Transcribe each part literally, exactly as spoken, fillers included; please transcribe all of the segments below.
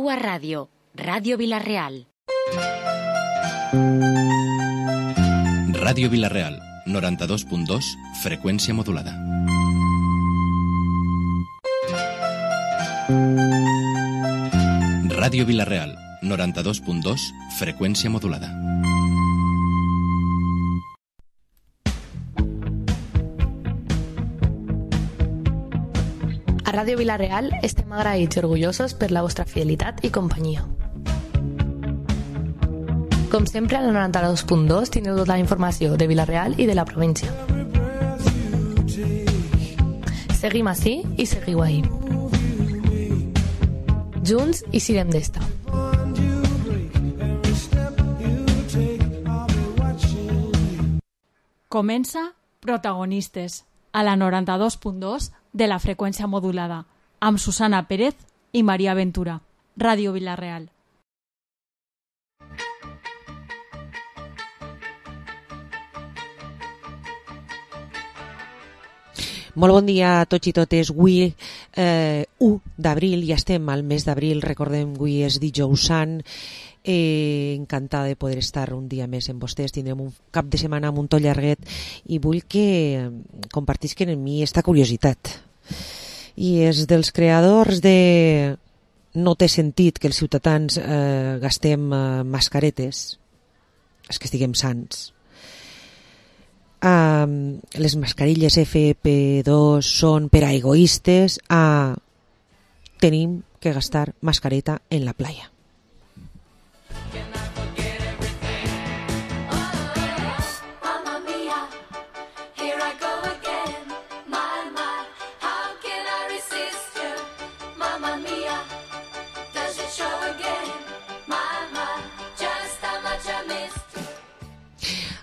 A Ràdio, Ràdio Vila-real. Ràdio Vila-real, noranta-dos punt dos, freqüència modulada. Ràdio Vila-real, noranta-dos punt dos, freqüència modulada. A Ràdio Vila-real estem agraïts i orgullosos per la vostra fidelitat i companyia. Com sempre, al noranta-dos punt dos teniu tota la informació de Vila-real i de la província. Seguim ací i seguiu ahí. Junts i sirem d'esta. Comença Protagonistes, a la noranta-dos punt dos de la freqüència modulada, amb Susana Pérez i Maria Ventura. Ràdio Vila-real. Molt bon dia a tots i totes. Avui, eh, u d'abril, ja estem al mes d'abril, recordem, avui és dijous sant. Eh, encantada de poder estar un dia més amb vostès. Tindrem un cap de setmana amb un to llarguet i vull que compartisquen amb mi esta curiositat. I és dels creadors de No té sentit que els ciutadans eh, gastem eh, mascaretes, és que estiguem sants. Uh, les mascarilles F P dos són per a egoistes. Uh, tenim que gastar mascareta en la playa.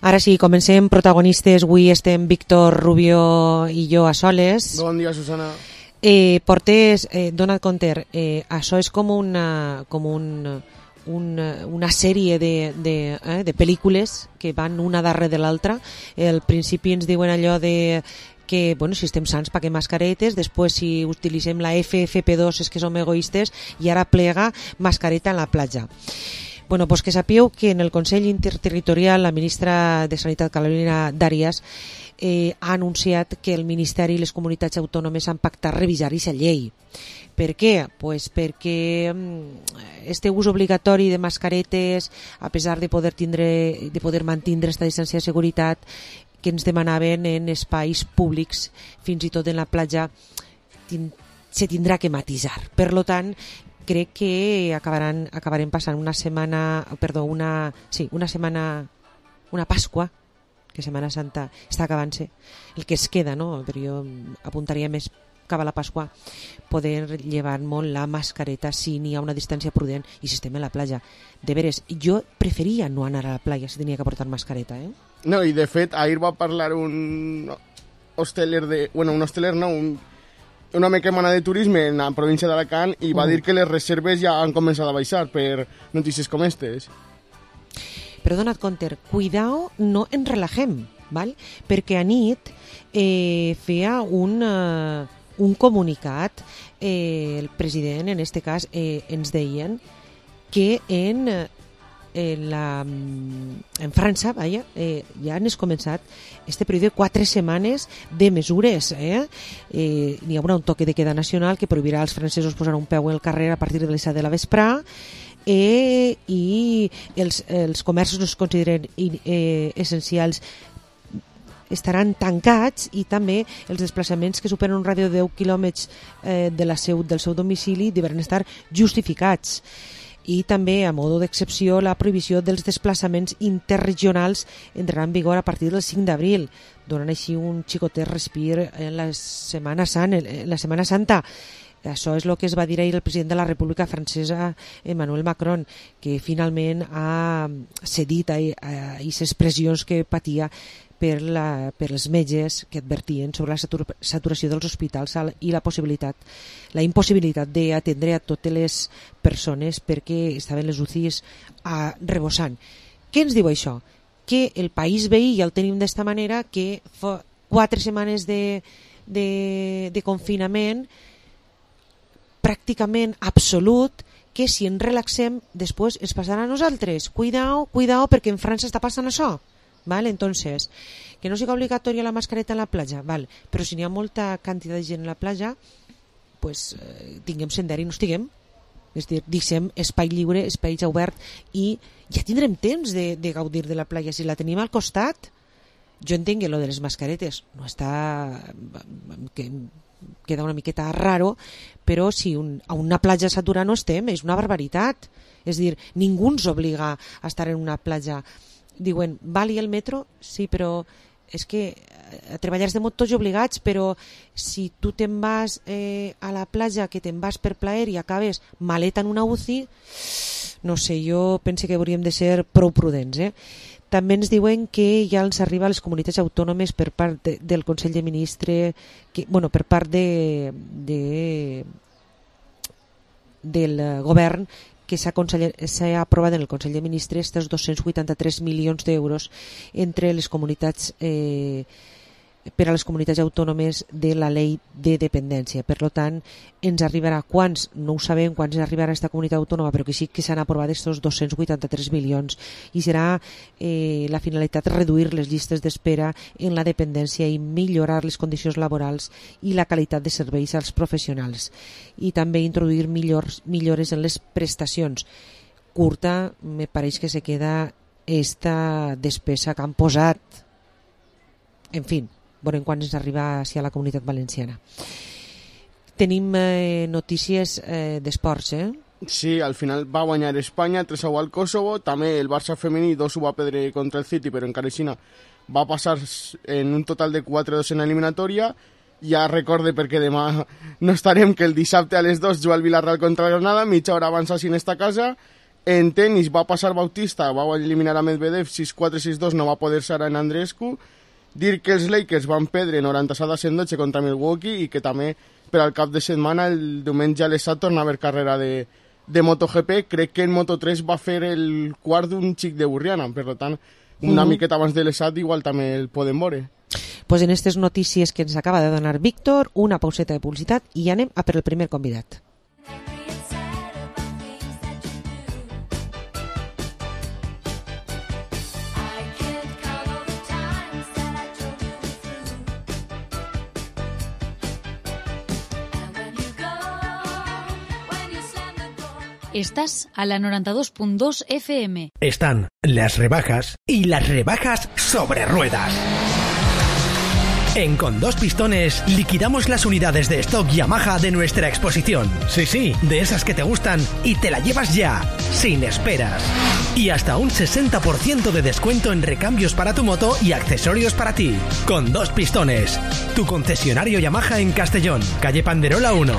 Ara sí, comencem Protagonistes. Avui estem Víctor Rubio i jo a soles. Bon dia, Susana. Eh, portes, eh, dona't compte, eh, això és com una, com un, una, una sèrie de, de, eh, de pel·lícules que van una darrere de l'altra. Al principi ens diuen allò de que, bueno, si estem sants paguem mascaretes, després si utilitzem la F F P dos és que som egoistes, i ara plega mascareta en la platja. Bueno, pues que sapíeu que en el Consell Interterritorial la ministra de Sanitat, Carolina Darias, eh, ha anunciat que el Ministeri i les comunitats autònomes han pactat revisar aquesta llei. Per què? Pues perquè este ús obligatori de mascaretes, a pesar de poder tindre, de poder mantindre esta distància de seguretat que ens demanaven en espais públics, fins i tot en la platja, tin, se tindrà que matisar. Per lo tant, crec que acabaran, acabarem passant una setmana, perdó, una, sí, una setmana, una Pasqua, que Setmana Santa està acabant-se, el que es queda, no? Però jo apuntaria més cap a la Pasqua, poder llevar molt la mascareta si n'hi ha una distància prudent i si estem a la platja. De veres, jo preferia no anar a la platja si tenia que portar mascareta, eh? No, i de fet, ahir va parlar un hosteler de... Bueno, un hosteler no, un... una mecamana de turisme en la província d'Alacant i va uh. dir que les reserves ja han començat a baixar per notícies com aquestes. Però dona't compte, cuidao, no ens relajem, val? Perquè a nit eh, feia un, uh, un comunicat, eh, el president en este cas eh, ens deien que en... Eh, En, la, en França, vaja, eh, ja han començat este període de quatre setmanes de mesures. Eh? Eh, n'hi haurà un toque de queda nacional que prohibirà als francesos posar un peu al carrer a partir de les set de la vesprà, eh, i els, els comerços no es consideren eh, essencials estaran tancats, i també els desplaçaments que superen un ràdio de deu quilòmetres eh, de la seu, del seu domicili deuen estar justificats. I també, a modo d'excepció, la prohibició dels desplaçaments interregionals entrarà en vigor a partir del cinc d'abril, donant així un xicotet respir en la Setmana Santa. En la Setmana Santa. Això és el que es va dir ahir el president de la República Francesa, Emmanuel Macron, que finalment ha cedit a aquestes pressions que patia per, la, per els metges que advertien sobre la satur, saturació dels hospitals i la possibilitat, la impossibilitat d'atendre a totes les persones perquè estaven les U C Is a, rebossant. Què ens diu això? Que el país veí ja el tenim d'esta manera, que fa quatre setmanes de, de, de confinament pràcticament absolut, que si ens relaxem després es passarà a nosaltres. Cuidao, cuidao, perquè en França està passant això. Vale? Entonces, que no sigui obligatòria la mascareta a la platja, vale. Però si n'hi ha molta quantitat de gent a la platja, pues, eh, tinguem sender i no estiguem. És a dir, deixem espai lliure, espai obert, i ja tindrem temps de, de gaudir de la platja. Si la tenim al costat, jo entenc que lo de les mascaretes no està... que queda una miqueta raro, però si un, a una platja saturada no estem, és una barbaritat. És a dir, ningú ens obliga a estar en una platja. Diuen, vali el metro? Sí, però és que a treballar estem tots obligats, però si tu te'n vas eh, a la platja, que te'n vas per plaer i acabes maleta en una U C I, no sé, jo penso que hauríem de ser prou prudents. Eh? També ens diuen que ja ens arriba a les comunitats autònomes per part de, del Consell de Ministres, que, bueno, per part de, de, del govern, que s'ha aprovat en el Consell de Ministres aquests dos-cents vuitanta-tres milions d'euros entre les comunitats eh, per a les comunitats autònomes de la llei de dependència. Per tant, ens arribarà quants, no ho sabem quants ens arribarà a aquesta comunitat autònoma, però que sí que s'han aprovat aquests dos-cents vuitanta-tres milions, i serà eh, la finalitat reduir les llistes d'espera en la dependència i millorar les condicions laborals i la qualitat de serveis als professionals, i també introduir millors, millores en les prestacions. Curta, me pareix que se queda esta despesa que han posat. En fi, veurem quan ens arriba a la comunitat valenciana. Tenim eh, notícies eh, d'esports, eh? Sí, al final va guanyar Espanya tres a u al Kosovo, també el Barça femení dos u va perdre contra el City, però encara així va passar en un total de quatre a dos en eliminatòria. Ja recorde, perquè demà no estarem, que el dissabte a les dos juga el Villarreal contra Granada, mitja hora abans així en esta casa. En tenis va passar Bautista, va eliminar a Medvedev sis quatre sis dos, no va poder ser en Andreescu. Dir que els Lakers van perdre noranta-set a cent dotze contra Milwaukee, i que també per al cap de setmana el diumenge a l'Esat torna a haver carrera de, de MotoGP. Crec que en Moto tres va fer el quart d'un xic de Burriana, per tant una mm. miqueta abans de l'Esat igual també el podem veure. Pues en aquestes notícies que ens acaba de donar Víctor, una pauseta de publicitat i anem a per el primer convidat. Estás a la noventa y dos punto dos F M. Están las rebajas y las rebajas sobre ruedas. En Con Dos Pistones liquidamos las unidades de stock Yamaha de nuestra exposición. Sí, sí, de esas que te gustan y te la llevas ya, sin esperas. Y hasta un sesenta por ciento de descuento en recambios para tu moto y accesorios para ti. Con Dos Pistones, tu concesionario Yamaha en Castellón, calle Panderola uno.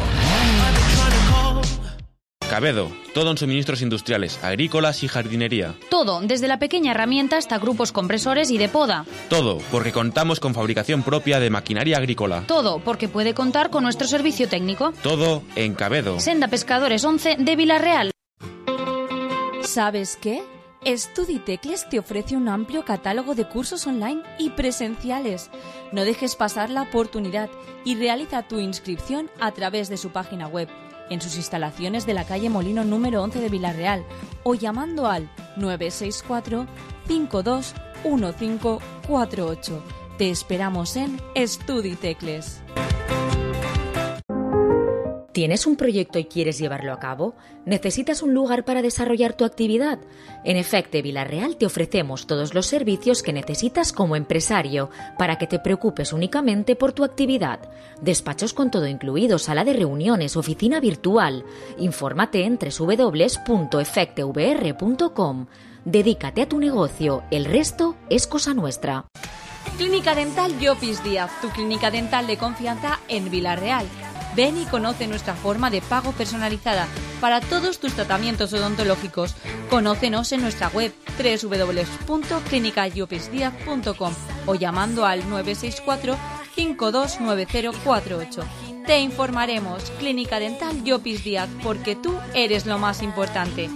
Cabedo, todo en suministros industriales, agrícolas y jardinería. Todo, desde la pequeña herramienta hasta grupos compresores y de poda. Todo, porque contamos con fabricación propia de maquinaria agrícola. Todo, porque puede contar con nuestro servicio técnico. Todo en Cabedo. Senda Pescadores once de Villarreal. ¿Sabes qué? Estuditecles te ofrece un amplio catálogo de cursos online y presenciales. No dejes pasar la oportunidad y realiza tu inscripción a través de su página web, en sus instalaciones de la calle Molino número once de Villarreal, o llamando al nueve seis cuatro, cinco dos uno cinco cuatro ocho. Te esperamos en Estuditecles. ¿Tienes un proyecto y quieres llevarlo a cabo? ¿Necesitas un lugar para desarrollar tu actividad? En Efecte Villarreal te ofrecemos todos los servicios que necesitas como empresario para que te preocupes únicamente por tu actividad. Despachos con todo incluido, sala de reuniones, oficina virtual. Infórmate en doble u doble u doble u punto efecte v r punto com. Dedícate a tu negocio, el resto es cosa nuestra. Clínica Dental Llopis Díaz, tu clínica dental de confianza en Villarreal. Ven y conoce nuestra forma de pago personalizada para todos tus tratamientos odontológicos. Conócenos en nuestra web doble u doble u doble u punto clínica llopis díaz punto com o llamando al nueve seis cuatro, cinco dos nueve cero cuatro ocho. Te informaremos. Clínica Dental Llopis Díaz, porque tú eres lo más importante.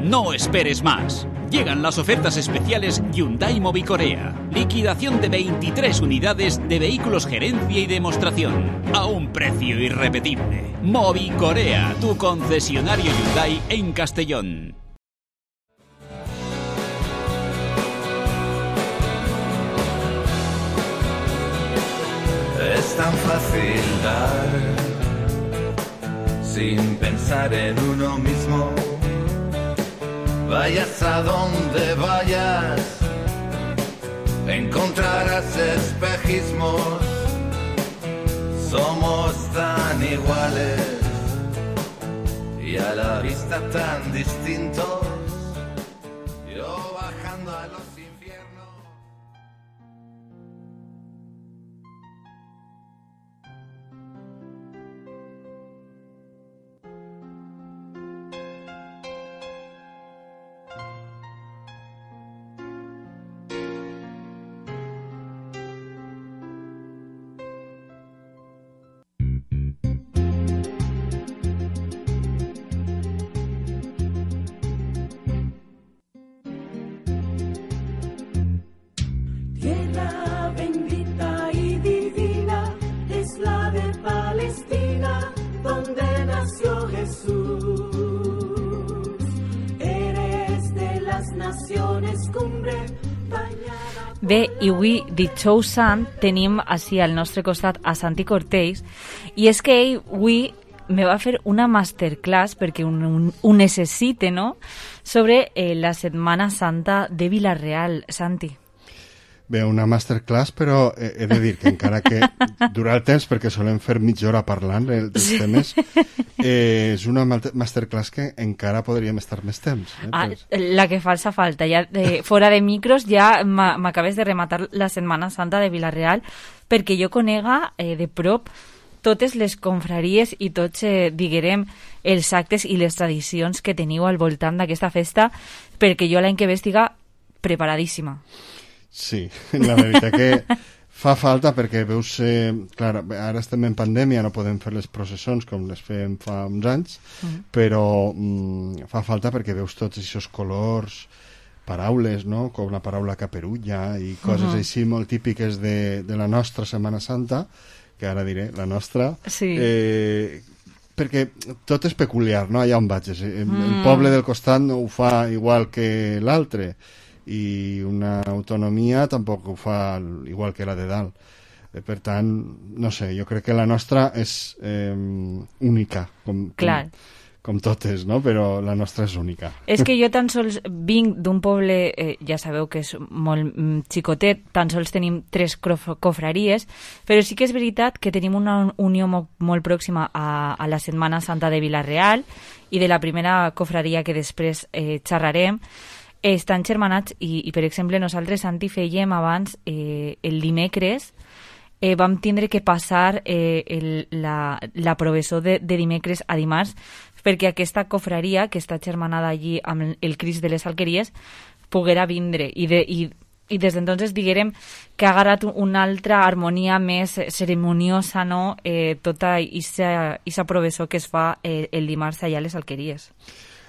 No esperes más. Llegan las ofertas especiales Hyundai Mobicorea. Liquidación de veintitrés unidades de vehículos gerencia y demostración. A un precio irrepetible. Mobicorea, tu concesionario Hyundai en Castellón. Es tan fácil dar sin pensar en uno mismo. Vayas a donde vayas, encontrarás espejismos. Somos tan iguales y a la vista tan distintos. Yo bajando a los infiernos. Tierra bendita y divina es la de Palestina, donde nació Jesús. Eres de las naciones cumbre bañada. Bé, i avui, dijous sant, tenim així al nostre costat a Santi Cortés, i és que ell avui me va fer una masterclass, perquè un, un, ho necessite, no?, sobre eh, la Setmana Santa de Vila-real. Santi. Bé, una masterclass, però he, he de dir que encara que dura el temps, perquè solem fer mitja hora parlant eh, dels sí. temes, eh, és una masterclass que encara podríem estar més temps. Eh, ah, pues. La que falsa falta. Ja de, fora de micros ja m'acabes de rematar la Setmana Santa de Vila-real, perquè jo conega eh, de prop totes les confraries i tots, eh, diguem, els actes i les tradicions que teniu al voltant d'aquesta festa, perquè jo l'any que ve estiga preparadíssima. Sí, la veritat que fa falta perquè veus, eh, clar, ara estem en pandèmia, no podem fer les processons com les fem fa uns anys, mm. però mm, fa falta perquè veus tots aquests colors, paraules, no?, com la paraula caperulla i coses uh-huh. així molt típiques de, de la nostra Setmana Santa, que ara diré, la nostra, sí. eh, perquè tot és peculiar, no?, allà on vaig. El, mm. el poble del costat no ho fa igual que l'altre, i una autonomia tampoc ho fa igual que la de dalt. Eh, per tant, no sé, jo crec que la nostra és eh, única, com, com, com totes, no? Però la nostra és única. És que jo tan sols vinc d'un poble, eh, ja sabeu que és molt mm, xicotet, tan sols tenim tres cofraries, però sí que és veritat que tenim una unió molt, molt pròxima a, a la Setmana Santa de Vila-real i de la primera cofraria que després eh, xerrarem, estan germanats i, i, per exemple, nosaltres, Santi, fèiem abans eh, el dimecres, eh, vam tindre que passar eh, el, la, la professó de, de dimecres a dimarts, perquè aquesta cofraria, que està germanada allí amb el Crist de les Alqueries, poguera vindre. I, de, i, i des d'entonces diguérem que ha agarrat una altra harmonia més ceremoniosa, no?, eh, tota aquesta professó que es fa eh, el dimarts allà a les Alqueries.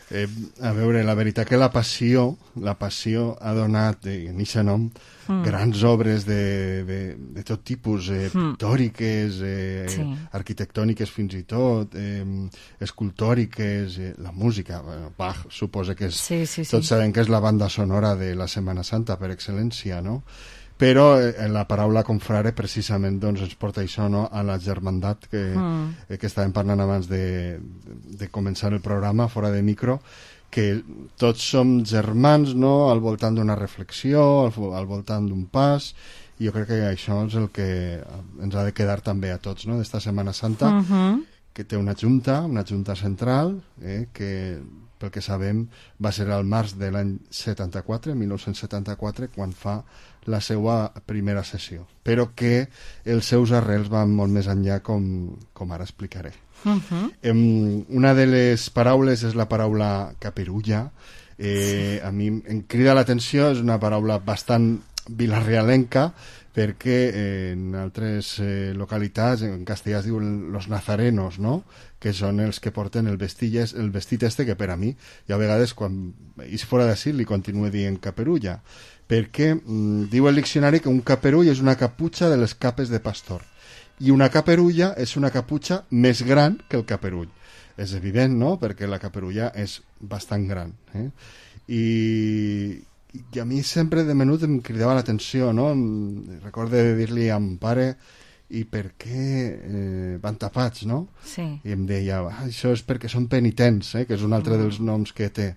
Eh, a veure, la veritat que la passió la passió ha donat en aquest nom mm. grans obres de, de, de tot tipus, eh, mm. pictòriques, eh, sí. arquitectòniques fins i tot, eh, escultòriques, eh, la música, bueno, Bach suposa que és, sí, sí, sí. tots sabem que és la banda sonora de la Setmana Santa per excel·lència, no? Però eh, la paraula confrare precisament doncs, ens porta això, no?, a la germandat que, mm. eh, que estàvem parlant abans de, de començar el programa fora de micro, que tots som germans, no?, al voltant d'una reflexió, al, al voltant d'un pas, i jo crec que això és el que ens ha de quedar també a tots, no?, d'esta Setmana Santa, mm-hmm. que té una junta, una junta central, eh, que pel que sabem va ser al març de l'any setanta-quatre, mil nou-cents setanta-quatre, quan fa la seva primera sessió, però que els seus arrels van molt més enllà, com, com ara explicaré. Uh-huh. Um, una de les paraules és la paraula caperulla. Eh, sí. A mi em crida l'atenció, és una paraula bastant vilarrealenca, perquè en altres eh, localitats, en castellà es diuen los nazarenos, no?, que són els que porten el vestit, el vestit este, que per a mi, i a vegades quan és fora d'ací li continuo dient caperulla, perquè mm, diu el diccionari que un caperull és una caputxa de les capes de pastor, i una caperulla és una caputxa més gran que el caperull. És evident, no?, perquè la caperulla és bastant gran. Eh? I, I a mi sempre de menut em cridava l'atenció, no? Recordo de dir-li a mon pare i per què eh, van tapats, no? Sí. I em deia, ah, això és perquè són penitents, eh? Que és un altre mm. dels noms que té.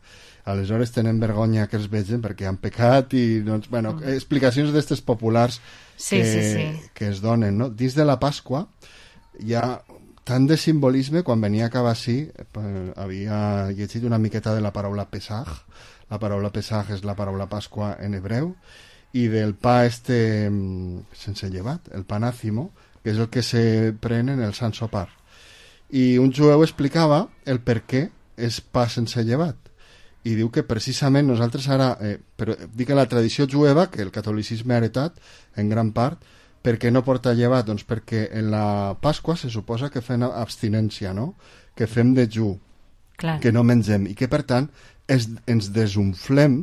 Aleshores tenen vergonya que els vegin perquè han pecat i, doncs, bueno, mm. explicacions d'estes populars sí, que, sí, sí. que es donen, no? Dins de la Pasqua hi ha tant de simbolisme. Quan venia a Cabassí havia llegit una miqueta de la paraula Pesach. La paraula Pesach és la paraula Pasqua en hebreu, i del pa este sense llevat, el panàcimo, que és el que se pren en el Sant Sopar. I un jueu explicava el per què és pa sense llevat, i diu que precisament nosaltres ara, eh, però dic que la tradició jueva, que el catolicisme ha heretat en gran part, per què no porta llevat? Doncs perquè en la Pasqua se suposa que fem abstinència, no?, que fem dejú, Clar. que no mengem, i que per tant es, ens desunflem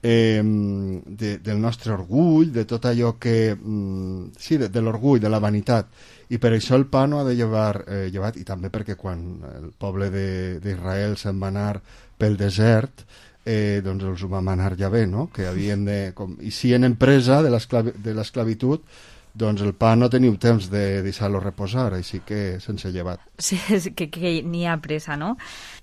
eh, de, del nostre orgull, de tot allò que... Mm, sí, de, de l'orgull, de la vanitat. I per això el pa no ha de llevar eh, llevat, i també perquè quan el poble d'Israel se'n va anar pel desert, eh, doncs els ho va manar ja bé, no?, que havien de... Com, i si en empresa de l'esclavitud, doncs el pa no teniu temps de deixar-lo reposar, així que sense llevat. Sí, que, que n'hi ha pressa, no?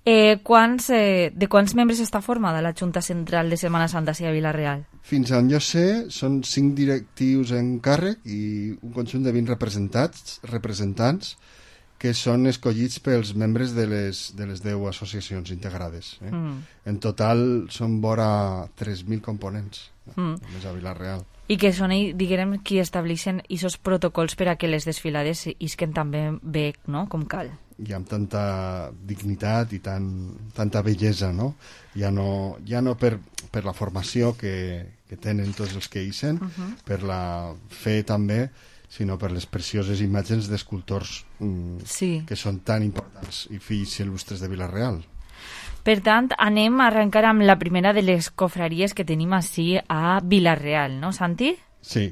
Eh, quants, eh, de quants membres està formada la Junta Central de Setmana Santa a Vila-real? Fins on jo sé, són cinc directius en càrrec i un conjunt de vint representats, representants que són escollits pels membres de les, de les deu associacions integrades. Eh? Mm. En total són vora tres mil components, mm. només a Vila-real. I que són, diguem, qui estableixen aquests protocols per a que les desfilades isquen també bé, no?, com cal. I amb tanta dignitat i tan, tanta bellesa, no? Ja no, ja no per, per la formació que, que tenen tots els que ixen, uh -huh. per la fe també, sinó per les precioses imatges d'escultors mm, sí. que són tan importants i fills il·lustres de Vila-real. Per tant, anem a arrencar amb la primera de les cofraries que tenim així a Vila-real, no, Santi? Sí,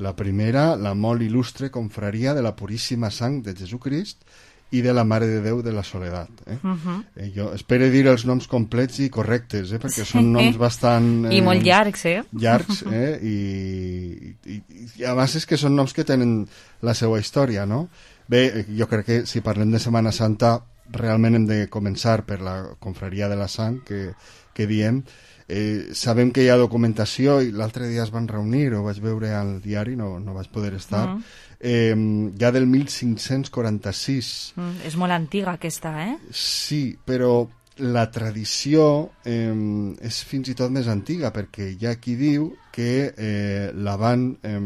la primera, la molt il·lustre confraria de la Puríssima Sang de Jesucrist i de la Mare de Déu de la Soledat. Eh? Uh -huh. eh, jo espero dir els noms complets i correctes, eh? perquè són noms bastant... Eh, I molt llargs, eh? Llargs, eh? I, i, i a més és que són noms que tenen la seva història, no? Bé, jo crec que si parlem de Setmana Santa realment hem de començar per la confraria de la Sang que, que diem. Eh, sabem que hi ha documentació i l'altre dia es van reunir, ho vaig veure al diari, no, no vaig poder estar, uh -huh. eh, ja del mil cinc-cents quaranta-sis. Mm, és molt antiga aquesta, eh? Sí, però la tradició eh, és fins i tot més antiga, perquè hi ha qui diu que eh, la, van, eh,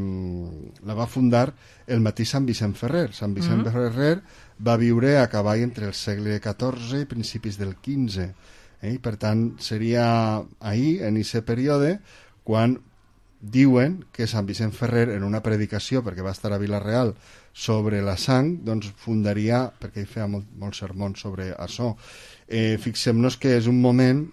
la va fundar el mateix Sant Vicent Ferrer. Sant Vicent uh -huh. Ferrer va viure a cavall entre el segle catorze i principis del quinze. Eh? Per tant, seria ahir, en aquest període, quan diuen que Sant Vicent Ferrer, en una predicació, perquè va estar a Vila-real, sobre la sang, doncs fundaria, perquè ell feia molt, molts sermons sobre això. Eh, fixem-nos que és un moment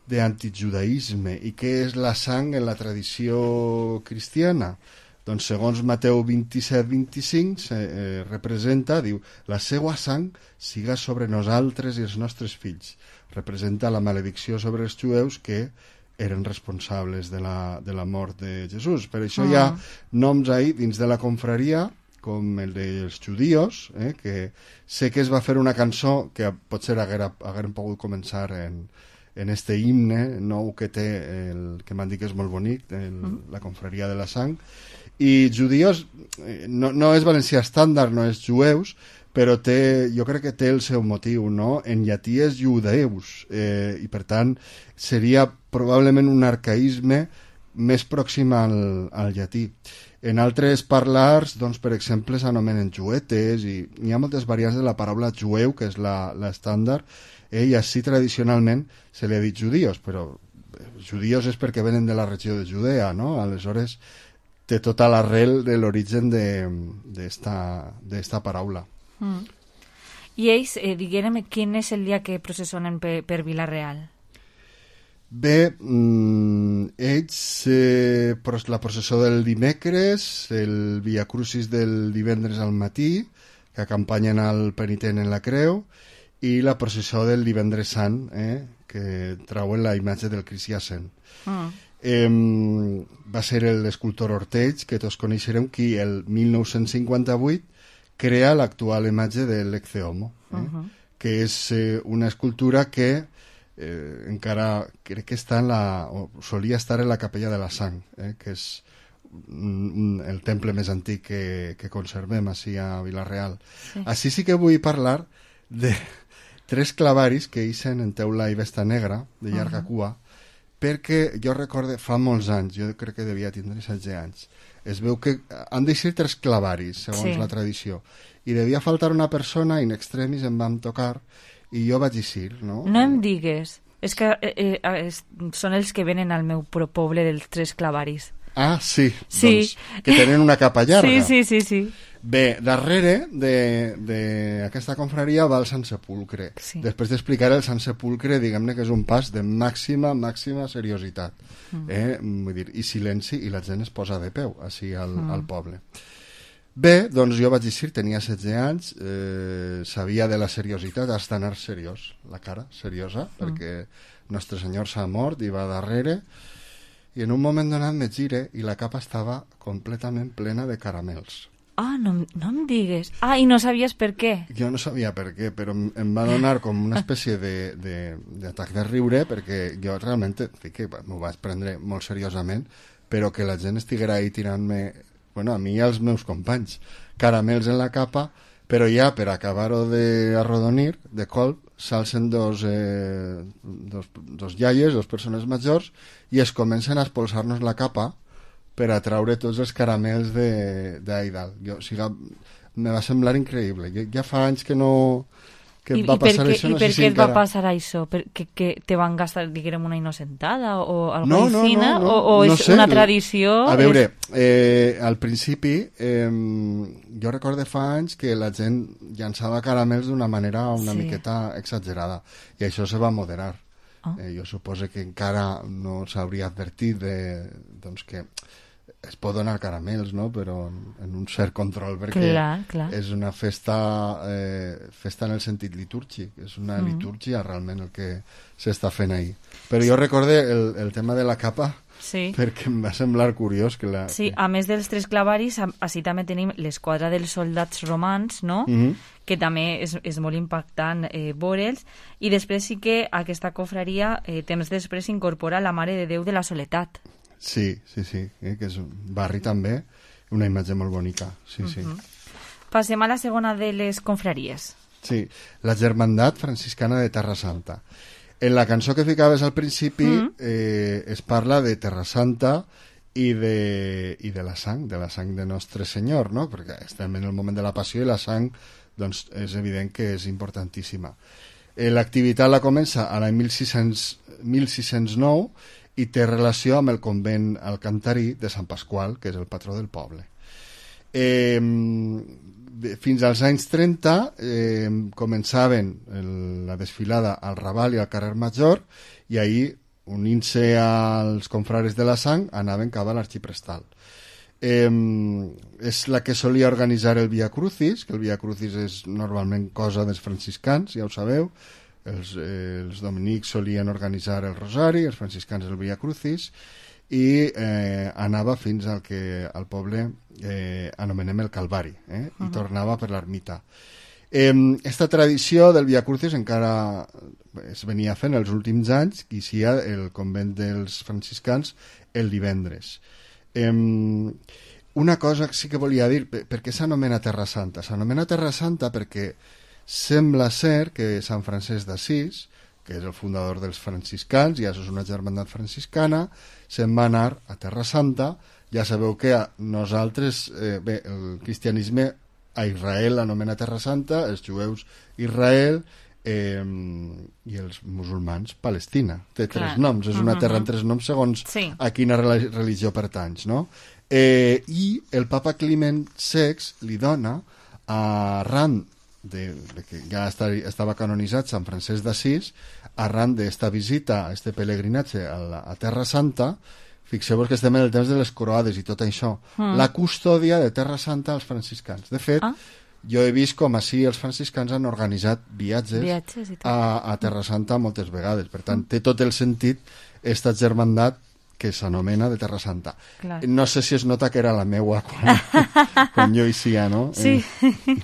d'antijudaïsme. I què és la sang en la tradició cristiana? Doncs segons Mateu vint-i-set vint-i-cinc eh, representa, diu, la seua sang siga sobre nosaltres i els nostres fills. Representa la maledicció sobre els jueus que eren responsables de la, de la mort de Jesús. Per això uh -huh. hi ha noms ahí dins de la confraria, com el dels judíos, eh, que sé que es va fer una cançó que potser haguera, hagueren pogut començar en, en este himne nou que té, el, que m'han dit que és molt bonic, el, uh -huh. la confraria de la Sang. I judíos, eh, no, no és valencià estàndard, no és jueus, però té, jo crec que té el seu motiu, no? En llatí és judeus, eh, i per tant seria probablement un arcaïsme més pròxim al, al llatí. En altres parlars, doncs, per exemple, s'anomenen juetes, i hi ha moltes variants de la paraula jueu, que és l'estàndard, eh, i així tradicionalment se li ha dit judíos, però judíos és perquè venen de la regió de Judea, no? Aleshores té tota l'arrel de l'origen d'esta paraula. Mm. I ells, eh, diguem, quin és el dia que processionen per, per Vila-real? Bé, mm, ells, eh, la processó del dimecres, el Via Crucis del divendres al matí, que acompanyen al penitent en la creu, i la processó del divendres sant, eh, que trauen la imatge del Crist Jacent. Mm. Eh, va ser l'escultor Orteig, que tots coneixerem, qui el mil nou-cents cinquanta-vuit crea l'actual imatge de l'Ecce Homo, eh, uh-huh. que és eh, una escultura que eh, encara crec que està en la, o solia estar en la Capella de la Sang, eh, que és un, el temple més antic que, que conservem així a Vila-real. Sí. Així sí que vull parlar de tres clavaris que ixen en teula i vesta negra, de llarga uh-huh. cua, perquè jo recorde, fa molts anys, jo crec que devia tindre setze anys, es veu que han de ser tres clavaris, segons sí. la tradició, i devia faltar una persona, in extremis em vam tocar, i jo vaig eixir, no? No em digues, és que eh, eh, són els que venen al meu poble dels tres clavaris. Ah, sí, sí. Doncs que tenen una capa llarga. Sí, sí, sí, sí. Bé, darrere d'aquesta confraria va el Sant Sepulcre. Sí. Després d'explicar el Sant Sepulcre, diguem-ne que és un pas de màxima, màxima seriositat. Mm. Eh? Vull dir, i silenci, i la gent es posa de peu, així al, mm. al poble. Bé, doncs jo vaig dir, tenia setze anys, eh, sabia de la seriositat, hasta anar seriós, la cara seriosa, mm. perquè Nostre Senyor s'ha mort i va darrere, i en un moment donat me gire i la capa estava completament plena de caramels. Ah, no, no em digues. Ah, i no sabies per què? Jo no sabia per què, però em va donar com una espècie d'atac de, de, de riure, perquè jo realment que m'ho vaig prendre molt seriosament, però que la gent estiguera ahí tirant-me, bueno, a mi i als meus companys, caramels en la capa, però ja per acabar-ho d'arrodonir, de colp, s'alcen dos, eh, dos, dos iaies, dos persones majors, i es comencen a expulsar-nos la capa per a traure tots els caramels d'ahí dalt. Jo, o sigui, me va semblar increïble. Ja, ja fa anys que no... que I, va i per passar què, això, i no per sé si què et va encara... passar això? Per, que, que te van gastar, diguem, una innocentada o alguna no, no, fina? No, no, o, o no és sé. Una tradició? A veure, és... eh, al principi eh, jo recordo fa anys que la gent llançava caramels d'una manera una sí. miqueta exagerada, i això se va moderar. Oh. Eh, jo suposo que encara no s'hauria advertit de, doncs que es pot donar caramels, no? Però en un cert control, perquè clar, clar. és una festa eh, festa en el sentit litúrgic, és una mm. litúrgia realment el que s'està fent ahí. Però jo recorde el, el tema de la capa, sí. perquè em va semblar curiós que la... Sí, que... a més dels tres clavaris, així també tenim l'esquadra dels soldats romans, no? Mm-hmm. que també és, és molt impactant eh, veure'ls, i després sí que aquesta cofraria eh, temps després incorpora la Mare de Déu de la Soledat. Sí, sí, sí, eh, que és un barri també, una imatge molt bonica, sí, sí. Uh-huh. Passem a la segona de les confraries. Sí, la Germandat Franciscana de Terra Santa. En la cançó que ficaves al principi uh-huh. eh, es parla de Terra Santa i de, i de la sang, de la sang de Nostre Senyor, no? Perquè estem en el moment de la passió i la sang, doncs, és evident que és importantíssima. Eh, l'activitat la comença a l'any mil sis-cents nou i té relació amb el convent alcantarí de Sant Pasqual, que és el patró del poble. Eh, fins als anys trenta eh, començaven el, la desfilada al Raval i al carrer Major, i ahir, unint-se als confrares de la sang, anaven cap a l'arxiprestal. Eh, és la que solia organitzar el Via Crucis, que el Via Crucis és normalment cosa dels franciscans, ja ho sabeu. Els, eh, els dominics solien organitzar el Rosari, els franciscans el Via Crucis, i eh, anava fins al que al poble eh, anomenem el Calvari, eh, uh-huh. i tornava per l'ermita. Eh, esta tradició del Via Crucis encara es venia fent els últims anys, que hi ha el convent dels franciscans el divendres. Eh, una cosa que sí que volia dir, per, per què s'anomena Terra Santa? S'anomena Terra Santa perquè sembla ser que Sant Francesc d'Assís, que és el fundador dels franciscans, ja és una germandat franciscana, se'n va anar a Terra Santa. Ja sabeu que nosaltres, eh, bé, el cristianisme a Israel l'anomena Terra Santa, els jueus Israel, eh, i els musulmans Palestina. Té Clar. tres noms, és una Uh-huh. terra amb tres noms segons Sí. a quina rela- religió pertanys, no? Eh, I el papa Climent sext li dona, arran de, de que ja està, estava canonitzat Sant Francesc d'Assís, arran d'esta visita, este pelegrinatge a, la, a Terra Santa, fixeu-vos que estem en el temps de les croades i tot això, Mm. la custòdia de Terra Santa als franciscans. De fet, Ah. jo he vist com així els franciscans han organitzat viatges, Viatges i tot. a, a Terra Santa moltes vegades. Per tant, té tot el sentit esta germandat que s'anomena de Terra Santa. Clar. No sé si es nota que era la meua quan, quan jo hi sia, no? Sí. Eh,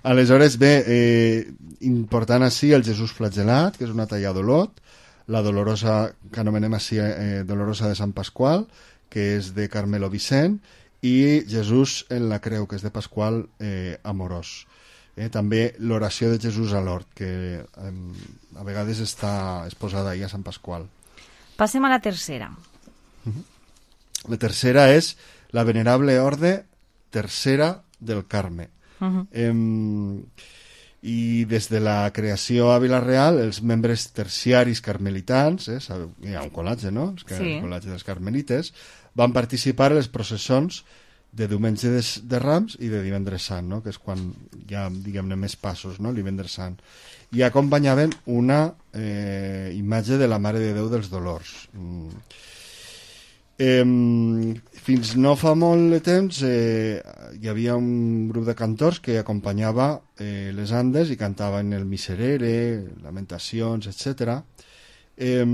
aleshores, bé, eh, important així el Jesús flagelat, que és una talla d'Olot, la dolorosa, que anomenem així eh, dolorosa de Sant Pasqual, que és de Carmelo Vicent, i Jesús en la creu, que és de Pasqual eh, Amorós. Eh, també l'oració de Jesús a l'hort, que eh, a vegades està exposada ahí a Sant Pasqual. Passem a la tercera. La tercera és la venerable orde tercera del Carme. Uh-huh. Eh, I des de la creació a Vila-real, els membres terciaris carmelitans, eh, sabeu, hi ha un col·latge, no? Els que, Sí. el col·latge dels carmelites, van participar en les processons de diumenge de, de Rams i de divendres sant, no? Que és quan hi ha, diguem-ne, més passos, no? El divendres sant. I acompanyaven una eh, imatge de la Mare de Déu dels Dolors. Mm. Eh, fins no fa molt de temps eh, hi havia un grup de cantors que acompanyava eh, les Andes i cantaven el Miserere, Lamentacions, etcètera. Eh,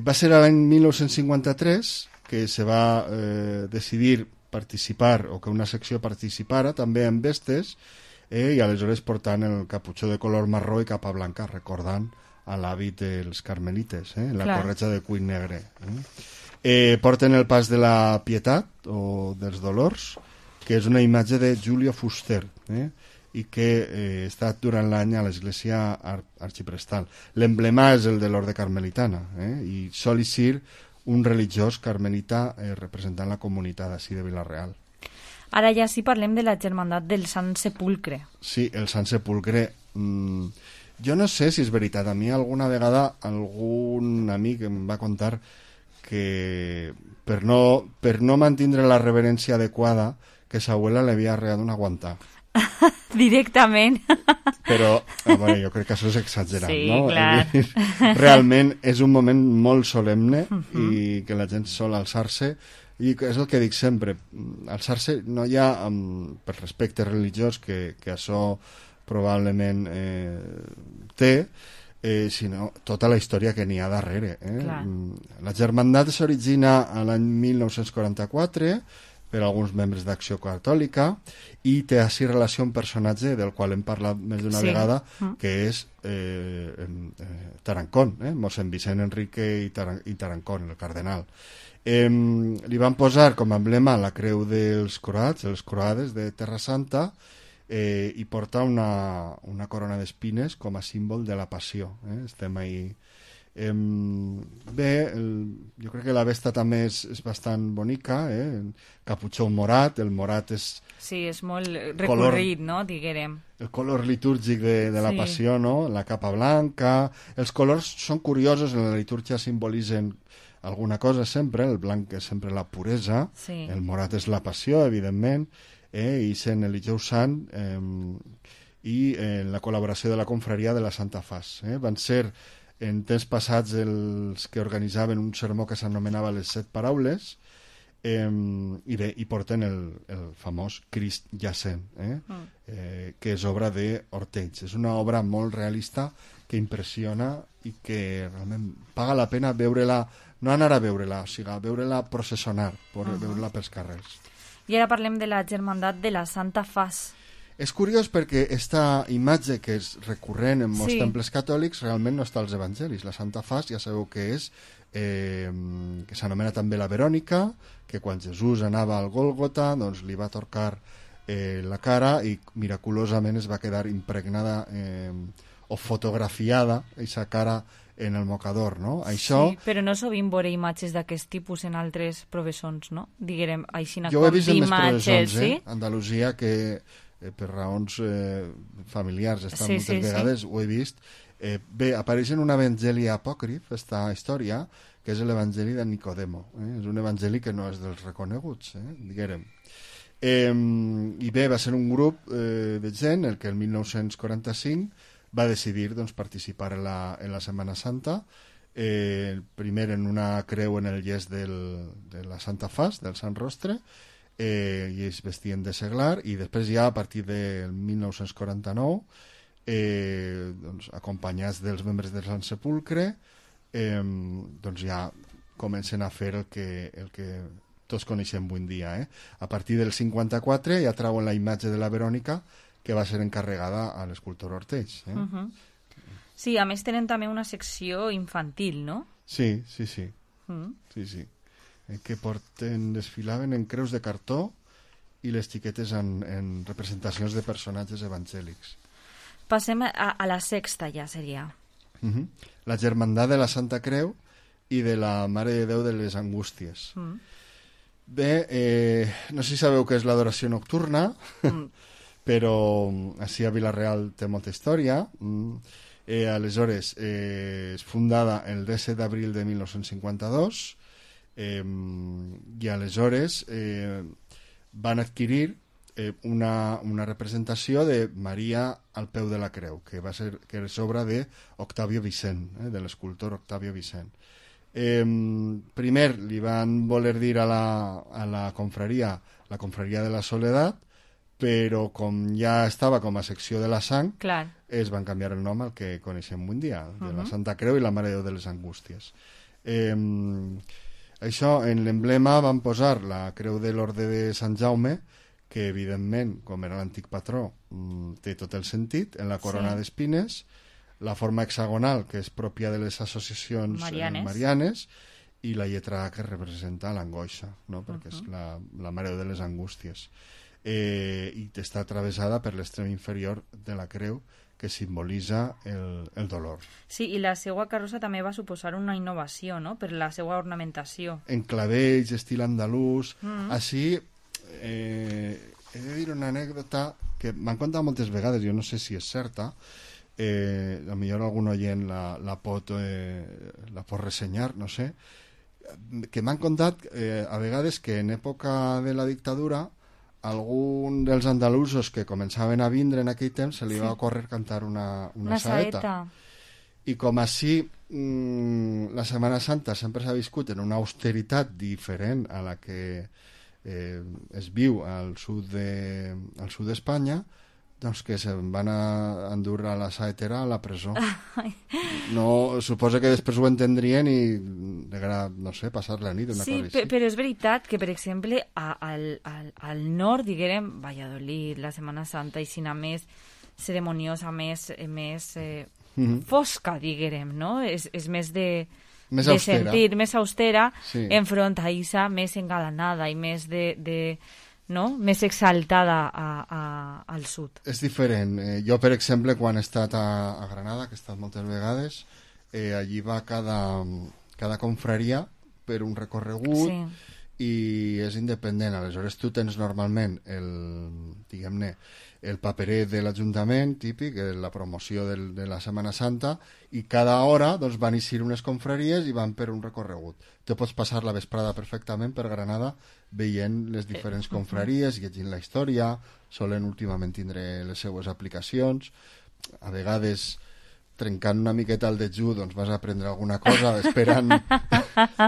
va ser l'any mil nou-cents cinquanta-tres que se va eh, decidir participar, o que una secció participara també en vestes, eh, i aleshores portant el caputxó de color marró i capa blanca, recordant a l'hàbit dels carmelites, eh, la Clar. corretja de cuir negre. Eh. Eh, porten el pas de la Pietat o dels Dolors, que és una imatge de Giulio Fuster, eh, i que eh, està durant l'any a l'església ar arxiprestal. L'emblema és el de l'orde carmelitana, eh, i sol ser un religiós carmelita eh, representant la comunitat així de Vila-real. Ara ja sí parlem de la germandat del Sant Sepulcre. Sí, el Sant Sepulcre. Mm, jo no sé si és veritat. A mi alguna vegada algun amic em va contar que per no, per no mantindre la reverència adequada que sa abuela li havia arreat una guantà. Directament. Però, a veure, jo crec que això és exagerat, Sí, no? clar. Realment és un moment molt solemne Mhm. i que la gent sol alçar-se, i és el que dic sempre, alçar-se no hi ha, um, per respecte religiós, que, que això probablement eh, té, eh, sinó tota la història que n'hi ha darrere. Eh? Clar. La germandat s'origina a l'any mil nou-cents quaranta-quatre per alguns membres d'Acció Catòlica i té així relació amb un personatge del qual hem parlat més d'una Sí. vegada, Mm. que és eh, eh, Tarancón, eh? mossèn Vicent Enrique i, Taran i Tarancón, el cardenal. Eh, li van posar com a emblema la creu dels croats, els croades de Terra Santa, eh, i porta una, una corona d'espines com a símbol de la passió. Eh? Estem ahí. Eh, bé, el, jo crec que la vesta també és, és bastant bonica, eh? Caputxó morat, el morat és Sí, és molt recorrit, no?, diguérem. el color litúrgic de, de la Sí. passió, no? La capa blanca. Els colors són curiosos, en la litúrgia simbolitzen alguna cosa sempre, el blanc és sempre la puresa, Sí. el morat és la passió, evidentment, eh? i sent el dijous sant, eh, i eh, la col·laboració de la confraria de la Santa Fas. Eh? Van ser en temps passats els que organitzaven un sermó que s'anomenava les set paraules, eh, i bé, i porten el, el famós Crist jacent, eh? Mm. Eh, que és obra d'Ortells. És una obra molt realista que impressiona i que realment paga la pena veure-la, no anar a veure-la, o sigui, veure-la processionar, Uh -huh. veure-la pels carrers. I ara parlem de la germandat de la Santa Fas. És curiós perquè esta imatge que és recurrent en molts Sí. temples catòlics realment no està als evangelis. La Santa Fas ja sabeu que és, eh, que s'anomena també la Verònica, que quan Jesús anava al Gòlgota doncs li va torcar eh, la cara i miraculosament es va quedar impregnada eh, o fotografiada aquesta cara en el mocador, no? Això... Sí, però no sovint veure imatges d'aquest tipus en altres professons, no? Diguérem, així Jo ho he vist en més d'imatges, professons, eh? sí? Andalusia, que eh, per raons eh, familiars, està Sí, moltes sí, vegades, sí. ho he vist. Eh, bé, apareix en un evangeli apòcrif, esta història, que és l'evangeli de Nicodemo. Eh? És un evangeli que no és dels reconeguts, eh? diguérem. Eh, I bé, va ser un grup eh, de gent el que el mil nou-cents quaranta-cinc va decidir doncs, participar en la, en la Setmana Santa, eh, primer en una creu en el llest del, de la Santa Fas, del Sant Rostre, eh, i ells vestien de seglar, i després ja a partir del mil nou-cents quaranta-nou, eh, doncs, acompanyats dels membres del Sant Sepulcre, eh, doncs ja comencen a fer el que, el que tots coneixem avui en dia. Eh? A partir del cinquanta-quatre ja trauen la imatge de la Verònica, que va ser encarregada a l'escultor Ortells. Eh? Uh -huh. Sí, a més tenen també una secció infantil, no? Sí, sí, sí. Mm. Sí, sí. Eh, que porten, desfilaven en creus de cartó i les xiquetes en, en representacions de personatges evangèlics. Passem a, a la sexta ja seria. Uh -huh. La Germandat de la Santa Creu i de la Mare de Déu de les Angústies. Mm. Bé, eh, no sé si sabeu què és l'adoració nocturna, mm. però així a Vila-real té molta història. Mm. Eh, aleshores, eh, és fundada el disset d'abril de mil nou-cents cinquanta-dos, eh, i aleshores eh, van adquirir eh, una, una representació de Maria al peu de la creu, que va ser que és obra d'Octavio Vicent, eh, de l'escultor Octavio Vicent. Eh, primer li van voler dir a la, a la confraria, la confraria de la Soledat, però com ja estava com a secció de la sang, Clar. es van canviar el nom al que coneixem avui en dia, de Uh-huh. la Santa Creu i la Mare de Déu de les Angústies. Eh, això, en l'emblema van posar la Creu de l'Orde de Sant Jaume, que evidentment, com era l'antic patró, té tot el sentit, en la corona Sí. d'espines, la forma hexagonal, que és pròpia de les associacions Marianes. eh, marianes, i la lletra A, que representa l'angoixa, no? perquè és Uh-huh. la, la Mare de les Angústies. Eh, i està travessada per l'extrem inferior de la creu, que simbolitza el, el dolor. Sí, i la seva carrossa també va suposar una innovació, no?, per la seva ornamentació. En clavells, estil andalús, Mm. així, eh, he de dir una anècdota que m'han contat moltes vegades, jo no sé si és certa, eh, a millor algun oient la, la, pot, eh, la pot ressenyar, no sé, que m'han contat eh, a vegades que en època de la dictadura algun dels andalusos que començaven a vindre en aquell temps se li Sí. va ocórrer cantar una, una, Una saeta. saeta. I com així mmm, la Setmana Santa sempre s'ha viscut en una austeritat diferent a la que eh, es viu al sud de, al sud d'Espanya, doncs que se'n van a endur a la saetera a la presó. No, suposo que després ho entendrien i degrà, no sé, passar la nit, una Sí, cosa pe- així. però és veritat que, per exemple, a, al, al, al nord, diguem, Valladolid, la Setmana Santa, i sina més ceremoniosa, més, eh, més eh, Mhm. fosca, diguem, no? És, és més de, Més de austera. sentir, més austera, Sí. enfront a Isa, més engalanada i més de... de no? Més exaltada a, a, al sud. És diferent. Eh, jo, per exemple, quan he estat a, a Granada, que he estat moltes vegades, eh, allí va cada, cada confraria per un recorregut Sí. i és independent. Aleshores, tu tens normalment el, diguem-ne, el paperet de l'Ajuntament, típic, eh, la promoció del, de la Setmana Santa, i cada hora doncs, van eixir unes confraries i van per un recorregut. Te pots passar la vesprada perfectament per Granada veient les diferents Eh, confraries, llegint la història, solen últimament tindre les seues aplicacions, a vegades trencant una miqueta el dejú, doncs vas a aprendre alguna cosa esperant,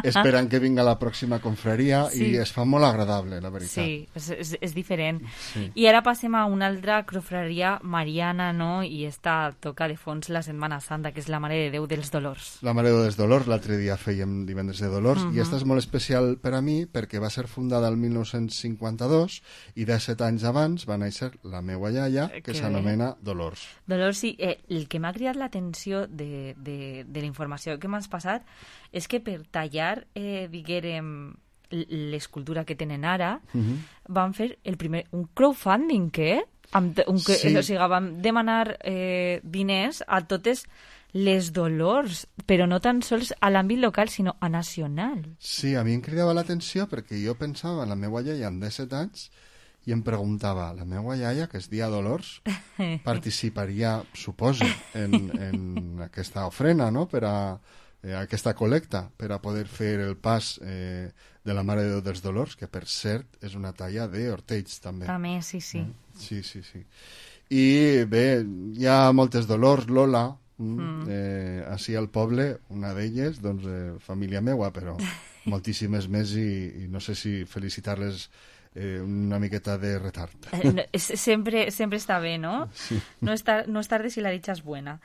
esperant que vinga la pròxima confraria Sí. i es fa molt agradable, la veritat. Sí, és, és, és diferent. Sí. I ara passem a una altra confraria mariana, no? I esta toca de fons la Setmana Santa, que és la Mare de Déu dels Dolors. La Mare de Déu dels Dolors, l'altre dia fèiem Divendres de Dolors, Mhm. i esta és molt especial per a mi perquè va ser fundada el mil nou-cents cinquanta-dos i disset anys abans va néixer la meua iaia, que Que s'anomena Dolors. Dolors, sí. Eh, el que m'ha cridat l'atenció de, de, de la informació que m'has passat és que per tallar, eh, diguérem, l- l'escultura que tenen ara, Mhm. van fer el primer, un crowdfunding, què? Amb, te- un, que, Sí. O sigui, van demanar eh, diners a totes les Dolors, però no tan sols a l'àmbit local, sinó a nacional. Sí, a mi em cridava l'atenció perquè jo pensava en la meva iaia amb disset anys i em preguntava, la meva iaia, que és dia Dolors, participaria, suposo, en, en aquesta ofrena, no?, per a eh, aquesta col·lecta, per a poder fer el pas eh, de la Mare de Déu dels Dolors, que per cert és una talla d'Ortells, també. També, sí, sí. Mm? Sí, sí, sí. I bé, hi ha moltes Dolors, Lola, mm. eh, així al poble, una d'elles, doncs, eh, família meua, però moltíssimes més i, i no sé si felicitar-les eh, una miqueta de retard. Eh, no, sempre, sempre està bé, no? Sí. No és, tar no és tarde si la dicha és buena.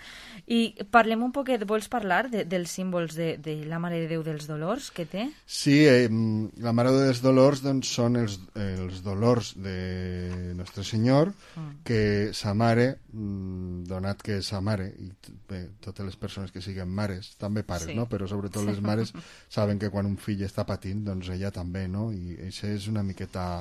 I parlem un poquet, vols parlar de, dels símbols de, de la Mare de Déu dels Dolors que té? Sí, eh, la Mare de Déu dels Dolors doncs, són els, els dolors de Nostre Senyor, mm. que sa mare, donat que sa mare, i bé, totes les persones que siguen mares, també pares, sí. no? Però sobretot les mares saben que quan un fill està patint, doncs ella també, no? I això és una miqueta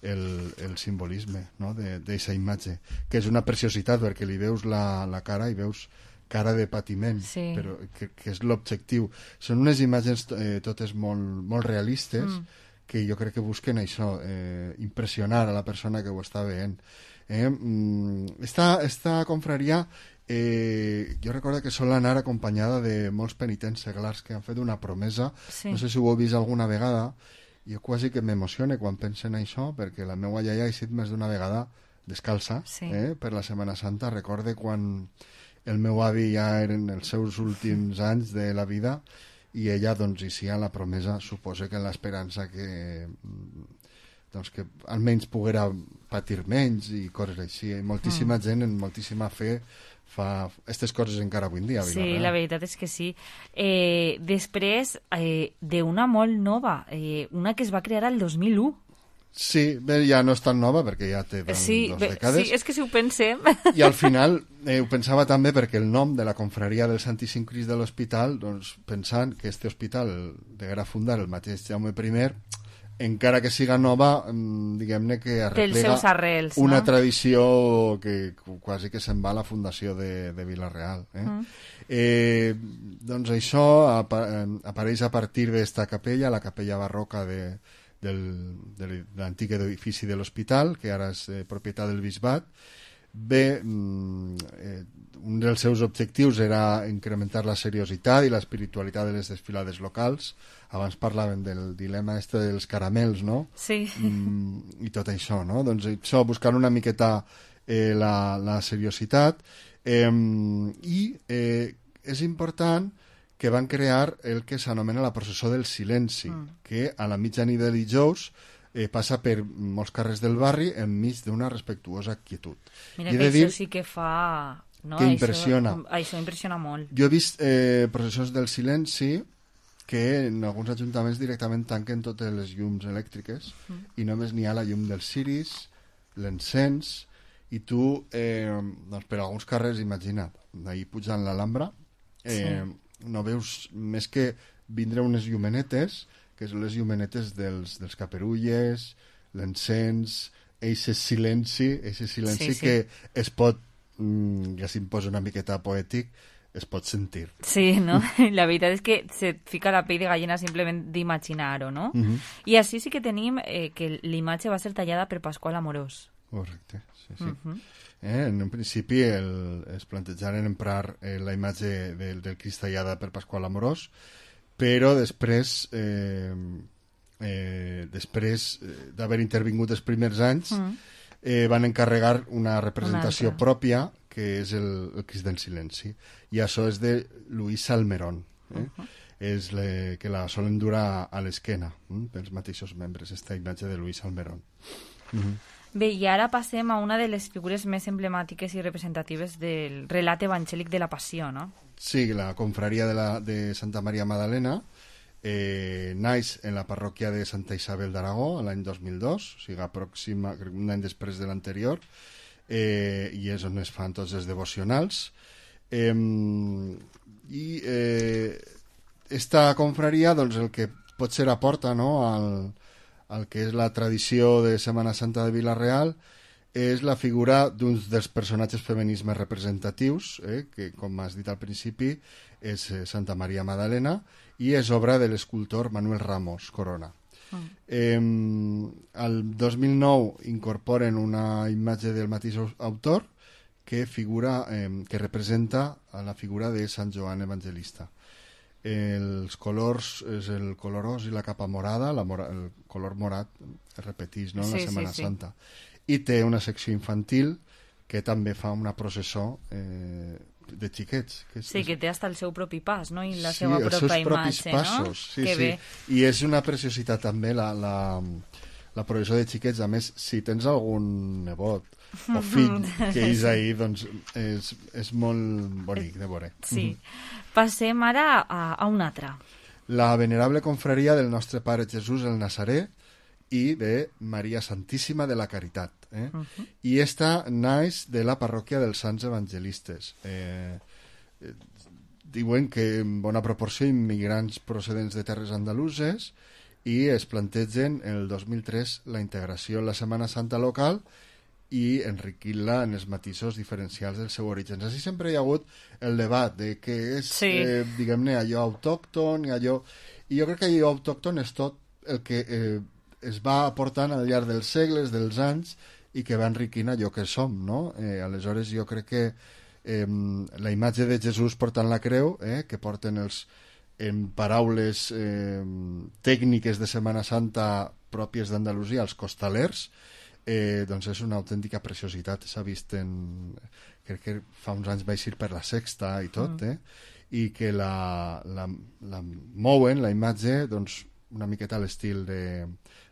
el, el simbolisme, no?, d'aquesta imatge, que és una preciositat, perquè li veus la, la cara i veus cara de patiment, sí. però que, que és l'objectiu. Són unes imatges eh, totes molt, molt realistes, mm. que jo crec que busquen això, eh, impressionar a la persona que ho està veient. Eh? Mm, esta, esta confraria, eh, jo recordo que sol anar acompanyada de molts penitents seglars que han fet una promesa, sí. no sé si ho heu vist alguna vegada. Jo quasi que m'emocione quan penso en això, perquè la meva iaia ha eixit més d'una vegada descalça, sí. eh, per la Setmana Santa. Recorde quan el meu avi ja eren els seus últims anys de la vida i ella, doncs, eixia la promesa, suposo que en l'esperança que, doncs, que almenys poguera patir menys i coses així. I moltíssima mm. gent, en moltíssima fe, fa aquestes coses encara avui en dia. Sí, la veritat és que sí. Eh, després, eh, d'una molt nova, eh, una que es va crear el dos mil u. Sí, bé, ja no és tan nova perquè ja té dos, sí, dos bé, dècades. Sí, és que si ho pensem... I al final eh, ho pensava també perquè el nom de la confraria del Santíssim Crist de l'Hospital, doncs pensant que este hospital deguera fundar el mateix Jaume primer, encara que siga nova, diguem-ne que arreplega arrels, una no? tradició que quasi que se'n va a la fundació de, de Vila-real. Eh? Mm. Eh, doncs això apa apareix a partir d'esta capella, la capella barroca de, del, de l'antic edifici de l'hospital, que ara és eh, propietat del bisbat. Bé, eh, un dels seus objectius era incrementar la seriositat i l'espiritualitat de les desfilades locals. Abans parlaven del dilema este dels caramels, no? Sí. Mm, I tot això, no? Doncs això, buscant una miqueta eh, la, la seriositat. Eh, I eh, és important que van crear el que s'anomena la processó del silenci, mm. que a la mitjanit de dijous eh, passa per molts carrers del barri enmig d'una respectuosa quietud. Mira I que això dir... sí que fa... No, que impressiona. Això, això impressiona molt. Jo he vist eh, processons del silenci que en alguns ajuntaments directament tanquen totes les llums elèctriques mm. i només n'hi ha la llum dels ciris, l'encens, i tu, eh, doncs per alguns carrers, imagina't, d'ahir pujant l'Alhambra, eh, sí. no veus més que vindre unes llumenetes, que són les llumenetes dels, dels caperulles, l'encens, eixe silenci, eixe silenci sí, sí. que es pot, ja s'imposa una miqueta poètic, es pot sentir. Sí, no? La veritat és que se fica la pell de gallina simplement d'imaginar-ho, no? Uh -huh. I així sí que tenim eh, que l'imatge va ser tallada per Pasqual Amorós. Correcte, sí, sí. Uh -huh. eh, en un principi el, es plantejaren emprar eh, la imatge del, del Crist tallada per Pasqual Amorós, però després eh, eh, després eh, d'haver intervingut els primers anys uh -huh. eh, van encarregar una representació una pròpia que és el, el Crist del Silenci, i això és de Luis Salmerón, eh? Uh -huh. és le, que la solen durar a l'esquena eh? pels mateixos membres, esta imatge de Luis Salmerón. Uh -huh. Bé, i ara passem a una de les figures més emblemàtiques i representatives del relat evangèlic de la Passió, no? Sí, la confraria de, la, de Santa Maria Magdalena eh, naix en la parròquia de Santa Isabel d'Aragó l'any dos mil dos, o sigui, aproxima, un any després de l'anterior, eh, i és on es fan tots els devocionals. Eh, I eh, esta confraria, doncs, el que potser aporta, no?, al, al que és la tradició de Setmana Santa de Vila-real és la figura d'un dels personatges femenins més representatius, eh, que, com has dit al principi, és eh, Santa Maria Magdalena, i és obra de l'escultor Manuel Ramos Corona. Mm. Eh, el dos mil nou incorporen una imatge del mateix autor que figura, eh, que representa a la figura de Sant Joan Evangelista. Els colors és el color ros i la capa morada, la mora, el color morat es repeteix, no?, en Sí, la Setmana sí, sí. Santa. I té una secció infantil que també fa una processó eh, de xiquets. Que és, Sí, que té hasta el seu propi pas, no? I la sí, seva els pròpia seus propis imatge, passos, no? sí, que sí. bé. I és una preciositat també la, la, la processó de xiquets. A més, si tens algun nebot o fill que és ahir, doncs és, és molt bonic de veure. Sí. Passem ara a, a un altre. La venerable confraria del nostre Pare Jesús el Nazaré i de Maria Santíssima de la Caritat. Eh? Uh -huh. I esta naix de la parròquia dels Sants Evangelistes. Eh, eh, diuen que en bona proporció immigrants procedents de terres andaluses i es plantegen el dos mil tres la integració en la Setmana Santa local i enriquir-la en els matisos diferencials del seu origen. Així sempre hi ha hagut el debat de què és, sí. eh, diguem-ne, allò autòcton i allò... I jo crec que allò autòcton és tot el que eh, es va aportant al llarg dels segles, dels anys, i que va enriquint allò que som, no? Eh, aleshores jo crec que eh, la imatge de Jesús portant la creu, eh, que porten els en paraules eh, tècniques de Setmana Santa pròpies d'Andalusia, els costalers, eh, doncs és una autèntica preciositat. S'ha vist en... crec que fa uns anys va eixir per la Sexta i tot, eh? I que la, la, la mouen, la imatge, doncs una miqueta a l'estil de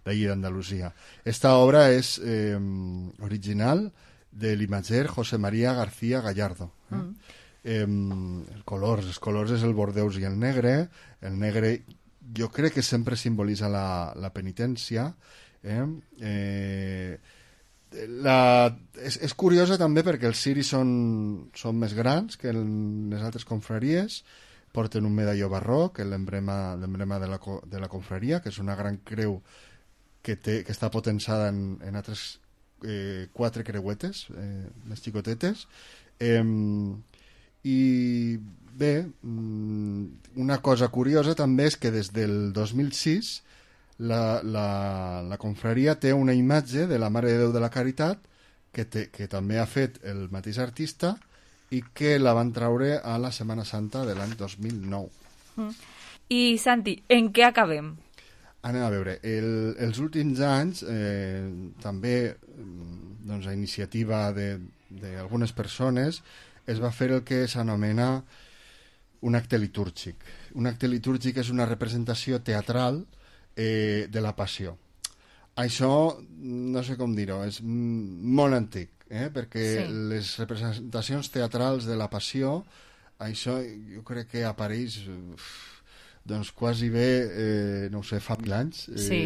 d'allí d'Andalusia. Esta obra és eh, original de l'imatger José María García Gallardo. Eh? Mm. Eh, el colors, els colors és el bordeus i el negre. El negre jo crec que sempre simbolitza la, la penitència. Eh? Eh, la, és, és curiosa també perquè els ciris són, són més grans que en les altres confraries, porten un medalló barroc, l'emblema l'emblema de, la, de la confraria, que és una gran creu que, té, que està potençada en, en altres eh, quatre creuetes eh, més xicotetes. Eh, i bé, una cosa curiosa també és que des del dos mil sis la, la, la confraria té una imatge de la Mare de Déu de la Caritat que, té, que també ha fet el mateix artista i que la van traure a la Setmana Santa de l'any dos mil nou. Mm. I Santi, en què acabem? Anem a veure, el, els últims anys eh, també doncs, a iniciativa d'algunes persones es va fer el que s'anomena un acte litúrgic. Un acte litúrgic és una representació teatral eh, de la Passió. Això, no sé com dir-ho, és molt antic, eh? perquè sí. les representacions teatrals de la Passió, això jo crec que apareix doncs quasi bé, eh, no ho sé, fa mil anys eh, sí.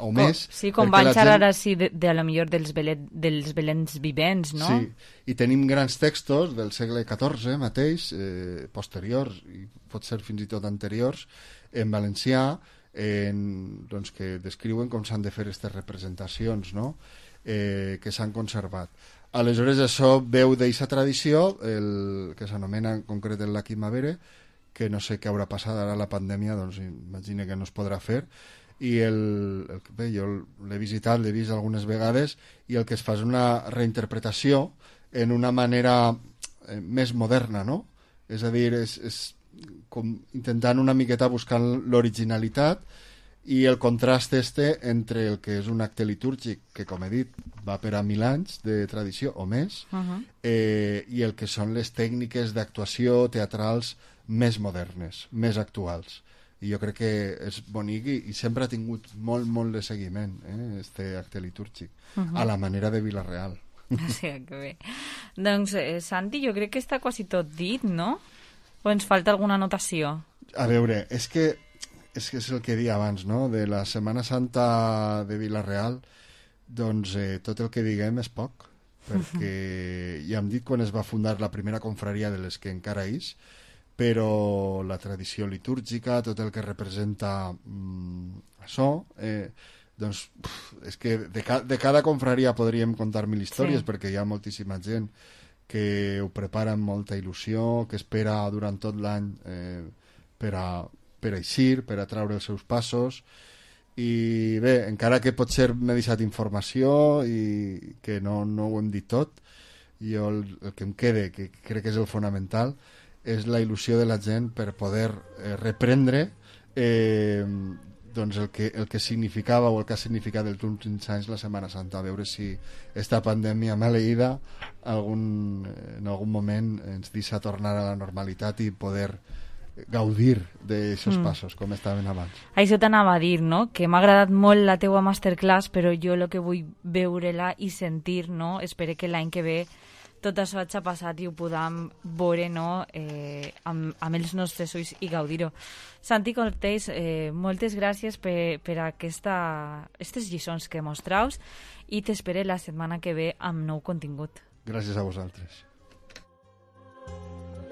o més. Oh, sí, com van xerrar gent... així de, de a la millor dels, belet, dels belens vivents, no? Sí, i tenim grans textos del segle catorze mateix, eh, posteriors, i pot ser fins i tot anteriors, en valencià, en, doncs, que descriuen com s'han de fer aquestes representacions, no? eh, que s'han conservat. Aleshores, això veu d'aquesta tradició, el que s'anomena en concret el Lac Imavere, que no sé què haurà passat ara la pandèmia, doncs imagina que no es podrà fer, i el, el, bé, jo l'he visitat, l'he vist algunes vegades, i el que es fa és una reinterpretació en una manera eh, més moderna, no? És a dir, és, és com intentant una miqueta buscar l'originalitat i el contrast este entre el que és un acte litúrgic, que com he dit va per a mil anys de tradició o més, uh -huh. eh, i el que són les tècniques d'actuació teatrals més modernes, més actuals. I jo crec que és bonic i, i sempre ha tingut molt, molt de seguiment, eh, este acte litúrgic, uh -huh. a la manera de Vila-real. Sí, que bé. Doncs, eh, Santi, jo crec que està quasi tot dit, no? O ens falta alguna anotació? A veure, és que és que és el que deia abans, no? De la Setmana Santa de Vila-real, doncs eh, tot el que diguem és poc, perquè uh-huh. ja hem dit quan es va fundar la primera confraria de les que encara és, però la tradició litúrgica, tot el que representa mm, això, eh, doncs pf, és que de, ca de cada confraria podríem contar mil històries, sí. perquè hi ha moltíssima gent que ho prepara amb molta il·lusió, que espera durant tot l'any eh, per a per eixir, per a traure els seus passos, i bé, encara que potser m'he deixat informació i que no, no ho hem dit tot, jo el, el que em quede, que crec que és el fonamental, és la il·lusió de la gent per poder eh, reprendre eh, doncs el que, el que significava o el que ha significat els últims anys la Setmana Santa, a veure si esta pandèmia maleïda algun, en algun moment ens deixa tornar a la normalitat i poder gaudir d'aixòs mm. passos com estaven abans. Això t'anava a dir, no? Que m'ha agradat molt la teua masterclass, però jo el que vull veure-la i sentir, no? Espero que l'any que ve tot això hagi passat i ho podam veure, no? eh, amb, amb els nostres ulls i gaudir-ho. Santi Cortés, eh, moltes gràcies per, per aquesta, aquestes lliçons que mostraus i t'espero la setmana que ve amb nou contingut. Gràcies a vosaltres.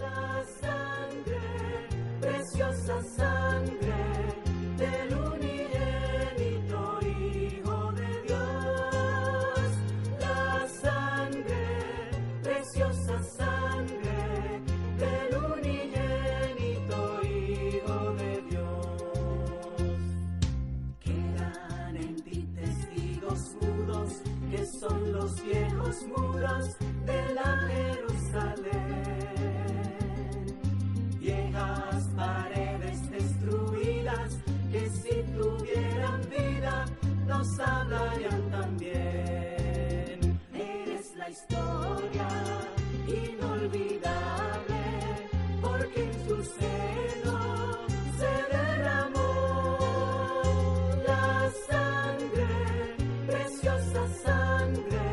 La sangre, preciosa sangre del unigénito Hijo de Dios. La sangre, preciosa sangre del unigénito Hijo de Dios. Quedan en ti testigos mudos, que son los viejos muros de la Jerusalén. Viejas paredes destruidas, que si tuvieran vida nos hablarían también. Eres la historia inolvidable, porque en su seno se derramó la sangre, preciosa sangre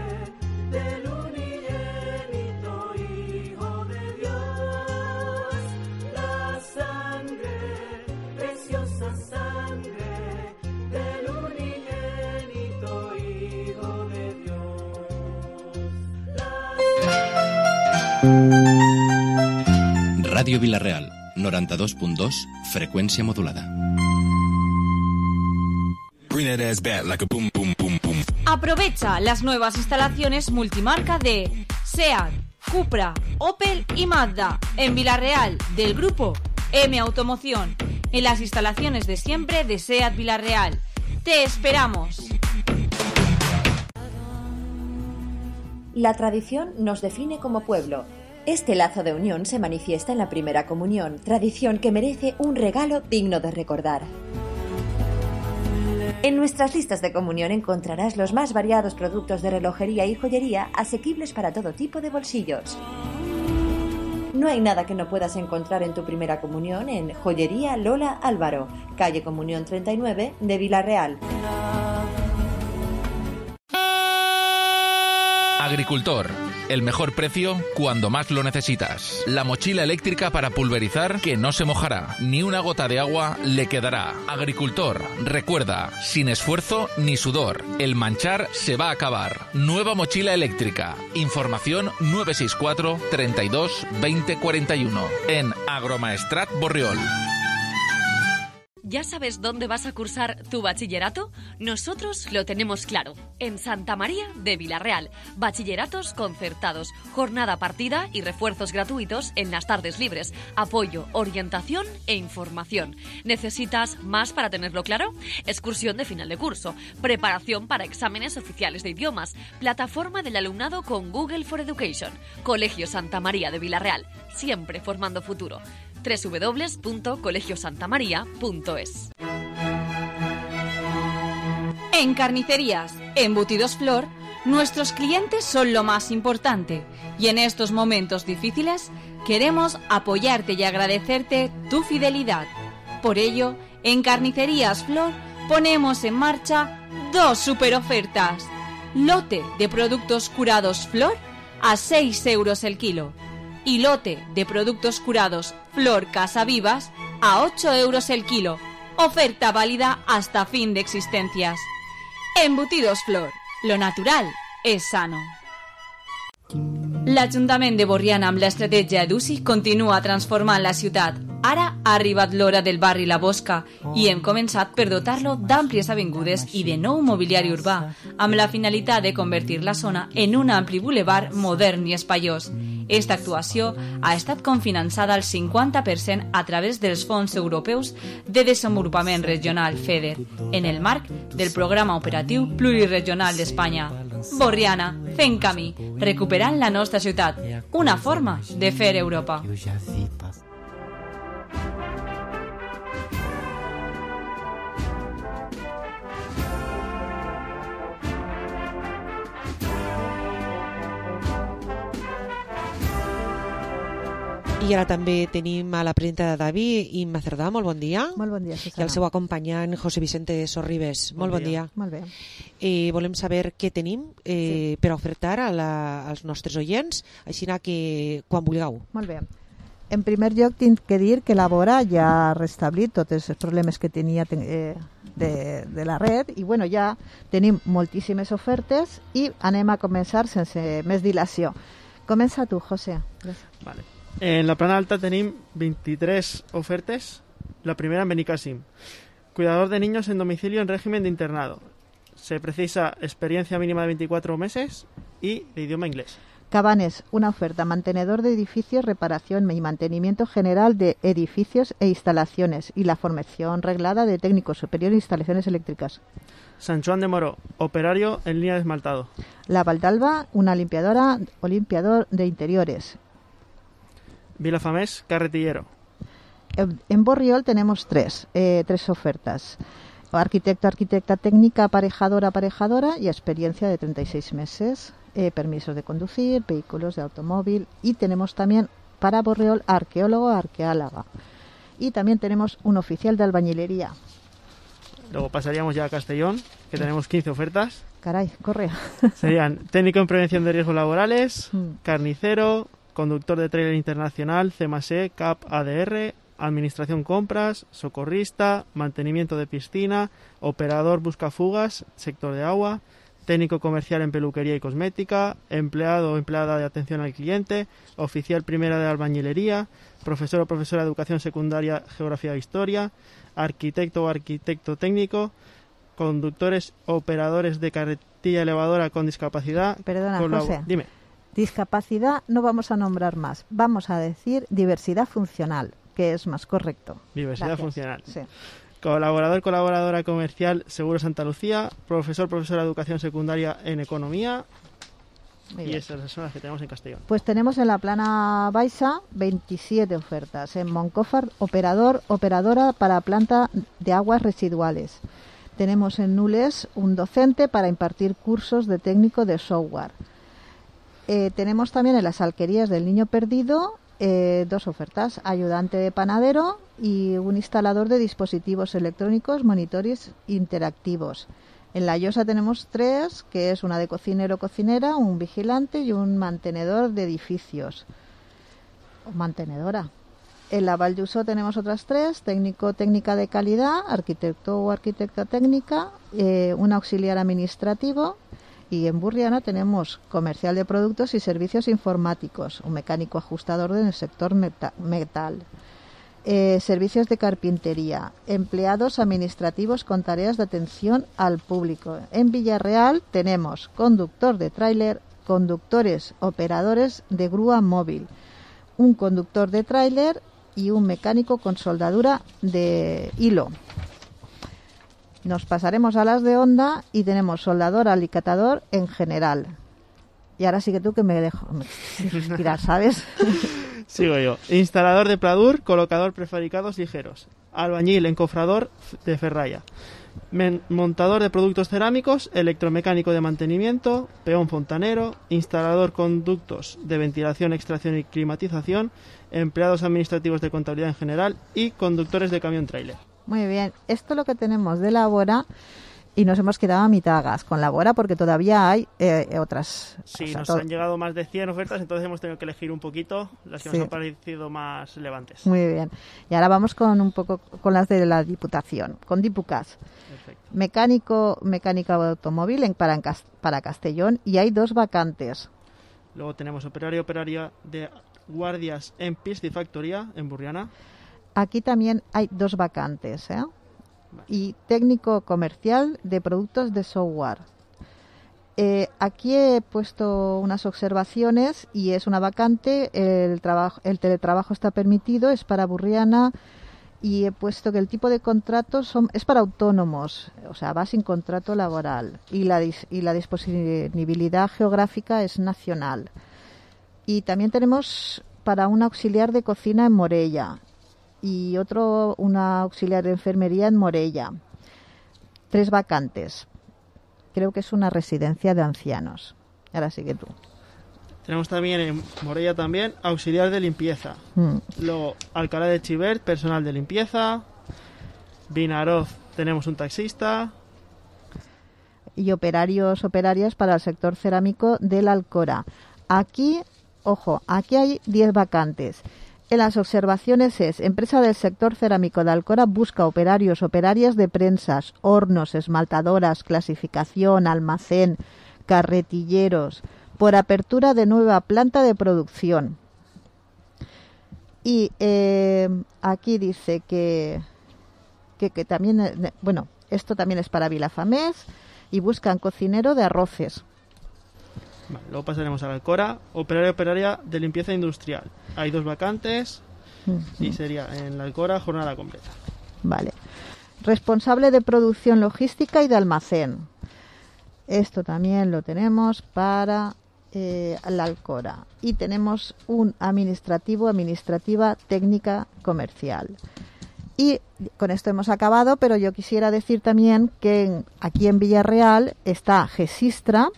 del unigénito Hijo de Dios. La sangre, preciosa sangre del unigénito Hijo de Dios. Ràdio Vila-real, noranta-dos punt dos, freqüència modulada. Aprovecha las nuevas instalaciones multimarca de SEAT, Cupra, Opel y Mazda en Vila-real del grupo M Automoción, en las instalaciones de siempre de SEAT Vila-real. ¡Te esperamos! La tradición nos define como pueblo. Este lazo de unión se manifiesta en la primera comunión, tradición que merece un regalo digno de recordar. En nuestras listas de comunión encontrarás los más variados productos de relojería y joyería asequibles para todo tipo de bolsillos. No hay nada que no puedas encontrar en tu primera comunión en Joyería Lola Álvaro, calle Comunión treinta y nueve de Vila-real. Agricultor, el mejor precio cuando más lo necesitas. La mochila eléctrica para pulverizar que no se mojará, ni una gota de agua le quedará. Agricultor, recuerda, sin esfuerzo ni sudor, el manchar se va a acabar. Nueva mochila eléctrica. Información nueve seis cuatro, treinta y dos, veinte cuarenta y uno en Agromaestrat Borriol. ¿Ya sabes dónde vas a cursar tu bachillerato? Nosotros lo tenemos claro. En Santa María de Vila-real. Bachilleratos concertados, jornada partida y refuerzos gratuitos en las tardes libres. Apoyo, orientación e información. ¿Necesitas más para tenerlo claro? Excursión de final de curso. Preparación para exámenes oficiales de idiomas. Plataforma del alumnado con Google for Education. Colegio Santa María de Vila-real. Siempre formando futuro. doble u doble u doble u punto colegio santa maría punto es. En Carnicerías Embutidos Flor, nuestros clientes son lo más importante y en estos momentos difíciles queremos apoyarte y agradecerte tu fidelidad. Por ello, en Carnicerías Flor ponemos en marcha dos super ofertas. Lote de productos curados Flor a seis euros el kilo. Y lote de productos curados Flor Casa Vivas a ocho euros el kilo. Oferta válida hasta fin de existencias. Embutidos Flor. Lo natural és sano. L'Ajuntament de Borriana amb l'estratègia EDUSI continua transformant la ciutat. Ara ha arribat l'hora del barri La Bosca i hem començat per dotar-lo d'àmplies avingudes i de nou mobiliari urbà, amb la finalitat de convertir la zona en un ampli bulevard modern i espaiós. Esta actuació ha estat cofinançada al cinquanta per cent a través dels Fons Europeus de Desenvolupament Regional FEDER, en el marc del Programa Operatiu Pluriregional d'Espanya. Borriana, fent camí, recuperant la nostra ciutat, una forma de fer Europa. I ara també tenim a la presidenta de David, Imma Cerdà, molt bon dia. Molt bon dia, Susana. I el seu acompanyant, José Vicente Sorribes. Bon molt bon dia. dia. Molt bé. Eh, volem saber què tenim eh, sí. per ofertar a la, als nostres oients, així que quan vulgueu. Molt bé. En primer lloc, tinc que dir que la Vora ja ha restablit tots els problemes que tenia eh, de, de la red i bueno, ja tenim moltíssimes ofertes i anem a començar sense més dilació. Comença tu, José. Gràcies. Vale. En la plana alta tenim veintitrés ofertes. La primera en Benicàssim. Cuidador de niños en domicilio en régimen de internado. Se precisa experiencia mínima de veinticuatro meses y de idioma inglés. Cabanes, una oferta, mantenedor de edificios, reparación y mantenimiento general de edificios e instalaciones y la formación reglada de técnico superior en instalaciones eléctricas. San Juan de Moró, operario en línea de esmaltado. La Valdalba, una limpiadora o limpiador de interiores. Vilafamés, carretillero. En Borriol tenemos tres, eh, tres ofertas. Arquitecto, arquitecta técnica, aparejadora, aparejadora y experiencia de treinta y seis meses. Eh, permisos de conducir, vehículos de automóvil y tenemos también para Borriol arqueólogo, arqueóloga. Y también tenemos un oficial de albañilería. Luego pasaríamos ya a Castellón, que tenemos quince ofertas. Caray, corre. Serían técnico en prevención de riesgos laborales, carnicero, conductor de trailer internacional, C M A S E, C A P, A D R, administración compras, socorrista, mantenimiento de piscina, operador buscafugas, sector de agua, técnico comercial en peluquería y cosmética, empleado o empleada de atención al cliente, oficial primera de albañilería, profesor o profesora de educación secundaria, geografía e historia, arquitecto o arquitecto técnico, conductores, operadores de carretilla elevadora con discapacidad. Perdona, colab- José. Dime. Discapacidad no vamos a nombrar más, vamos a decir diversidad funcional, que es más correcto. Diversidad Gracias. funcional. Sí. Colaborador, colaboradora comercial, Seguro Santa Lucía, profesor, profesora de educación secundaria en economía. Muy y bien. esas son las que tenemos en Castellón. Pues tenemos en la plana Baixa veintisiete ofertas. En Moncófar, operador, operadora para planta de aguas residuales. Tenemos en Nules un docente para impartir cursos de técnico de software. Eh, tenemos también en las alquerías del Niño Perdido eh, dos ofertas, ayudante de panadero y un instalador de dispositivos electrónicos, monitores interactivos. En La Llosa tenemos tres, que es una de cocinero o cocinera, un vigilante y un mantenedor de edificios. O mantenedora. En la Val d'Usó tenemos otras tres, técnico técnica de calidad, arquitecto o arquitecta técnica, eh, un auxiliar administrativo. Y en Burriana tenemos comercial de productos y servicios informáticos, un mecánico ajustador del sector meta- metal, eh, servicios de carpintería, empleados administrativos con tareas de atención al público. En Villarreal tenemos conductor de tráiler, conductores operadores de grúa móvil, un conductor de tráiler y un mecánico con soldadura de hilo. Nos pasaremos a las de Honda y tenemos soldador, alicatador en general. Y ahora sí que tú que me dejo me respirar, ¿sabes? Sigo yo. Instalador de pladur, colocador prefabricados ligeros. Albañil, encofrador de ferralla. Men- montador de productos cerámicos, electromecánico de mantenimiento, peón fontanero, instalador conductos de ventilación, extracción y climatización, empleados administrativos de contabilidad en general y conductores de camión tráiler. Muy bien, esto es lo que tenemos de la Bora y nos hemos quedado a mitad gas con la Bora porque todavía hay eh, otras. Sí, o sea, nos todo- han llegado más de cien ofertas, entonces hemos tenido que elegir un poquito las que Sí. nos han parecido más relevantes. Muy bien. Y ahora vamos con un poco con las de la Diputación, con Dipucas. Perfecto. Mecánico, mecánica de automóvil en, para, en Cas- para Castellón y hay dos vacantes. Luego tenemos operario operaria de guardias en piscifactoría en Burriana. Aquí también hay dos vacantes, ¿eh? Y técnico comercial de productos de software. Eh, aquí he puesto unas observaciones y es una vacante. El, trabajo, el teletrabajo está permitido, es para Burriana, y he puesto que el tipo de contrato son, es para autónomos, o sea, va sin contrato laboral, y la, y la disponibilidad geográfica es nacional. Y también tenemos para un auxiliar de cocina en Morella y otro una auxiliar de enfermería en Morella. Tres vacantes. Creo que es una residencia de ancianos. Ahora sigue tú. Tenemos también en Morella también auxiliar de limpieza. Mm. Luego Alcalá de Xivert, personal de limpieza. Vinaroz tenemos un taxista. Y operarios, operarias para el sector cerámico del Alcora. Aquí, ojo, aquí hay diez vacantes. En las observaciones es: empresa del sector cerámico de Alcora busca operarios, operarias de prensas, hornos, esmaltadoras, clasificación, almacén, carretilleros, por apertura de nueva planta de producción. Y eh, aquí dice que, que, que también, eh, bueno, esto también es para Vilafamés, y buscan cocinero de arroces. Vale, luego pasaremos a la Alcora, operario operaria de limpieza industrial. Hay dos vacantes uh-huh. y sería en la Alcora jornada completa. Vale. Responsable de producción logística y de almacén. Esto también lo tenemos para eh, la Alcora. Y tenemos un administrativo, administrativa técnica comercial. Y con esto hemos acabado, pero yo quisiera decir también que en, aquí en Villarreal está Gesistra,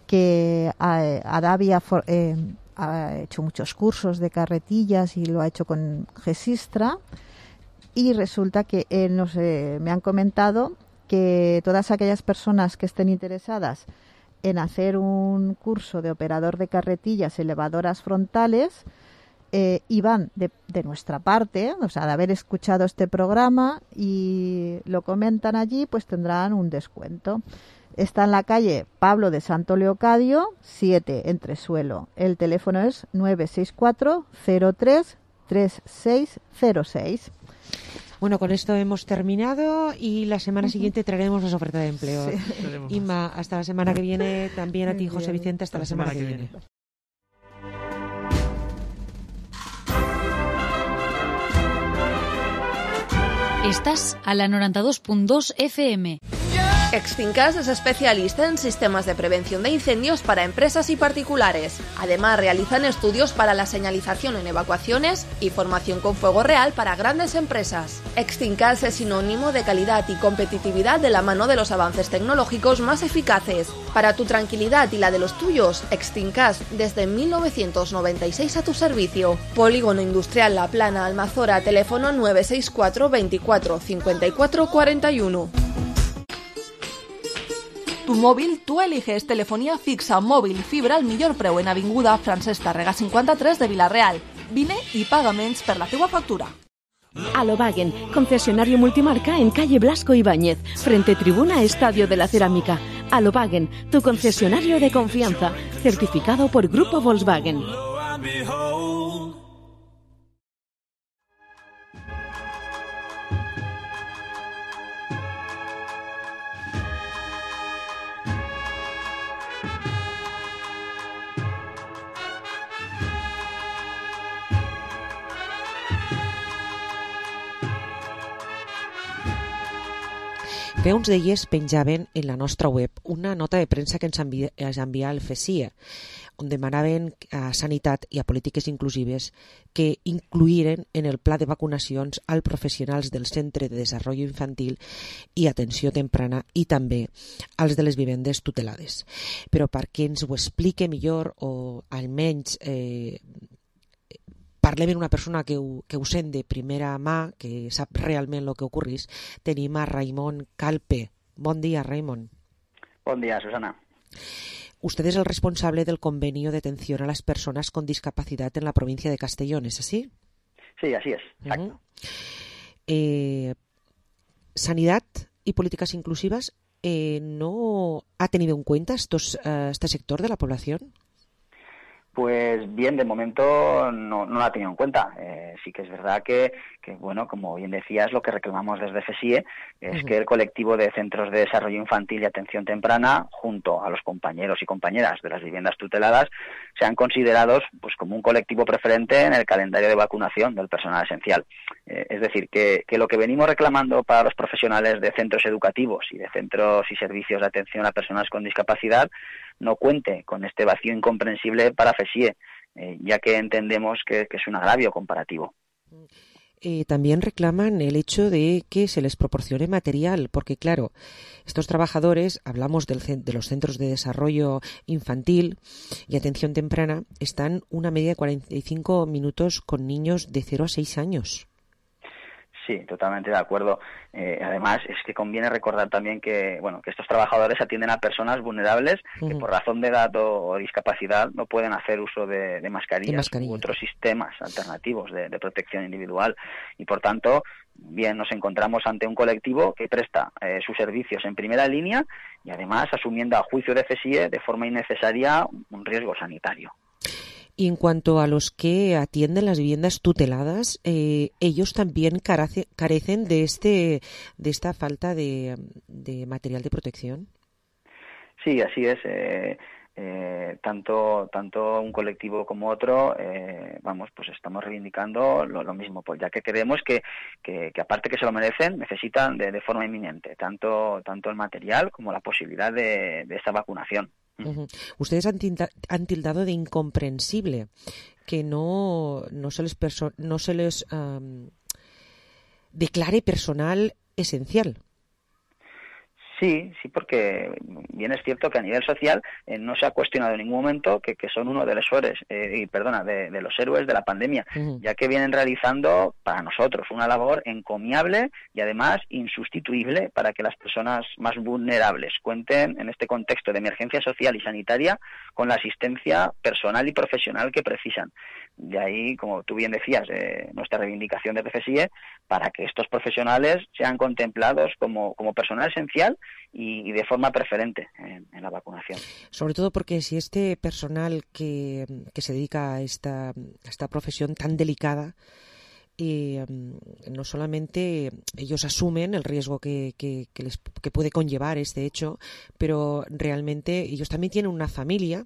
que Adavi ha, eh, ha hecho muchos cursos de carretillas y lo ha hecho con Gesistra, y resulta que eh, nos, eh, me han comentado que todas aquellas personas que estén interesadas en hacer un curso de operador de carretillas elevadoras frontales eh, y van de, de nuestra parte, o sea, de haber escuchado este programa y lo comentan allí, pues tendrán un descuento. Está en la calle Pablo de Santo Leocadio, siete, Entresuelo. El teléfono es nueve seis cuatro cero tres tres seis cero seis. Bueno, con esto hemos terminado y la semana uh-huh. siguiente traeremos las ofertas de empleo. Sí. Inma, hasta la semana que viene. También a ti, José Vicente, hasta la, la semana, semana que viene. viene. Estás a la noranta-dos punt dos F M. Extincas es especialista en sistemas de prevención de incendios para empresas y particulares. Además, realizan estudios para la señalización en evacuaciones y formación con fuego real para grandes empresas. Extincas es sinónimo de calidad y competitividad de la mano de los avances tecnológicos más eficaces. Para tu tranquilidad y la de los tuyos, Extincas desde mil novecientos noventa y seis a tu servicio. Polígono Industrial La Plana, Almazora, teléfono nueve seis cuatro veinticuatro cincuenta y cuatro cuarenta y uno. Tu mòbil, tu eliges. Telefonía fixa, mòbil, fibra al millor preu en Avinguda Francesc Tàrrega cinquanta-tres de Vila-real. Vine i paga menys per la teua factura. Alobagen, concesionario multimarca en calle Blasco Ibáñez, frente tribuna Estadio de la Cerámica. Alobagen, tu concesionario de confianza, certificado por Grupo Volkswagen. Fa uns dies penjaven en la nostra web una nota de premsa que ens envia, ens envia el FESIA, on demanaven a Sanitat i a Polítiques Inclusives que incluïren en el pla de vacunacions als professionals del Centre de Desenvolupament Infantil i Atenció Temprana i també als de les vivendes tutelades. Però perquè ens ho explique millor o almenys eh, parlem amb una persona que ho, que ho sent de primera mà, que sap realment el que ocorrís, tenim a Raimon Calpe. Bon dia, Raimon. Bon dia, Susana. Usted es el responsable del convenio de atención a las personas con discapacidad en la provincia de Castellón, ¿es así? Sí, así es, exacto. Uh-huh. eh, Sanidad y Políticas Inclusivas eh, no ha tenido en cuenta estos, uh, este sector de la población. Pues bien, de momento no, no la ha tenido en cuenta. Eh, sí que es verdad que, que, bueno, como bien decías, lo que reclamamos desde FESIE es uh-huh. que el colectivo de centros de desarrollo infantil y atención temprana, junto a los compañeros y compañeras de las viviendas tuteladas, sean considerados pues como un colectivo preferente en el calendario de vacunación del personal esencial. Eh, es decir, que, que lo que venimos reclamando para los profesionales de centros educativos y de centros y servicios de atención a personas con discapacidad no cuente con este vacío incomprensible para FESIE, eh, ya que entendemos que, que es un agravio comparativo. Eh, también reclaman el hecho de que se les proporcione material, porque claro, estos trabajadores, hablamos del, de los centros de desarrollo infantil y atención temprana, están una media de cuarenta y cinco minutos con niños de cero a seis años. Sí, totalmente de acuerdo. Eh, además, es que conviene recordar también que, bueno, que estos trabajadores atienden a personas vulnerables uh-huh. que por razón de edad o, o discapacidad no pueden hacer uso de, de mascarillas, mascarillas u otros sistemas alternativos de, de protección individual y, por tanto, bien nos encontramos ante un colectivo que presta eh, sus servicios en primera línea y, además, asumiendo a juicio de FESIE de forma innecesaria un riesgo sanitario. Y en cuanto a los que atienden las viviendas tuteladas, eh, ellos también carece, carecen de este de esta falta de, de material de protección. Sí, así es. Eh, eh, tanto tanto un colectivo como otro, eh, vamos, pues estamos reivindicando lo, lo mismo, pues ya que creemos que, que, que aparte que se lo merecen, necesitan de, de forma inminente tanto tanto el material como la posibilidad de, de esta vacunación. Uh-huh. Ustedes han, tilda, han tildado de incomprensible que no, no se les, perso- no se les um, declare personal esencial. Sí, sí, porque bien es cierto que a nivel social eh, no se ha cuestionado en ningún momento que, que son uno de los héroes, eh, y perdona, de, de los héroes de la pandemia, uh-huh. ya que vienen realizando para nosotros una labor encomiable y además insustituible para que las personas más vulnerables cuenten en este contexto de emergencia social y sanitaria con la asistencia personal y profesional que precisan. De ahí, como tú bien decías, eh, nuestra reivindicación de FESIE para que estos profesionales sean contemplados como, como personal esencial y, y de forma preferente en, en la vacunación. Sobre todo porque si este personal que, que se dedica a esta, a esta profesión tan delicada, eh, no solamente ellos asumen el riesgo que, que, que, les, que puede conllevar este hecho, pero realmente ellos también tienen una familia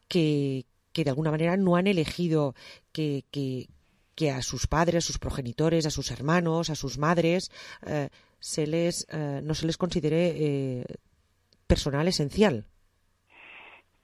que que de alguna manera no han elegido que, que, que a sus padres, a sus progenitores, a sus hermanos, a sus madres, eh, se les eh, no se les considere eh, personal esencial.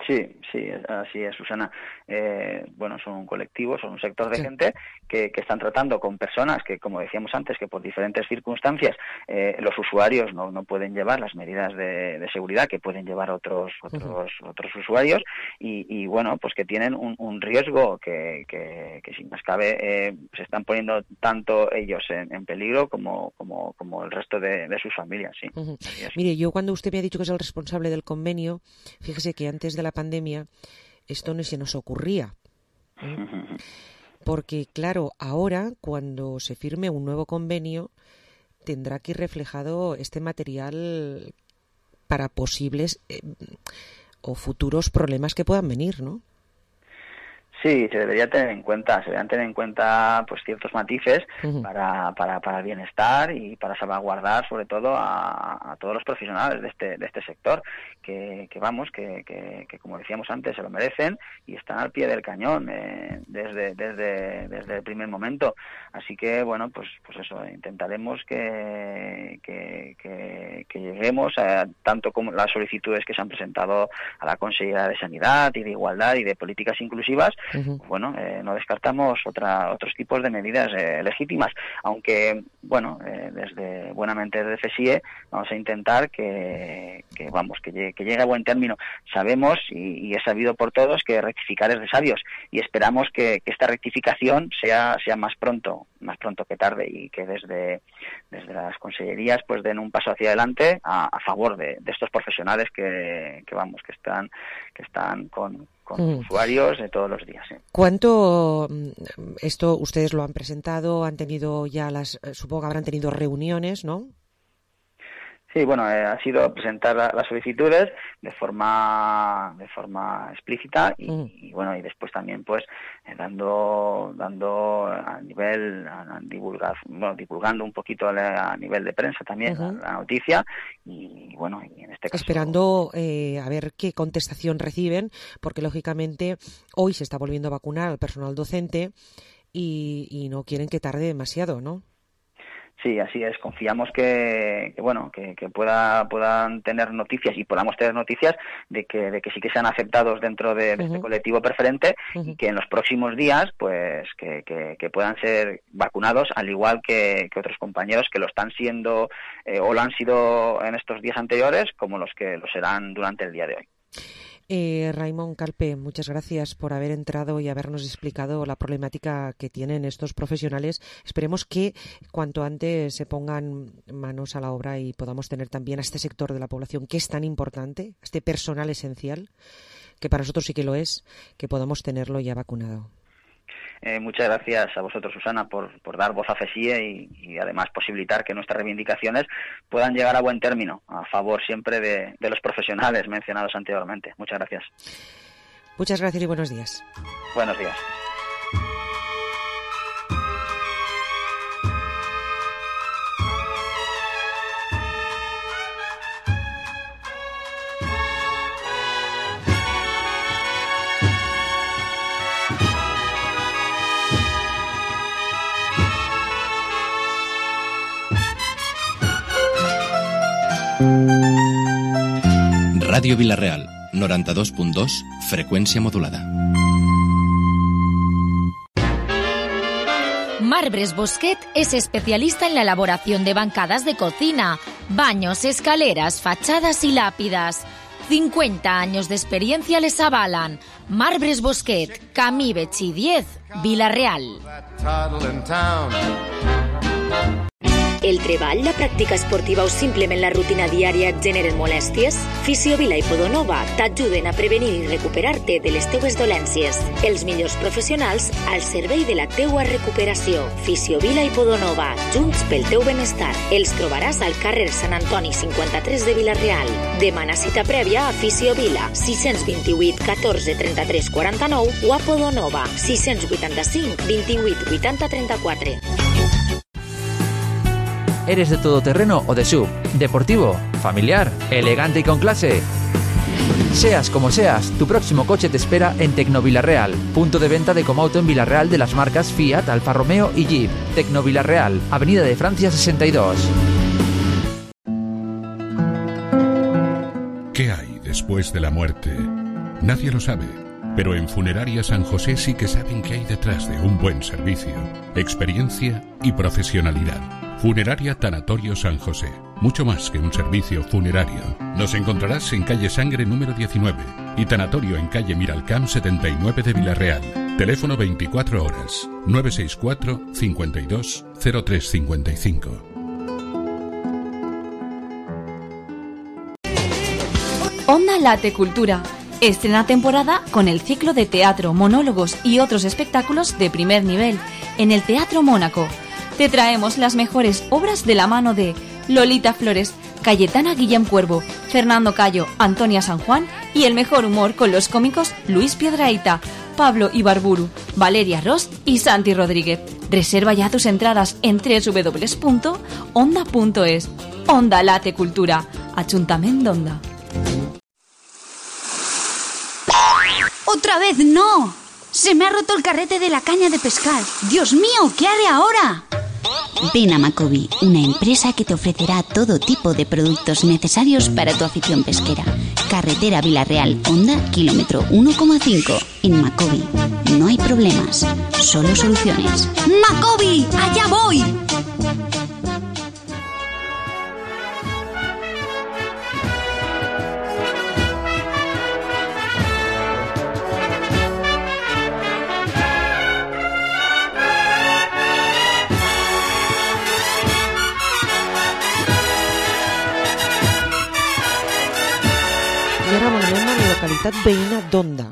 Sí, sí, así es, Susana. Eh, bueno, son un colectivo, son un sector de sí. gente que, que están tratando con personas que, como decíamos antes, que por diferentes circunstancias eh, los usuarios no, no pueden llevar las medidas de, de seguridad que pueden llevar otros otros uh-huh. otros usuarios y, y, bueno, pues que tienen un, un riesgo que, que, que sin más cabe eh, se están poniendo tanto ellos en, en peligro como, como, como el resto de, de sus familias, sí. Uh-huh. Mire, yo cuando usted me ha dicho que es el responsable del convenio, fíjese que antes de la pandemia esto no se nos ocurría, ¿eh? Porque claro, ahora cuando se firme un nuevo convenio tendrá que ir reflejado este material para posibles eh, o futuros problemas que puedan venir, ¿no? Sí, se debería tener en cuenta, se deberían tener en cuenta pues ciertos matices uh-huh. para, para, para el bienestar y para salvaguardar sobre todo a, a todos los profesionales de este, de este sector, que, que vamos, que, que, que como decíamos antes se lo merecen y están al pie del cañón eh, desde, desde, desde el primer momento. Así que bueno, pues, pues eso, intentaremos que, que, que, que lleguemos a tanto como las solicitudes que se han presentado a la Consejería de Sanidad y de Igualdad y de Políticas Inclusivas. Uh-huh. Bueno, eh, no descartamos otra, otros tipos de medidas eh, legítimas, aunque, bueno, eh, desde buenamente desde FESIE vamos a intentar que, que vamos, que llegue, que llegue a buen término. Sabemos, y, y es sabido por todos, que rectificar es de sabios, y esperamos que, que esta rectificación sea, sea más pronto, más pronto que tarde, y que desde, desde las consellerías pues den un paso hacia adelante a, a favor de, de estos profesionales que, que, vamos, que están, que están con con mm. usuarios de todos los días. ¿sí? ¿Cuánto esto ustedes lo han presentado? Han tenido ya las, supongo que habrán tenido reuniones, ¿no? Sí, bueno, eh, ha sido presentar la, las solicitudes de forma de forma explícita y, mm. y bueno, y después también pues eh, dando dando a nivel a, a divulgar, bueno, divulgando un poquito a, a nivel de prensa también uh-huh. la, la noticia y bueno, y en este caso esperando eh, a ver qué contestación reciben, porque lógicamente hoy se está volviendo a vacunar al personal docente y, y no quieren que tarde demasiado, ¿no? Sí, así es. Confiamos que, que bueno, que, que pueda, puedan tener noticias y podamos tener noticias de que, de que sí que sean aceptados dentro de, de uh-huh. este colectivo preferente uh-huh. y que en los próximos días, pues, que, que, que puedan ser vacunados, al igual que, que otros compañeros que lo están siendo eh, o lo han sido en estos días anteriores, como los que lo serán durante el día de hoy. Eh, Raimon Calpe, muchas gracias por haber entrado y habernos explicado la problemática que tienen estos profesionales. Esperemos que cuanto antes se pongan manos a la obra y podamos tener también a este sector de la población que es tan importante, este personal esencial, que para nosotros sí que lo es, que podamos tenerlo ya vacunado. Eh, muchas gracias a vosotros, Susana, por, por dar voz a FESIE y, y además posibilitar que nuestras reivindicaciones puedan llegar a buen término, a favor siempre de, de los profesionales mencionados anteriormente. Muchas gracias. Muchas gracias y buenos días. Buenos días. Ràdio Vila-real, noranta-dos punt dos, freqüència modulada. Marbres Bosquet es especialista en la elaboración de bancadas de cocina, baños, escaleras, fachadas y lápidas. cincuenta años de experiencia les avalan. Marbres Bosquet, Camí Betxí diez, Vila-real. El treball, la pràctica esportiva o simplement la rutina diària et generen molèsties? Fisiovila i Podonova t'ajuden a prevenir i recuperar-te de les teues dolències. Els millors professionals al servei de la teua recuperació. Fisiovila i Podonova, junts pel teu benestar. Els trobaràs al carrer Sant Antoni cinquanta-tres de Vila-real. Demana cita prèvia a Fisiovila, sis dos vuit, catorze, trenta-tres, quaranta-nou o a Podonova, sis vuitanta-cinc, vint-i-vuit, vuitanta, trenta-quatre. ¿Eres de todoterreno o de S U V? ¿Deportivo? ¿Familiar? ¿Elegante y con clase? Seas como seas, tu próximo coche te espera en Tecnovilarreal, punto de venta de Comauto en Vila-real de las marcas Fiat, Alfa Romeo y Jeep. Tecnovilarreal, Avenida de Francia sesenta y dos. ¿Qué hay después de la muerte? Nadie lo sabe, pero en Funeraria San José sí que saben qué hay detrás de un buen servicio, experiencia y profesionalidad. Funeraria Tanatorio San José. Mucho más que un servicio funerario. Nos encontrarás en calle Sangre número diecinueve y Tanatorio en calle Miralcamp setenta y nueve de Vila-real. Teléfono veinticuatro horas, nueve seis cuatro, cincuenta y dos, cero tres cincuenta y cinco. Onda Late Cultura. Estrena temporada con el ciclo de teatro, monólogos y otros espectáculos de primer nivel en el Teatro Mónaco. Te traemos las mejores obras de la mano de Lolita Flores, Cayetana Guillem Cuervo, Fernando Cayo, Antonia San Juan y el mejor humor con los cómicos Luis Piedrahita, Pablo Ibarburu, Valeria Ross y Santi Rodríguez. Reserva ya tus entradas en doble u doble u doble u punto onda punto es. Onda Late Cultura, Ayuntamiento d'Onda. ¡Otra vez no! ¡Se me ha roto el carrete de la caña de pescar! ¡Dios mío! ¿Qué haré ahora? Ven a Macobi, una empresa que te ofrecerá todo tipo de productos necesarios para tu afición pesquera. Carretera Vila-real, Honda, kilómetro uno coma cinco. En Macobi no hay problemas, solo soluciones. ¡Macobi! ¡Allá voy! Localitat veïna d'Onda.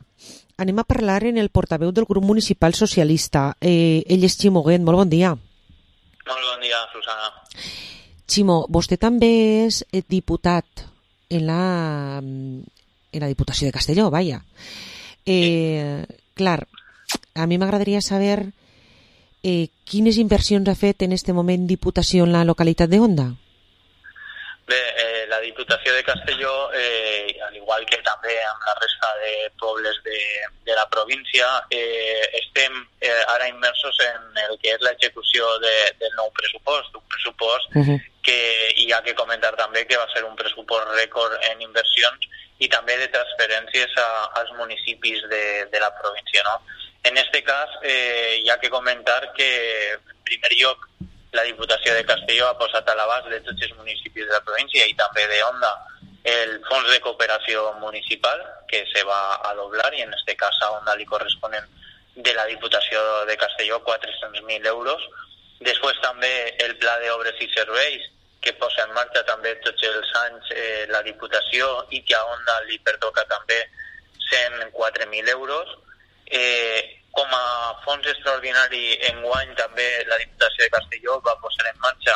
Anem a parlar en el portaveu del grup municipal socialista. Eh, ell és Ximo Guent. Molt bon dia. Molt bon dia, Susana. Ximo, vostè també és diputat en la, en la Diputació de Castelló, vaja. Eh, clar, a mi m'agradaria saber eh, quines inversions ha fet en este moment Diputació en la localitat de Onda. Bé, eh, la Diputació de Castelló, eh, al igual que també amb la resta de pobles de, de la província, eh, estem eh, ara immersos en el que és l'execució de, del nou pressupost, un pressupost uh-huh. que hi ha que comentar també que va ser un pressupost rècord en inversions i també de transferències a, als municipis de, de la província, no? En este cas, eh, hi ha que comentar que, en primer lloc, la Diputació de Castelló ha posat a l'abast de tots els municipis de la província i també de Onda el fons de cooperació municipal que se va a doblar i en este cas a Onda li corresponen de la Diputació de Castelló quatre-cents mil euros. Després també el Pla d'Obres i Serveis que posa en marxa també tots els anys eh, la Diputació i que a Onda li pertoca també cent quatre mil euros. Eh, com a fons extraordinari enguany també la Diputació de Castelló va posar en marxa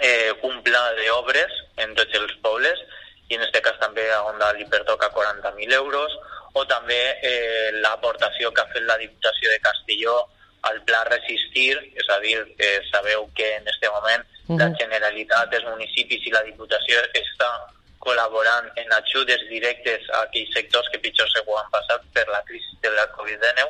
eh, un pla d'obres en tots els pobles i en aquest cas també a Onda li pertoca quaranta mil euros o també eh, l'aportació que ha fet la Diputació de Castelló al Pla Resistir, és a dir, eh, sabeu que en aquest moment uh-huh. la Generalitat, els municipis i la Diputació està col·laborant en ajudes directes a aquells sectors que pitjor se ho han passat per la crisi de la covid dinou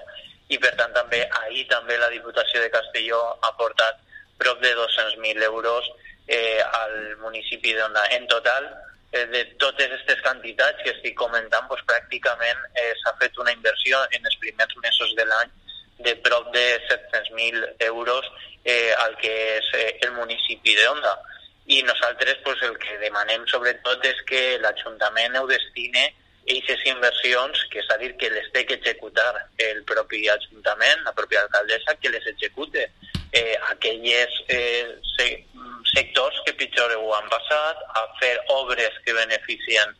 i per tant també ahir també la Diputació de Castelló ha aportat prop de dos-cents mil euros eh, al municipi d'Onda. En total, eh, de totes aquestes quantitats que estic comentant, pues, pràcticament eh, s'ha fet una inversió en els primers mesos de l'any de prop de set-cents mil euros eh, al que és eh, el municipi d'Onda. I nosaltres pues, el que demanem sobretot és que l'Ajuntament ho destine a aquestes inversions, que és a dir, que les té que executar el propi Ajuntament, la pròpia alcaldessa, que les execute eh, aquells eh, se, sectors que pitjor ho han passat, a fer obres que beneficien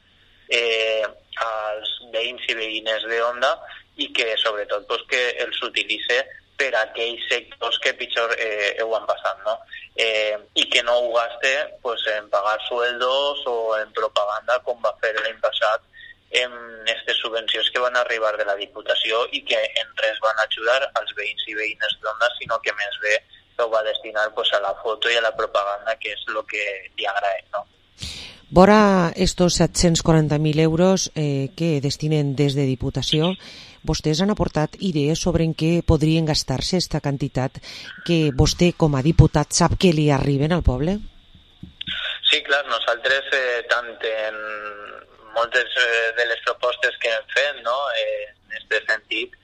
eh, als veïns i veïnes d'Onda i que sobretot pues, que els utilitze per a aquells sectors que pitjor eh, ho han passat, no? Eh, I que no ho gaste pues, en pagar sueldos o en propaganda com va fer l'any passat en aquestes subvencions que van arribar de la Diputació i que en res van ajudar als veïns i veïnes d'Onda, sinó que més bé ho va destinar pues, a la foto i a la propaganda, que és el que li agrada, no? Vora estos set-cents quaranta mil euros eh, que destinen des de Diputació, vostès han aportat idees sobre en què podrien gastar-se aquesta quantitat que vostè com a diputat sap que li arriben al poble? Sí, clar, nosaltres eh, tant en moltes eh, de les propostes que hem fet, no, eh, en aquest sentit,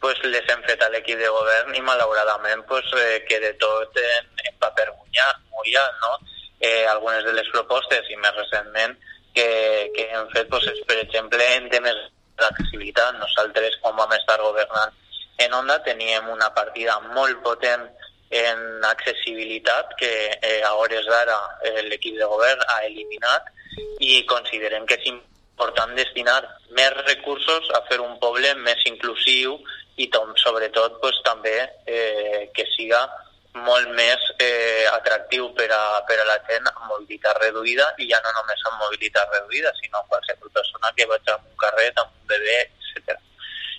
pues, les hem fet a l'equip de govern i malauradament pues, eh, queda tot en, en paper mullat, no? Eh, algunes de les propostes i més recentment que, que hem fet pues, és, per exemple, en temes d'accessibilitat. Nosaltres, quan vam estar governant en Onda, teníem una partida molt potent en accessibilitat que eh, a hores d'ara eh, l'equip de govern ha eliminat i considerem que és important destinar més recursos a fer un poble més inclusiu i tom, sobretot pues, també eh, que siga molt més eh, atractiu per a, per a la gent amb mobilitat reduïda i ja no només amb mobilitat reduïda, sinó qualsevol persona que vaig amb un carret, amb un bebè, etcètera.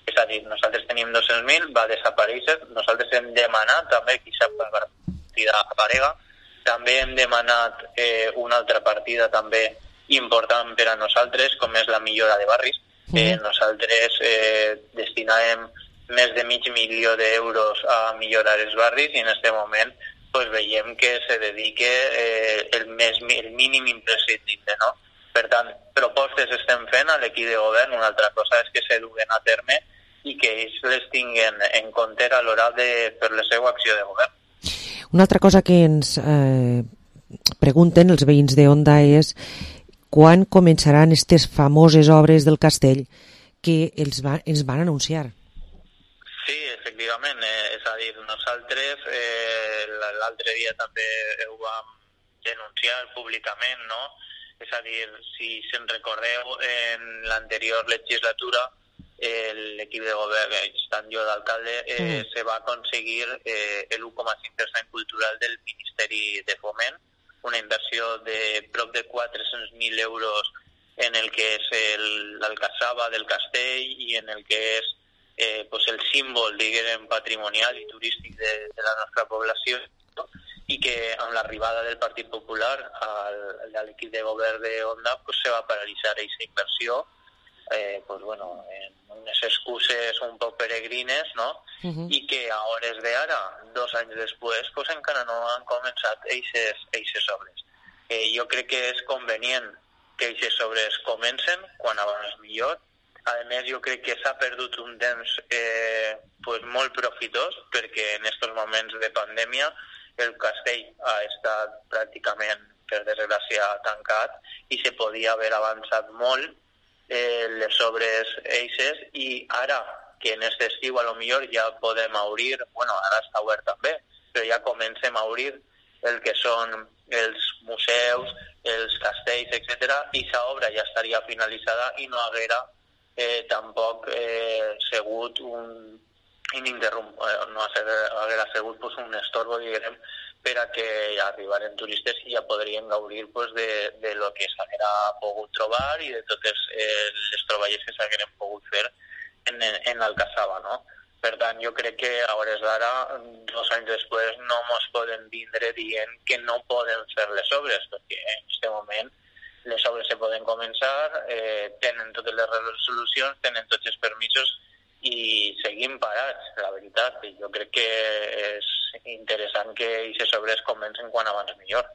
És a dir, nosaltres tenim dos-cents mil, va desaparèixer, nosaltres hem demanat també que aquesta partida aparega, també hem demanat eh, una altra partida també important per a nosaltres, com és la millora de barris. Eh, nosaltres eh, destinàvem més de mig milió d'euros a millorar els barris i en aquest moment pues, veiem que se dedique eh, el, més, el mínim imprescindible, no? Per tant, propostes estem fent a l'equip de govern, una altra cosa és que se duguen a terme i que ells les tinguin en compte a l'hora de fer la seva acció de govern. Una altra cosa que ens eh, pregunten els veïns d'Onda és quan començaran aquestes famoses obres del castell que els va, ens van anunciar. Sí, efectivament, eh, és a dir, nosaltres eh, l'altre dia també ho vam denunciar públicament, no? És a dir, si se'n recordeu, en l'anterior legislatura eh, l'equip de govern, estant jo d'alcalde, eh, mm. se va aconseguir eh, el u coma cinc per cent cultural del Ministeri de Foment una inversió de prop de quatre-cents mil euros en el que és l'Alcassaba del Castell i en el que és eh, pues el símbol, diguem, patrimonial i turístic de, de la nostra població, no? I que amb l'arribada del Partit Popular al, a l'equip de govern de Onda pues, se va paralitzar aquesta inversió, eh, pues, bueno, en unes excuses un poc peregrines, no? Uh-huh. I que a hores d'ara, dos anys després, pues, encara no han començat aquestes obres. Eh, jo crec que és convenient que aquestes obres comencen quan abans millor. A més, jo crec que s'ha perdut un temps eh, pues molt profitós, perquè en aquests moments de pandèmia el castell ha estat pràcticament, per desgràcia, tancat i se podia haver avançat molt eh, les obres eixes, i ara que en aquest estiu a lo millor ja podem obrir, bueno, ara està obert també, però ja comencem a obrir el que són els museus, els castells, etcètera, i aquesta obra ja estaria finalitzada i no haguera eh, tampoc eh, segut un ininterrum, eh, no haguera segut pues, un estorbo, diguem, per a que arribaren turistes i ja podrien gaudir pues, de, de lo que s'haguera pogut trobar i de totes eh, les troballes que s'hagueren pogut fer en, en l'Alcassaba, no? Per tant, jo crec que a hores d'ara, dos anys després, no ens poden vindre dient que no poden fer les obres, perquè en aquest moment les obres se poden començar, eh, tenen totes les resolucions, tenen tots els permisos i seguim parats, la veritat. Jo crec que és interessant que aquestes obres comencen quan abans millor.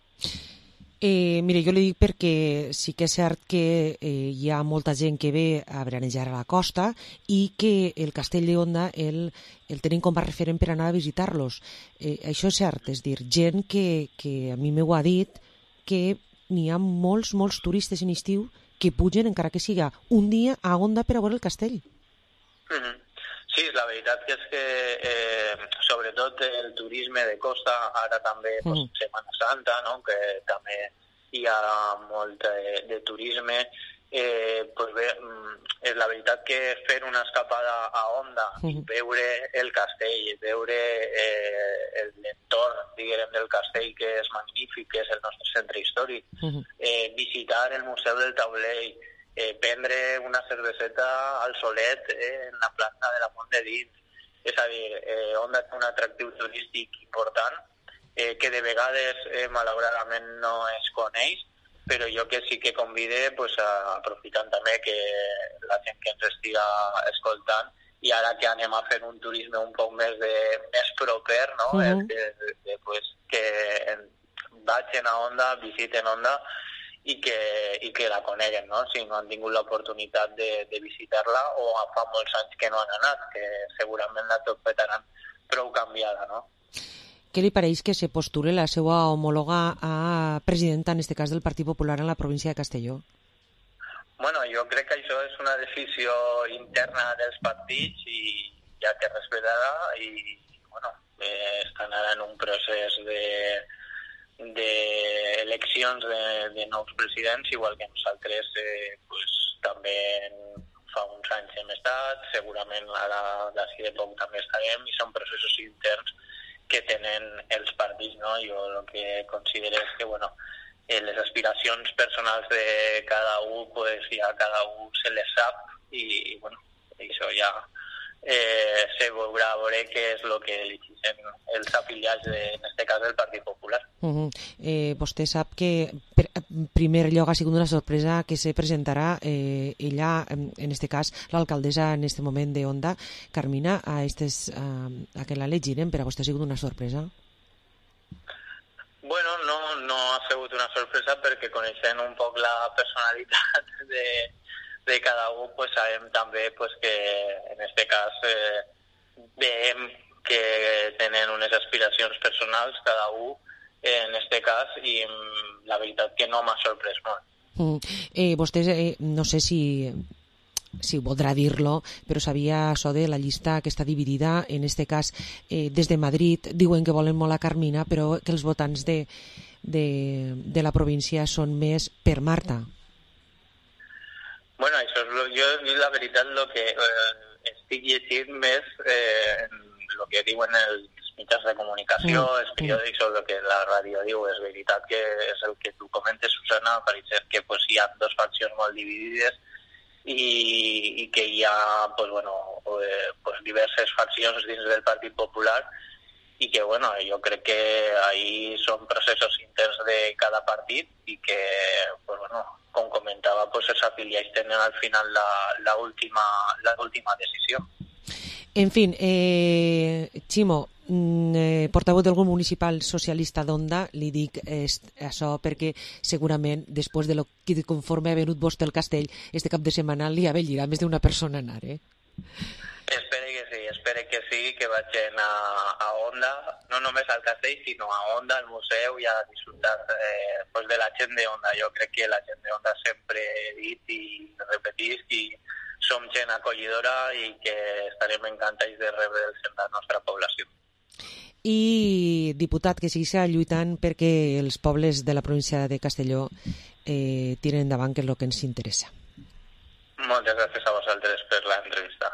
Eh, mire, jo li dic perquè sí que és cert que eh, hi ha molta gent que ve a veranejar a la costa i que el Castell d'Onda el, el tenim com a referent per anar a visitar-los. Eh, això és cert, és dir, gent que, que a mi m'ho ha dit que n'hi ha molts, molts turistes en estiu que pugen, encara que siga un dia, a Onda per a veure el castell. Mm-hmm. Sí, la veritat que és que eh, sobretot el turisme de costa, ara també mm. pues, Setmana Santa, no? Que també hi ha molt de, de turisme, eh, pues bé, és la veritat que fer una escapada a Onda mm. i veure el castell, veure eh, l'entorn, diguem, del castell, que és magnífic, que és el nostre centre històric, mm. eh, visitar el Museu del Taulell, Eh, prendre una cerveseta al solet eh, en la plaça de la Font de Dins. És a dir, eh, Onda té un atractiu turístic important eh, que de vegades eh, malauradament no es coneix, però jo que sí que convide, pues, a, aprofitant també que la gent que ens estiga escoltant, i ara que anem a fer un turisme un poc més, de, més proper, no? Uh-huh. de, de, de, pues, que en, vagin a Onda, visiten Onda, i que, i que la coneguen, no? Si no han tingut l'oportunitat de, de visitar-la o fa molts anys que no han anat, que segurament la trobaran prou canviada, no? Què li pareix que se postule la seva homòloga a presidenta, en aquest cas del Partit Popular, en la província de Castelló? Bueno, jo crec que això és una decisió interna dels partits i ja que respetarà i, bueno, eh, estan ara en un procés de d'eleccions de, de nous presidents, igual que nosaltres eh, pues, també fa uns anys hem estat, segurament ara d'ací de poc també estarem, i són processos interns que tenen els partits, no? Jo el que considero és que, bueno, eh, les aspiracions personals de cada un, pues ja cada un se les sap i, i bueno, això ja eh, se veurà a veure què és el que elegeixen els afiliats, de, en aquest cas, del Partit Popular. Uh-huh. eh, vostè sap que per, en primer lloc ha sigut una sorpresa que se presentarà eh, ella, en aquest cas l'alcaldessa en aquest moment de Onda, Carmina, a, estes, a, a que la elegiren. Per a vostè ha sigut una sorpresa? Bueno, no, no ha sigut una sorpresa perquè coneixent un poc la personalitat de, de cada un, pues sabem també pues, que en aquest cas eh, veiem que tenen unes aspiracions personals cada un en este cas, i la veritat que no m'ha sorprès molt. Mm. Eh, vostè, eh, no sé si, si voldrà dir-lo, però sabia això de la llista que està dividida, en este cas, eh, des de Madrid, diuen que volen molt a Carmina, però que els votants de, de, de la província són més per Marta. Bueno, això és lo, jo, la veritat, el que eh, estic llegint més eh, el que diuen els mitjans de comunicació, Mm. els periòdics o el que la ràdio diu. És veritat que és el que tu comentes, Susana, pareix que pues, hi ha dos faccions molt dividides i, i que hi ha pues, bueno, eh, pues, diverses faccions dins del Partit Popular i que bueno, jo crec que ahí són processos interns de cada partit i que pues, bueno, com comentava, pues, els afiliats tenen al final la, la, última, la última decisió. En fin, eh, Ximo, eh, portaveu del grup municipal socialista d'Onda, li dic eh, això perquè segurament després de lo que conforme ha venut vostè el castell, este cap de setmana li avellirà més d'una persona anar, eh? Espere que sí, espere que sí, que vagin a, a Onda, no només al castell, sinó a Onda, al museu, i a disfrutar eh, pues de la gent d'Onda. Jo crec que la gent d'Onda sempre he dit i repetit i som gent acollidora i que estarem encantats de rebre'ls en la nostra població. I, diputat, que segueixi lluitant perquè els pobles de la província de Castelló eh, tiren endavant, que és el que ens interessa. Moltes gràcies a vosaltres per l'entrevista.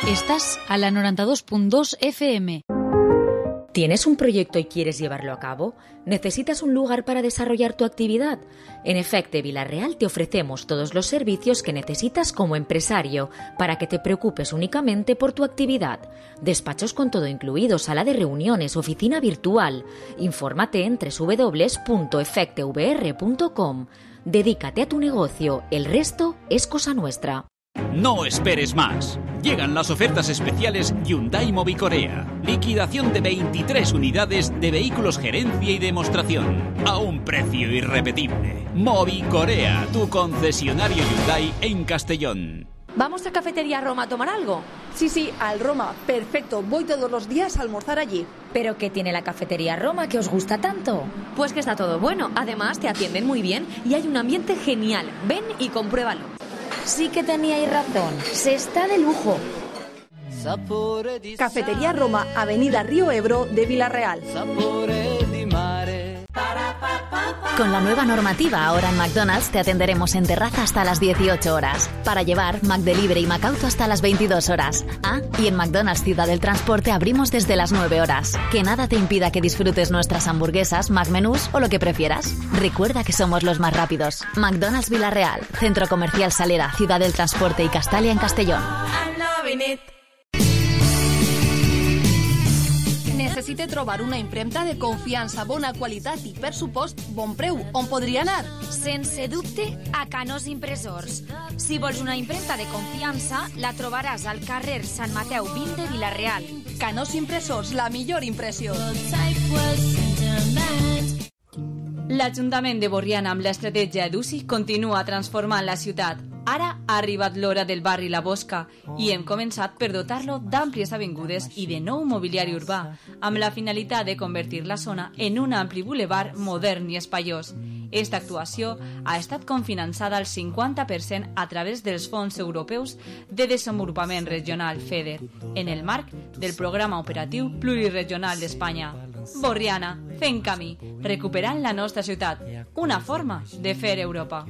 Estás a la noventa y dos punto dos F M. ¿Tienes un proyecto y quieres llevarlo a cabo? ¿Necesitas un lugar para desarrollar tu actividad? En Efecte Vila-real te ofrecemos todos los servicios que necesitas como empresario para que te preocupes únicamente por tu actividad. Despachos con todo incluido, sala de reuniones, oficina virtual. Infórmate en doble u doble u doble u punto efecte v r punto com. Dedícate a tu negocio, el resto es cosa nuestra. No esperes más. Llegan las ofertas especiales Hyundai Mobicorea. Liquidación de veintitrés unidades de vehículos gerencia y demostración. A un precio irrepetible. Mobicorea, tu concesionario Hyundai en Castellón. ¿Vamos a Cafetería Roma a tomar algo? Sí, sí, al Roma. Perfecto, voy todos los días a almorzar allí. ¿Pero qué tiene la Cafetería Roma que os gusta tanto? Pues que está todo bueno. Además, te atienden muy bien y hay un ambiente genial. Ven y compruébalo. Sí que teníais razón, se está de lujo. Cafetería Roma, Avenida Río Ebro de Vila-real. Con la nueva normativa, ahora en McDonald's te atenderemos en terraza hasta las dieciocho horas. Para llevar, McDelivery y McAuto hasta las veintidós horas. Ah, y en McDonald's Ciudad del Transporte abrimos desde las nueve horas. Que nada te impida que disfrutes nuestras hamburguesas, McMenús o lo que prefieras. Recuerda que somos los más rápidos. McDonald's Vila-real, Centro Comercial Salera, Ciudad del Transporte y Castalia en Castellón. Necessite trobar una impremta de confiança, bona qualitat i, per supost, bon preu. On podria anar? Sense dubte, a Canós Impressors. Si vols una impremta de confiança, la trobaràs al carrer Sant Mateu vint de Vila-real. Canós Impressors, la millor impressió. L'Ajuntament de Borriana, amb l'estratègia d'U C I, continua transformant la ciutat. Ara ha arribat l'hora del barri La Bosca i hem començat per dotar-lo d'àmplies avingudes i de nou mobiliari urbà, amb la finalitat de convertir la zona en un ampli bulevard modern i espaiós. Esta actuació ha estat cofinançada al cinquanta per cent a través dels fons europeus de desenvolupament regional FEDER, en el marc del Programa Operatiu Pluriregional d'Espanya. Borriana, fent camí, recuperant la nostra ciutat, una forma de fer Europa.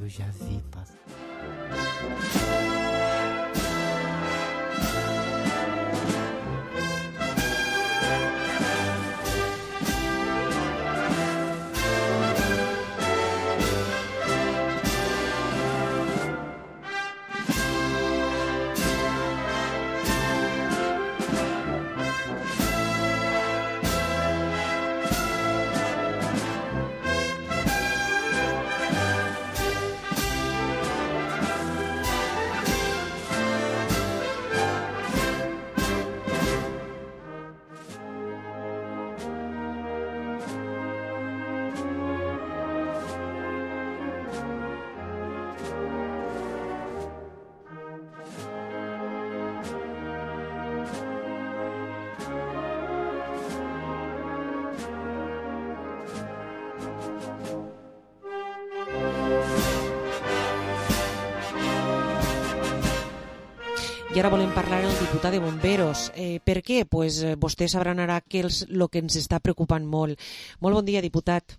I ara volem parlar amb el diputat de Bomberos. Eh, per què? Pues, eh, vostès sabran ara que el lo que ens està preocupant molt. Molt bon dia, diputat.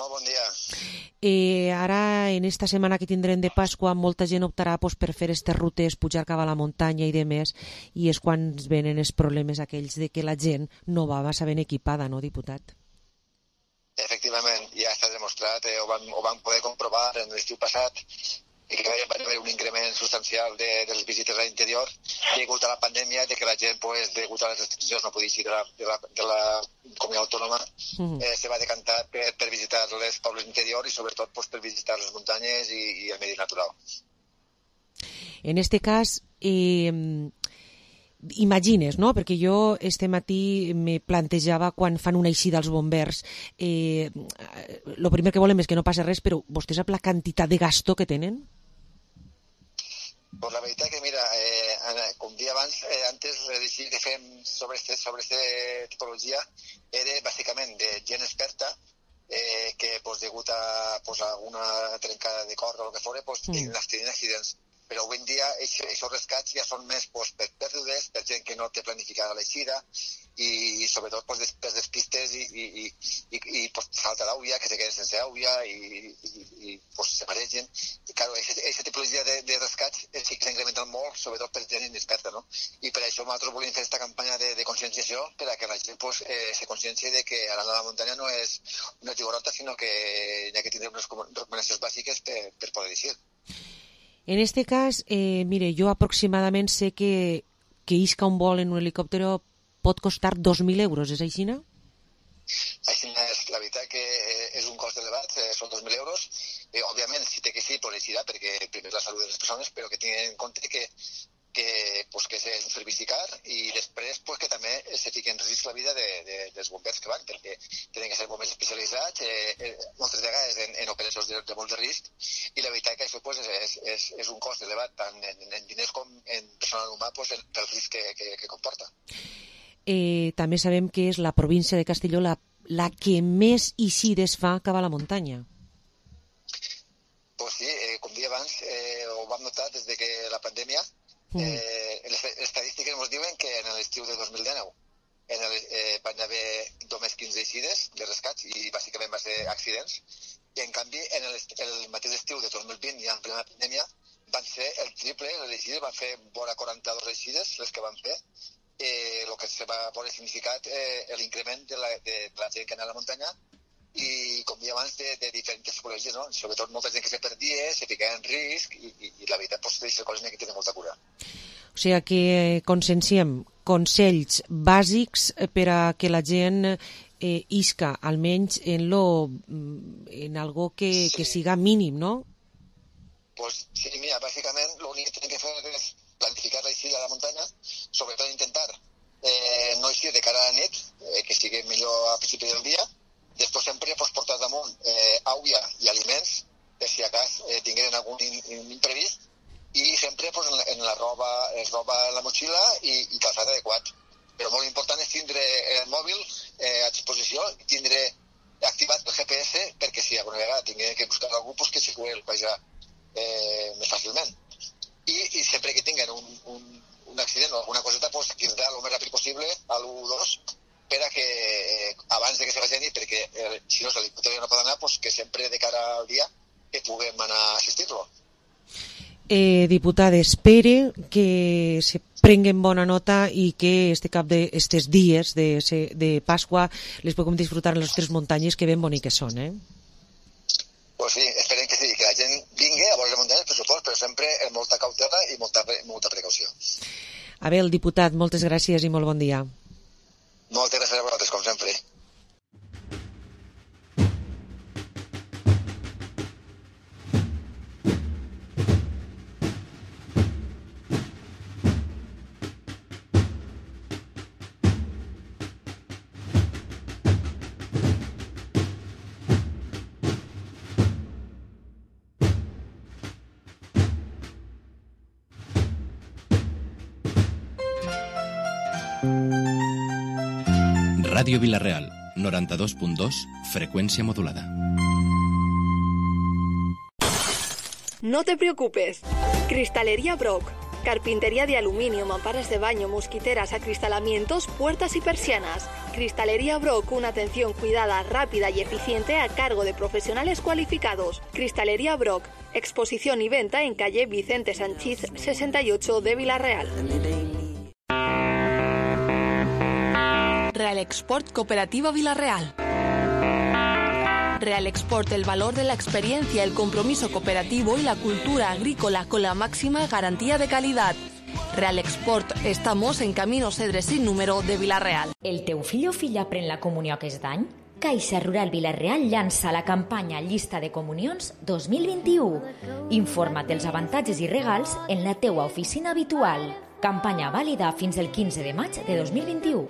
Molt bon dia. Eh, ara, en esta setmana que tindrem de Pasqua, molta gent optarà pues, per fer aquestes rutes, pujar cap a la muntanya i demés, i és quan es venen els problemes aquells de que la gent no va massa ben equipada, no, diputat? Efectivament, ja està demostrat, eh, ho, vam, ho vam poder comprovar en l'estiu passat, i que va haver un increment substancial de, de les visites a l'interior degut a la pandèmia, de que la gent, pues, degut a les restriccions, no podia eixir de la, de la, de la comunitat autònoma, uh-huh. eh, se va decantar per, per visitar les pobles interiors i sobretot pues, per visitar les muntanyes i, i el medi natural. En este cas, eh, imagines, no? Perquè jo este matí me plantejava quan fan una eixida als bombers, eh, lo primer que volem és que no passi res, però vostè sap la quantitat de gasto que tenen? Pues la veritat que, mira, eh, com dia abans, eh, antes l'edició que fem sobre este, sobre este tipologia era bàsicament de gent experta eh, que, pues, degut a pues, alguna trencada de cor o el que fos, pues, mm. tenien accidents. Però avui en dia aquests rescats ja són més pues, per pèrdues, per gent que no té planificada l'eixida i, i sobretot pues, per despistes i, i, i, i, i pues, falta d'àuia, que se queden sense àuia i, i, i pues, se maregen. I clar, aquesta tipologia de, de rescats sí que s'ha incrementat molt, sobretot per gent inexperta, no? I per això nosaltres volíem fer aquesta campanya de, de conscienciació per a que la gent pues, eh, se conscienci de que anar a la muntanya no és una llibertat, sinó que hi ha que tindre unes recomanacions bàsiques per, per poder eixir. En este cas, eh, mire, jo aproximadament sé que, que isca un vol en un helicòpter pot costar dos mil euros, és així, no? Així és, la veritat que és un cost elevat, eh, són dos mil euros. Eh, òbviament, si té que sí, pues eixirà, perquè primer la salut de les persones, però que tinguin en compte que que, pues, que és un servici car i després pues, que també se fiqui en risc la vida de, de, dels bombers que van, perquè tenen que ser bombers especialitzats, eh, eh, moltes vegades en, en operacions de, de molt de risc, i la veritat que això pues, és, és, és un cost elevat tant en, en diners com en personal humà pues, pel risc que, que, que comporta. Eh, també sabem que és la província de Castelló la, la que més eixides fa cap a la muntanya. Pues sí, eh, com dia abans, eh, ho vam notar des de que la pandèmia Eh, les estadístiques ens diuen que en l'estiu de dos mil dinou en el, eh, van haver només quinze eixides de rescats i bàsicament va ser accidents, i en canvi en el, el mateix estiu de dos mil vint i en plena pandèmia van ser el triple, les eixides van fer vora quaranta-dues eixides les que van fer, eh, el que se va veure significat eh, l'increment de, la, de la gent que anava a la muntanya i com deia abans de, de diferents tipologies, no? Sobretot molta gent que se perdia, se ficava en risc i, i, i la veritat pues, d'aquestes coses n'hi ha que tenir molta cura. O sigui que conscienciem consells bàsics per a que la gent eh, isca almenys en, lo, en algo que, sí. que siga mínim, no? Pues sí, mira, bàsicament l'únic que tenen que fer és planificar l'eixida a la muntanya, sobretot intentar eh, no eixir de cara a la nit, eh, que sigui millor a principi del dia. Després sempre pues, portar damunt eh, àuia i aliments, per si a cas eh, tingueren algun in, in imprevist, i sempre pues, en, la, en la roba, es roba en la motxilla i, i calçat adequat. Però molt important és tindre el mòbil eh, a disposició i tindre activat el G P S perquè si alguna vegada tinguem que buscar algú pues, que se pugui pajar eh, més fàcilment. I, i sempre que tinguen un, un, un accident o alguna coseta, pues, cridar el més ràpid possible a l'u dos per a que eh, abans de que se vagin, perquè eh, si no l'helicòpter no pot anar, pues, que sempre de cara al dia que puguem anar a assistir-lo. Eh, diputada, espere que se prenguen bona nota i que este cap de estes dies de, de Pasqua les puguem disfrutar en les nostres muntanyes que ben boniques són, eh? Pues sí, esperem que sí, que la gent vingui a veure les muntanyes, per supost, però sempre amb molta cautela i molta, molta precaució. Abel, diputat, moltes gràcies i molt bon dia. Moltes gràcies a vosaltres, com sempre. Ràdio Vila-real, noranta-dos punt dos, frecuencia modulada. No te preocupes. Cristalería Brock. Carpintería de aluminio, mamparas de baño, mosquiteras, acristalamientos, puertas y persianas. Cristalería Brock, una atención cuidada, rápida y eficiente a cargo de profesionales cualificados. Cristalería Brock, exposición y venta en calle Vicente Sanchís sesenta y ocho de Vila-real. Real Export Cooperativa Vila-real. Real Export, el valor de la experiencia, el compromiso cooperativo y la cultura agrícola con la máxima garantía de calidad. Real Export, estamos en Camino Cedre sin número de Vila-real. El teu fill o filla pren la comunió aquest any? Caixa Rural Vila-real llança la campanya Llista de Comunions dos mil vint-i-u. Informa't dels avantatges i regals en la teua oficina habitual. Campanya vàlida fins el quinze de maig de dos mil vint-i-u.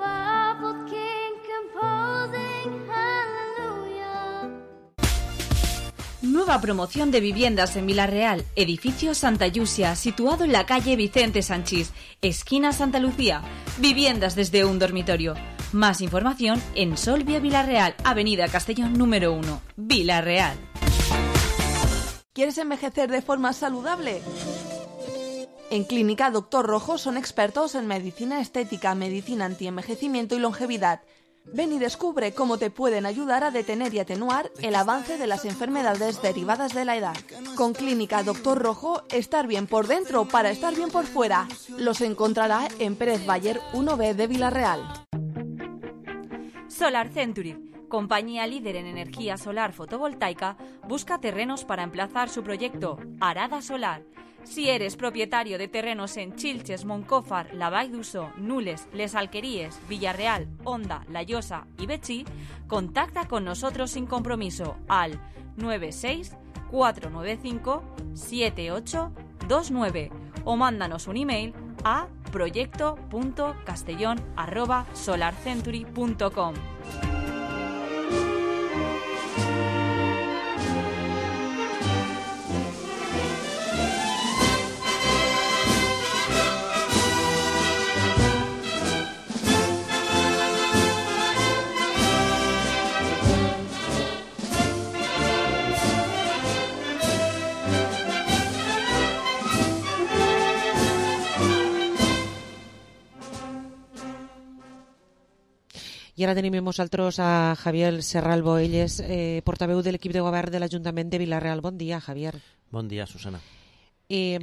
Nueva promoción de viviendas en Vila-real, edificio Santa Yusia, situado en la calle Vicente Sanchís, esquina Santa Lucía. Viviendas desde un dormitorio. Más información en Solvia Vila-real, avenida Castellón número uno, Vila-real. ¿Quieres envejecer de forma saludable? En Clínica Doctor Rojo son expertos en medicina estética, medicina antienvejecimiento y longevidad. Ven y descubre cómo te pueden ayudar a detener y atenuar el avance de las enfermedades derivadas de la edad. Con Clínica Doctor Rojo, estar bien por dentro para estar bien por fuera. Los encontrará en Pérez Bayer uno B de Vila-real. Solar Century, compañía líder en energía solar fotovoltaica, busca terrenos para emplazar su proyecto Arada Solar. Si eres propietario de terrenos en Chilches, Moncófar, La Vall d'Uso, Nules, Les Alqueríes, Villarreal, Onda, La Llosa y Betxí, contacta con nosotros sin compromiso al nueve seis cuatro nueve cinco siete ocho dos nueve o mándanos un email a proyecto punto castellón arroba solarcentury punto com. I ara tenim amb nosaltres a Javier Serral Boelles, eh, portaveu de l'equip de govern de l'Ajuntament de Vila-real. Bon dia, Javier. Bon dia, Susana. Eh,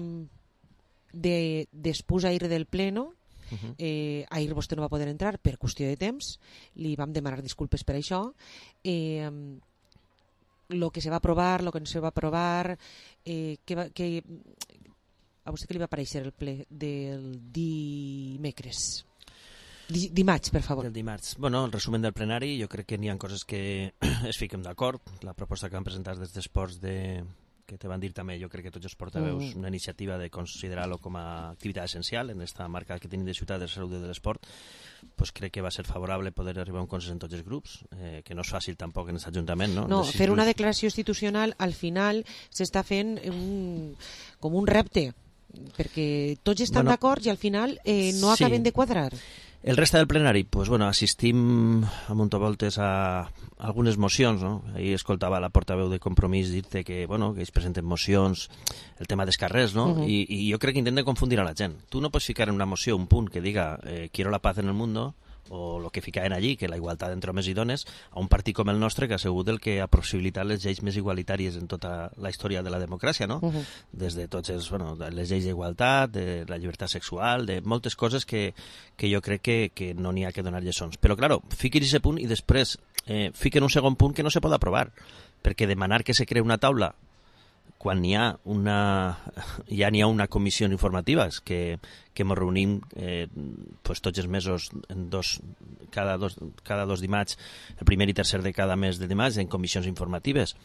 de, después a ir del pleno, uh-huh. eh, ahir vostè no va poder entrar per qüestió de temps, li vam demanar disculpes per això. Eh, lo que se va aprovar, lo que no se va aprovar, eh, que, va, que a vostè que li va aparèixer el ple del dimecres? Dimarts, per favor. Del dimarts. Bueno, el resumen del plenari, jo crec que n'hi ha coses que es fiquem d'acord. La proposta que van presentar des d'Esports de... que te van dir també, jo crec que tots els portaveus, mm. una iniciativa de considerar-lo com a activitat essencial en esta marca que tenim de Ciutat de Salut de l'Esport, pues crec que va ser favorable poder arribar a un consens en tots els grups, eh, que no és fàcil tampoc en aquest Ajuntament, no? No, fer una declaració institucional al final s'està fent un, com un repte, perquè tots estan bueno, d'acord i al final eh, no acaben sí. de quadrar. El resta del plenari, pues bueno, assistim a muntavoltes a algunes mocions, no? Ahir escoltava la portaveu de Compromís dir-te que, bueno, que ells presenten mocions, el tema dels carrers, no? Uh-huh. I, I jo crec que intenten confundir a la gent. Tu no pots ficar en una moció un punt que diga eh, quiero la paz en el mundo, o el que ficaven allí, que la igualtat entre homes i dones, a un partit com el nostre que ha sigut el que ha possibilitat les lleis més igualitàries en tota la història de la democràcia, no? Uh-huh. Des de tots els, bueno, les lleis d'igualtat, de la llibertat sexual, de moltes coses que, que jo crec que, que no n'hi ha que donar lliçons. Però, claro, fiquin aquest punt i després eh, fiquen un segon punt que no se pot aprovar, perquè demanar que se cree una taula quan n'hi ha una ja n'hi ha una comissió informativa que, que ens reunim eh, pues tots els mesos en dos, cada, dos, cada dos dimarts, el primer i tercer de cada mes de dimarts en comissions informatives,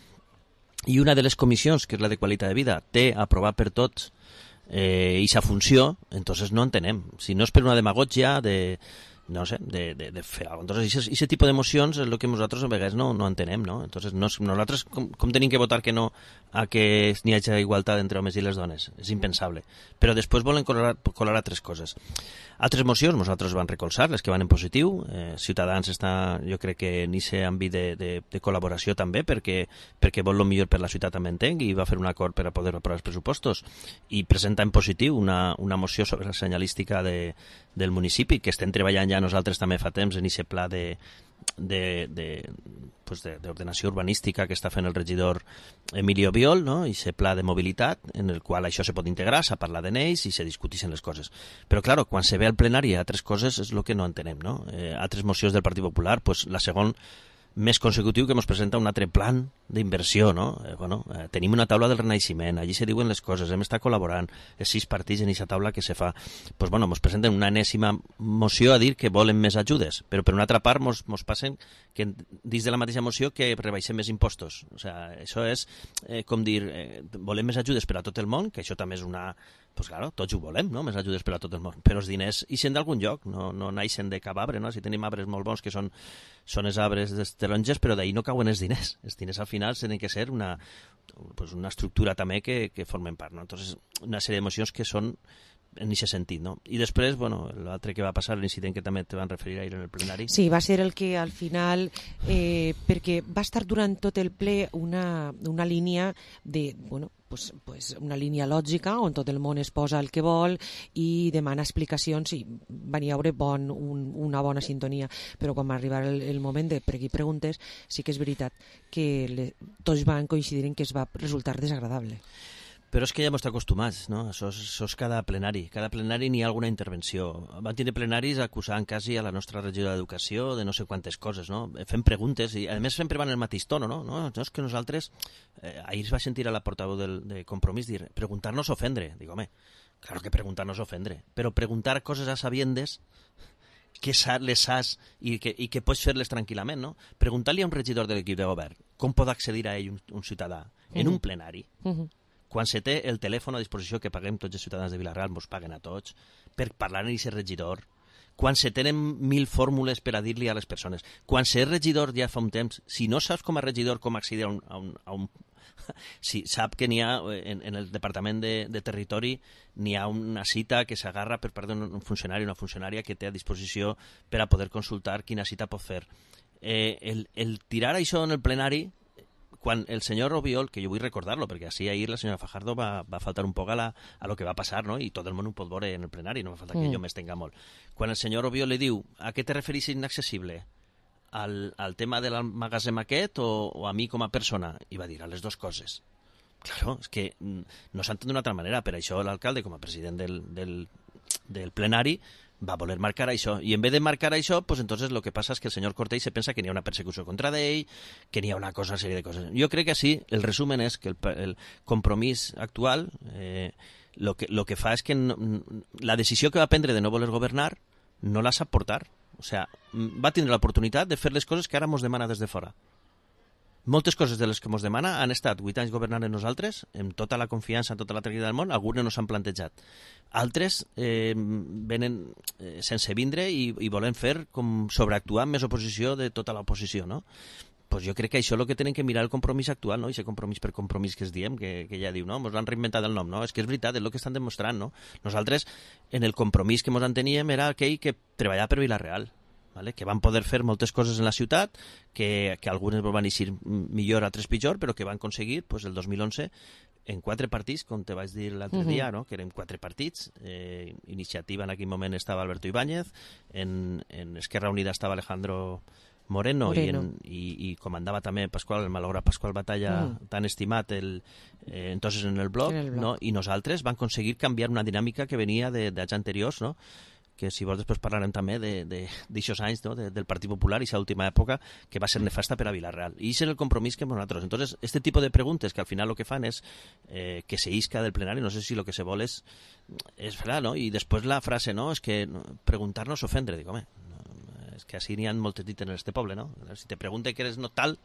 i una de les comissions, que és la de qualitat de vida, té aprovat per tots eh, i sa funció, entonces no entenem. Si no és per una demagògia de no sé, de, de, de fer alguna cosa. Entonces, aquest tipus d'emocions és el que nosaltres a vegades no, no entenem, no? Entonces, no, nosaltres com, com tenim que votar que no a que n'hi hagi igualtat entre homes i les dones? És impensable. Però després volen colar, colar altres coses. Altres mocions nosaltres van recolzar, les que van en positiu. Eh, Ciutadans està, jo crec que en aquest àmbit de, de, de col·laboració també, perquè, perquè vol el millor per la ciutat, també entenc, i va fer un acord per a poder aprovar els pressupostos. I presenta en positiu una, una moció sobre la senyalística de, del municipi, que estem treballant ja nosaltres també fa temps en aquest pla de de, de, pues de, d'ordenació urbanística que està fent el regidor Emilio Biol, no? I aquest pla de mobilitat en el qual això se pot integrar, s'ha parlat en ells i se discuteixen les coses. Però, clar, quan se ve al plenari altres coses és el que no entenem, no? Eh, altres mocions del Partit Popular, pues, la segona més consecutiu que ens presenta un altre plan d'inversió, no? Eh, bueno, eh, tenim una taula del Renaixement, allí se diuen les coses, hem estat col·laborant, els sis partits en aquesta taula que se fa. Pues, bueno, ens presenten una enèsima moció a dir que volen més ajudes, però per una altra part ens passen que dins de la mateixa moció que rebaixem més impostos. O sigui, això és eh, com dir, eh, volem més ajudes per a tot el món, que això també és una... Pues claro, tots ho volem, no? Més ajudes per a tot el món. Però els diners ixen d'algun lloc, no, no naixen de cap arbre, no? Si tenim arbres molt bons que són, són els arbres dels taronges, però d'ahir no cauen els diners. Els diners al final tenen que ser una, pues una estructura també que, que formen part, no? Entonces, una sèrie d'emocions que són en aquest sentit, no? I després, bueno, l'altre que va passar, l'incident que també te van referir ahir en el plenari. Sí, va ser el que al final, eh, perquè va estar durant tot el ple una, una línia de, bueno, pues, pues una línia lògica on tot el món es posa el que vol i demana explicacions i van hi haure bon, un, una bona sintonia, però quan va arribar el, el moment de per aquí preguntes, sí que és veritat que le, tots van coincidir en que es va resultar desagradable. Però és que ja hem estat acostumats, no? Això és, això és cada plenari. Cada plenari n'hi ha alguna intervenció. Van tenir plenaris acusant quasi a la nostra regidora d'Educació de no sé quantes coses, no? Fem preguntes i, a més, sempre van en el mateix tono, no? No, no és que nosaltres... Eh, ahir es va sentir a la portaveu del, de Compromís dir preguntar-nos ofendre. Dic, home, claro que preguntar-nos ofendre, però preguntar coses a sabiendes que les has i que, i que pots fer-les tranquil·lament, no? Preguntar-li a un regidor de l'equip de govern com pot accedir a ell un, un ciutadà en un plenari. Uh-huh. Quan se té el telèfon a disposició que paguem tots els ciutadans de Vila-real, ens paguen a tots, per parlar amb aquest regidor, quan se tenen mil fórmules per a dir-li a les persones, quan ser regidor ja fa un temps, si no saps com a regidor com accedir a un... A un, a un si sap que n'hi ha, en, en el Departament de, de Territori, n'hi ha una cita que s'agarra per part d'un funcionari o una funcionària que té a disposició per a poder consultar quina cita pot fer. Eh, el, el tirar això en el plenari, quan el senyor Obiol, que jo vull recordar-lo, perquè així ahir la senyora Fajardo va, va faltar un poc a, la, a lo que va passar, no? I tot el món ho pot veure en el plenari, no fa falta que mm. jo m'estenga molt. Quan el senyor Obiol li diu, a què te referís inaccessible? Al, al tema del magatzem aquest o, o a mi com a persona? I va dir, a les dues coses. Claro, és que no s'entén d'una altra manera, per això l'alcalde, com a president del, del, del plenari, va voler marcar això, i en vez de marcar això, pues entonces lo que pasa es que el senyor Cortell se pensa que n'hi ha una persecució contra d'ell, que n'hi ha una cosa, una sèrie de coses. Jo crec que sí, el resumen és que el, el compromís actual eh, lo, que, lo que fa és que no, la decisió que va prendre de no voler governar no la sap portar. O sea, va tindre l'oportunitat de fer les coses que ara mos demana des de fora. Moltes coses de les que ens demana han estat vuit anys governant en nosaltres, amb tota la confiança, amb tota la tranquil·litat del món, algunes no s'han plantejat. Altres eh, venen eh, sense vindre i, i volen fer com sobreactuar amb més oposició de tota l'oposició, no? Pues jo crec que això és el que tenen que mirar el compromís actual, no? I aquest compromís per compromís que es diem, que, que ja diu, no? Ens han reinventat el nom, no? És que és veritat, és el que estan demostrant, no? Nosaltres, en el compromís que ens en teníem, era aquell que treballava per Vila-real, ¿vale? Que van poder fer moltes coses en la ciutat, que, que algunes van eixir millor, altres pitjor, però que van aconseguir pues, el dos mil onze en quatre partits, com te vaig dir l'altre uh-huh. dia, no? Que eren quatre partits. Eh, Iniciativa en aquell moment estava Alberto Ibáñez, en, en Esquerra Unida estava Alejandro Moreno, Moreno. I, en, i, i comandava també Pasqual, el malograt Pasqual Batalla, uh-huh. tan estimat el, eh, entonces en el bloc, en el bloc. No? I nosaltres vam aconseguir canviar una dinàmica que venia d'anys anteriors, no? Que si vols després parlarem també d'aixòs anys, no? de, del Partit Popular i aquesta última època que va ser nefasta per a Vila-real. I això és el compromís que nosaltres. Entonces, este tipo de preguntes que al final lo que fan és eh, que se isca del plenari, no sé si lo que se vol és, és fer, no? I després la frase, no? És que preguntar-nos ofendre. Dic, home, no, és que així n'hi ha moltes dites en este poble, no? Si te pregunte que eres no tal...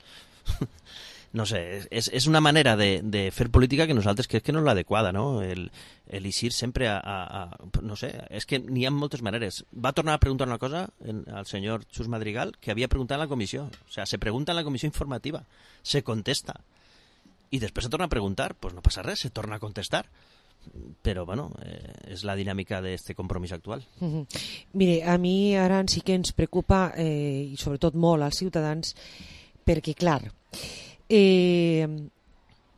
no sé, és, és una manera de, de fer política que nosaltres crec que no és l'adequada, no? El, el eixir sempre a, a, a... No sé, és que n'hi ha moltes maneres. Va tornar a preguntar una cosa en, al senyor Xus Madrigal que havia preguntat en la comissió. O sea, se pregunta en la comissió informativa, se contesta. I després se torna a preguntar, pues no passa res, se torna a contestar. Però, bueno, eh, és la dinàmica d'aquest compromís actual. Mm-hmm. Mire, a mi ara sí que ens preocupa, eh, i sobretot molt als ciutadans, perquè, clar, eh,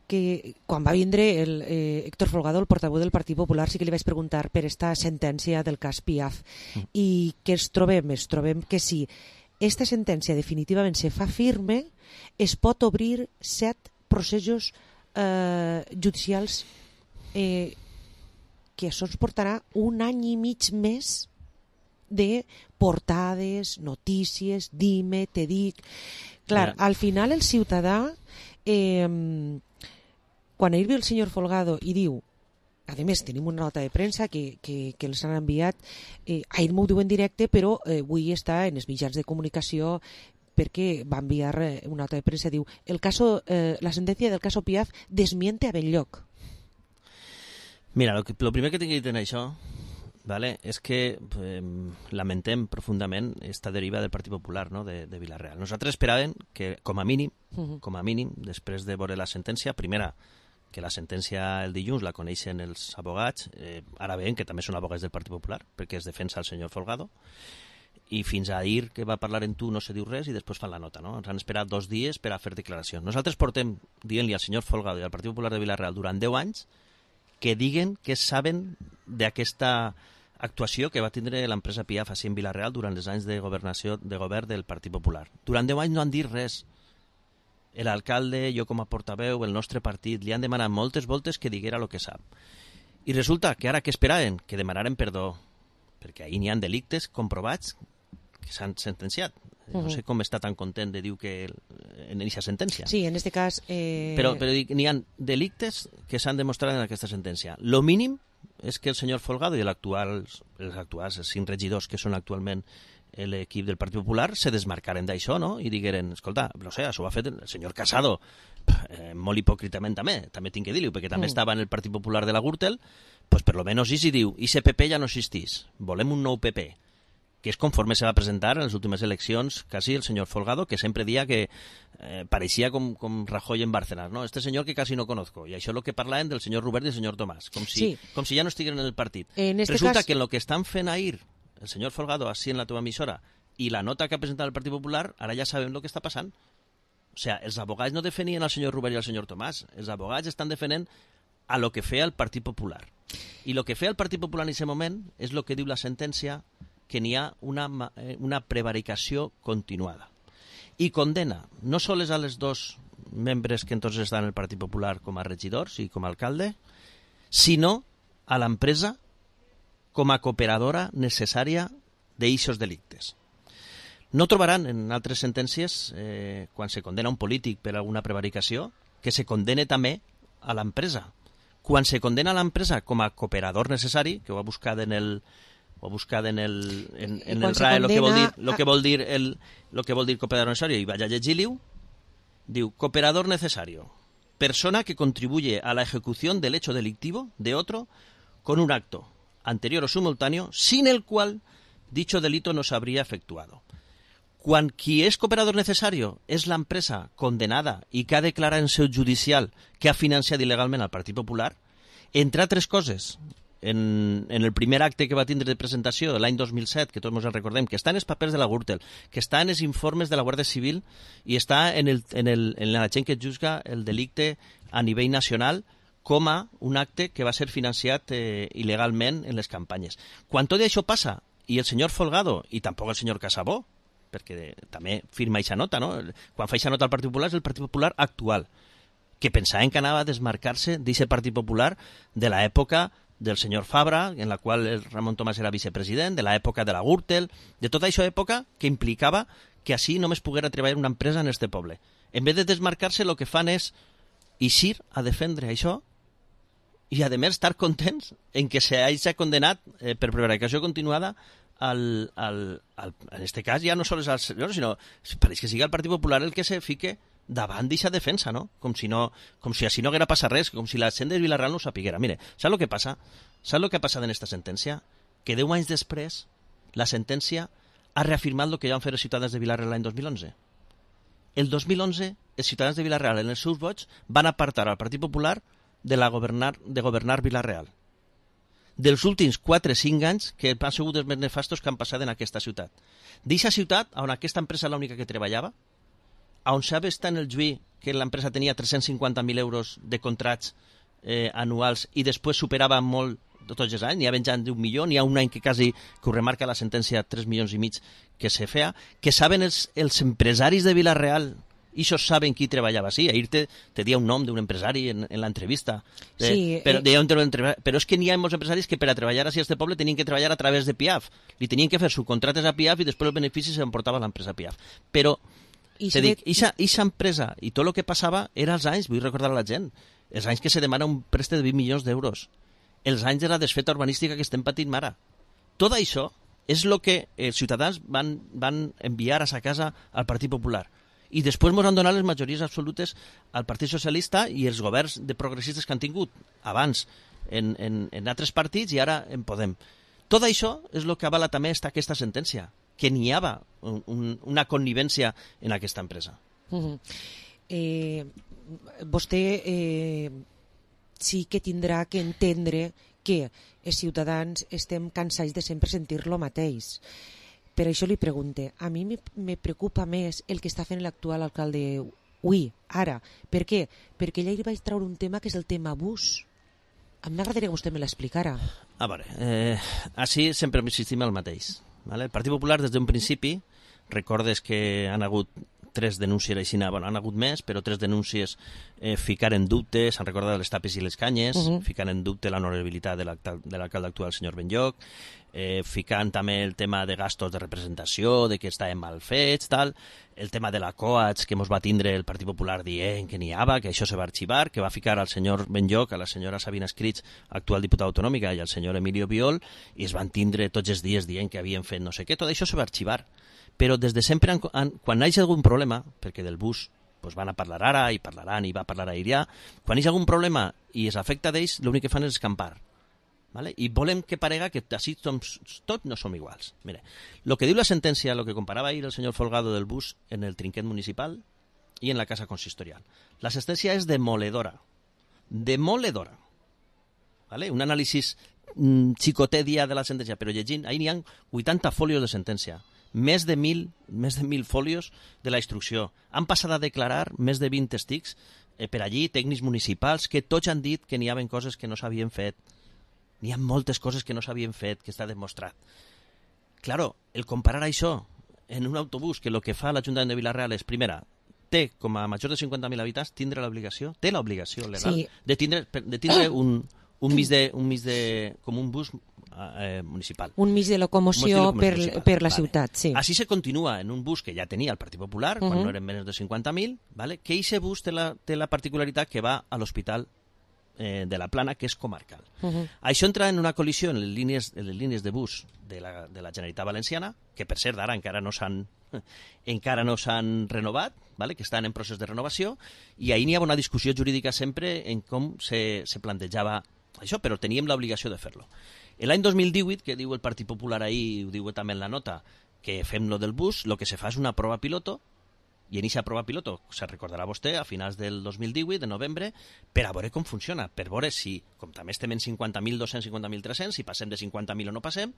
que quan va vindre el eh, Héctor Folgado, el portaveu del Partit Popular, sí que li vaig preguntar per esta sentència del cas Piaf. Mm. I què ens trobem? Es trobem que si esta sentència definitivament se fa firme, es pot obrir set processos eh, judicials eh, que això ens portarà un any i mig més de portades, notícies, dime, te dic... Clar, al final el ciutadà, eh, quan ahir ve el senyor Folgado i diu, a més tenim una nota de premsa que, que, que els han enviat, eh, ahir m'ho diu en directe, però eh, avui està en els mitjans de comunicació perquè va enviar una nota de premsa, diu, el caso, eh, la sentència del caso Piaf desmiente a Benlloc. Mira, lo, que, lo primer que tinc que dir en això, vale, és que eh, lamentem profundament esta deriva del Partit Popular, no?, de, de Vila-real. Nosaltres esperàvem que, com a mínim, uh-huh. com a mínim, després de veure la sentència, primera, que la sentència el dilluns la coneixen els abogats, eh, ara veiem que també són abogats del Partit Popular, perquè es defensa el senyor Folgado, i fins a ahir que va parlar en tu no se diu res i després fan la nota, no? Ens han esperat dos dies per a fer declaracions. Nosaltres portem dient-li al senyor Folgado i al Partit Popular de Vila-real durant deu anys que diguen que saben d'aquesta actuació que va tindre l'empresa Piaf així en Vila-real durant els anys de governació de govern del Partit Popular. Durant deu anys no han dit res. L'alcalde, jo com a portaveu, el nostre partit, li han demanat moltes voltes que diguera el que sap. I resulta que ara què esperaven? Que demanaren perdó, perquè ahir n'hi ha delictes comprovats que s'han sentenciat. No sé com està tan content de dir que en aquesta sentència. Sí, en este cas... Eh... Però, però n'hi ha delictes que s'han demostrat en aquesta sentència. Lo mínim és que el senyor Folgado i l'actual, els actuals els cinc regidors que són actualment l'equip del Partit Popular se desmarcaren d'això, no? I digueren, escolta, no sé, això ho ha fet el senyor Casado, eh, molt hipòcritament també, també tinc que dir-ho, perquè també mm. estava en el Partit Popular de la Gürtel, pues per lo menos i si diu, i ese P P ja no existís, volem un nou P P, que és conforme se va presentar en les últimes eleccions quasi el senyor Folgado, que sempre dia que eh, pareixia com, com Rajoy en Bárcenas, ¿no? Este señor que casi no conozco. I això és el que parlaven del senyor Robert i del senyor Tomàs, com si, sí. com si ja no estiguin en el partit. En este Resulta cas... que en lo que estan fent ahir el senyor Folgado així en la teva emissora i la nota que ha presentat el Partit Popular, ara ja sabem el que està passant. O sea, els abogats no defenien al senyor Robert i al senyor Tomàs, els abogats estan defendent a lo que feia el Partit Popular. I lo que feia el Partit Popular en aquest moment és el que diu la sentència, que n'hi ha una, una prevaricació continuada. I condena no sols a les dos membres que entonces estan en el Partit Popular com a regidors i com a alcalde, sinó a l'empresa com a cooperadora necessària d'eixos delictes. No trobaran en altres sentències, eh, quan se condena un polític per alguna prevaricació, que se condene també a l'empresa. Quan se condena a l'empresa com a cooperador necessari, que ho ha buscat en el... o buscat en el, en, en el R A E, el que vol dir, lo que vol dir, el, lo que vol dir cooperador necesario, i vaya a llegir-ho, diu, cooperador necesario, persona que contribuye a la ejecución del hecho delictivo de otro con un acto anterior o simultáneo, sin el cual dicho delito no se habría efectuado. Quan qui és cooperador necesario és l'empresa condenada i que ha declarat en seu judicial que ha financiat il·legalment al Partit Popular, entre altres coses, En, en el primer acte que va tindre de presentació l'any dos mil set, que tots ens en recordem, que està en els papers de la Gürtel, que està en els informes de la Guàrdia Civil i està en, el, en, el, en la gent que juzga el delicte a nivell nacional com a un acte que va ser financiat eh, il·legalment en les campanyes. Quan tot això passa, i el senyor Folgado, i tampoc el senyor Casabó, perquè també firma aquesta nota, no? Quan fa aquesta nota al Partit Popular és el Partit Popular actual, que pensaven que anava a desmarcar-se d'aquest Partit Popular de l'època del senyor Fabra, en la qual el Ramon Tomàs era vicepresident, de l'època de la Gürtel, de tota aquesta època que implicava que així només poguera treballar una empresa en este poble. En vez de desmarcar-se, el que fan és eixir a defendre això i, a més, estar contents en que s'hagi condenat eh, per prevaricació continuada al, al, al, en este cas ja no sols al senyor, sinó pareix que sigui el Partit Popular el que se fique davant d'aquesta defensa, no? Com si no, com si així no haguera passat res, com si la gent de Vila-real no ho sapiguera. Mire, saps el que passa? Saps el que ha passat en aquesta sentència? Que deu anys després, la sentència ha reafirmat el que ja van fer els ciutadans de Vila-real l'any dos mil onze. El dos mil onze, els ciutadans de Vila-real, en els seus vots, van apartar al Partit Popular de, la governar, de governar Vila-real. Dels últims quatre o cinc anys que han sigut els més nefastos que han passat en aquesta ciutat. D'eixa ciutat, on aquesta empresa era l'única que treballava, on s'ha vist en el juí que l'empresa tenia tres-cents cinquanta mil euros de contrats eh, anuals i després superava molt tots els anys, n'hi ha venjant d'un milió, n'hi ha un any que quasi, que ho remarca la sentència, tres milions i mig que se feia, que saben els, els empresaris de Vila-real, i això saben qui treballava. Sí, ahir te, te dia un nom d'un empresari en, en l'entrevista. Sí, però, eh... deia un però és que n'hi ha molts empresaris que per a treballar a este poble tenien que treballar a través de P I A F. Li tenien que fer subcontrates a P I A F i després els beneficis s'emportava l'empresa P I A F. Però, I te dic, eixa empresa i tot el que passava era els anys, vull recordar a la gent, els anys que se demana un préstec de vint milions d'euros, els anys de la desfeta urbanística que estem patint ara. Tot això és el que els ciutadans van, van enviar a sa casa al Partit Popular. I després ens han donat les majories absolutes al Partit Socialista i els governs de progressistes que han tingut abans en, en, en altres partits i ara en Podem. Tot això és el que avala també esta, aquesta sentència, que n'hi havia un, un, una connivència en aquesta empresa. Uh-huh. eh, vostè eh, sí que tindrà que entendre que els ciutadans estem cansats de sempre sentir lo mateix. Per això li pregunte, a mi me, me preocupa més el que està fent l'actual alcalde avui, ara. Per què? Perquè ella hi vaig treure un tema que és el tema bus. A mi m'agradaria que vostè me l'explicara. A veure, eh, així sempre insistim el mateix. Vale? El Partit Popular des d'un principi, recordes que han hagut tres denúncies aixina, bueno, han hagut més, però tres denúncies eh, ficar en dubte, s'han recordat les tapes i les canyes, uh -huh. ficar en dubte l'honorabilitat de l'alcalde actual, el senyor Benlloc, eh, ficant també el tema de gastos de representació, de que estaven mal fets, tal, el tema de la Coats, que mos va tindre el Partit Popular dient que n'hi havia, que això se va arxivar, que va ficar al senyor Benlloc, a la senyora Sabina Escrits, actual diputada autonòmica, i al senyor Emilio Biol, i es van tindre tots els dies dient que havien fet no sé què, tot això se va arxivar. Però des de sempre, han, han, quan hi ha algun problema, perquè del bus pues van a parlar ara i parlaran i va parlar ahir ja, quan hi ha algun problema i es afecta d'ells, l'únic que fan és escampar. ¿Vale? I volem que parega que així tots no som iguals. Mire, el que diu la sentència, el que comparava ahir el senyor Folgado del bus en el trinquet municipal i en la casa consistorial. La sentència és demoledora. Demoledora. ¿Vale? Un anàlisi mm, xicotèdia de la sentència, però llegint, ahir n'hi ha vuitanta fòlios de sentència. Més de mil, més de mil fòlios de la instrucció. Han passat a declarar més de vint testics eh, per allí, tècnics municipals, que tots han dit que n'hi havia coses que no s'havien fet. N'hi ha moltes coses que no s'havien fet, que està demostrat. Claro, el comparar això en un autobús, que el que fa l'Ajuntament de Vila-real és, primera, té com a major de cinquanta mil habitants, tindre l'obligació, té l'obligació legal sí. de tindre, de tindre un, un mig de, un mig de, com un bus eh, municipal. Un mig de locomoció per, per la vale. ciutat, sí. Així se continua en un bus que ja tenia el Partit Popular, uh-huh. quan no eren menys de cinquanta mil, ¿vale? Que aquest bus té la, té la particularitat que va a l'hospital eh, de la Plana, que és comarcal. Uh-huh. Això entra en una col·lisió en les línies, en les línies de bus de la, de la Generalitat Valenciana, que per cert d'ara encara no s'han encara no s'han renovat, ¿vale? Que estan en procés de renovació, i ahir n'hi ha una discussió jurídica sempre en com se, se plantejava això, però teníem l'obligació de fer-lo. L'any dos mil divuit, que diu el Partit Popular ahir, ho diu també en la nota, que fem lo del bus, el que se fa és una prova piloto, i en aquesta prova piloto, se recordarà vostè, a finals del dos mil divuit, de novembre, per a veure com funciona, per veure si, com també estem en cinquanta mil dos-cents, cinquanta mil tres-cents, si passem de cinquanta mil o no passem,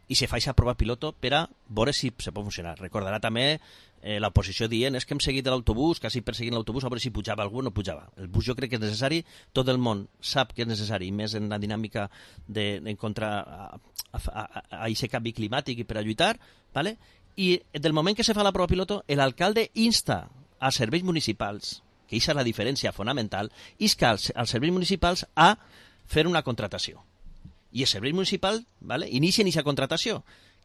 i se fa aquesta prova piloto per a veure si se pot funcionar. Recordarà també eh, l'oposició dient és que hem seguit l'autobús, quasi perseguint l'autobús, a veure si pujava algú o no pujava. El bus jo crec que és necessari, tot el món sap que és necessari, més en la dinàmica de, de contra a, a, a aquest canvi climàtic i per a lluitar, ¿vale? I del moment que se fa la prova piloto, l'alcalde insta als serveis municipals, que aquesta és la diferència fonamental, insta als, als serveis municipals a fer una contratació. I el servei municipal, ¿vale? Inicien aquesta contratació,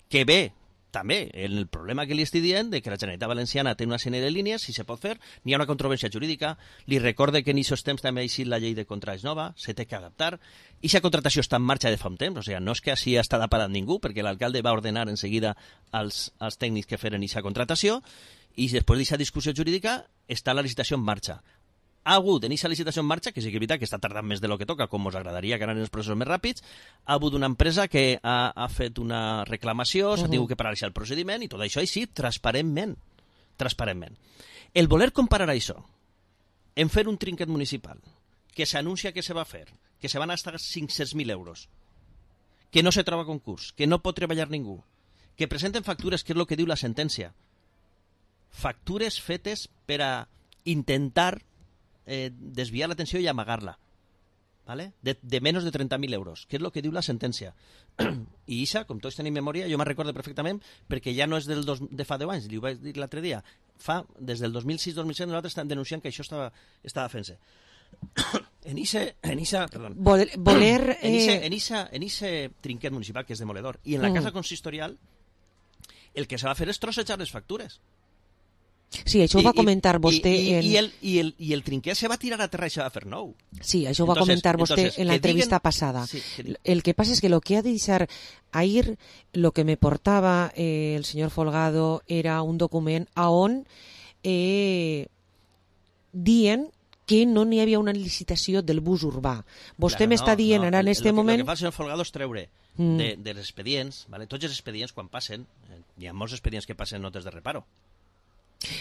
que ve també el problema que li estic dient de que la Generalitat Valenciana té una sèrie de línies, si se pot fer, n'hi ha una controvèrsia jurídica, li recorde que en aquests temps també ha eixit la llei de contrats nova, se té que adaptar, i aquesta contratació està en marxa de fa un temps, o sigui, no és que així està parat ningú, perquè l'alcalde va ordenar en seguida als, als tècnics que feren aquesta contratació, i després d'aquesta discussió jurídica està la licitació en marxa. Ha hagut en aquesta licitació en marxa, que sí que és veritat que està tardant més de lo que toca, com us agradaria que anaven els processos més ràpids, ha hagut una empresa que ha, ha fet una reclamació, s'ha uh -huh. tingut que paralitzar el procediment i tot això així, transparentment. Transparentment. El voler comparar això en fer un trinquet municipal, que s'anuncia que se va fer, que se van gastar cinc-cents mil euros, que no se troba concurs, que no pot treballar ningú, que presenten factures, que és el que diu la sentència, factures fetes per a intentar eh, desviar l'atenció i amagar-la, ¿vale? de, de menys de trenta mil euros, que és el que diu la sentència. I Isa, com tots tenim memòria, jo me'n recordo perfectament, perquè ja no és del dos, de fa deu anys, li ho vaig dir l'altre dia, fa, des del dos mil sis dos mil set nosaltres estem denunciant que això estava, estava fent-se. En ese, en esa, perdón, voler, voler en, ese, eh... en, esa, en ese trinquet municipal que és demoledor, i en la mm. casa consistorial el que se va fer és trossejar les factures. Sí, això ho va comentar vostè i, i, en... i, el, i, el, i el trinquet se va tirar a terra i se va fer nou. Sí, això ho va entonces, comentar vostè entonces, en l'entrevista diguen... passada. Sí, que... El que passa és que lo que ha de deixar ahir, lo que me portava eh, el senyor Folgado era un document a on eh, dient que no n'hi havia una licitació del bus urbà. Vostè claro, m'està no, dient no. ara en este el, moment... El que fa el senyor Folgado és treure mm. de, dels expedients, ¿vale? Tots els expedients quan passen, eh, hi ha molts expedients que passen notes de reparo.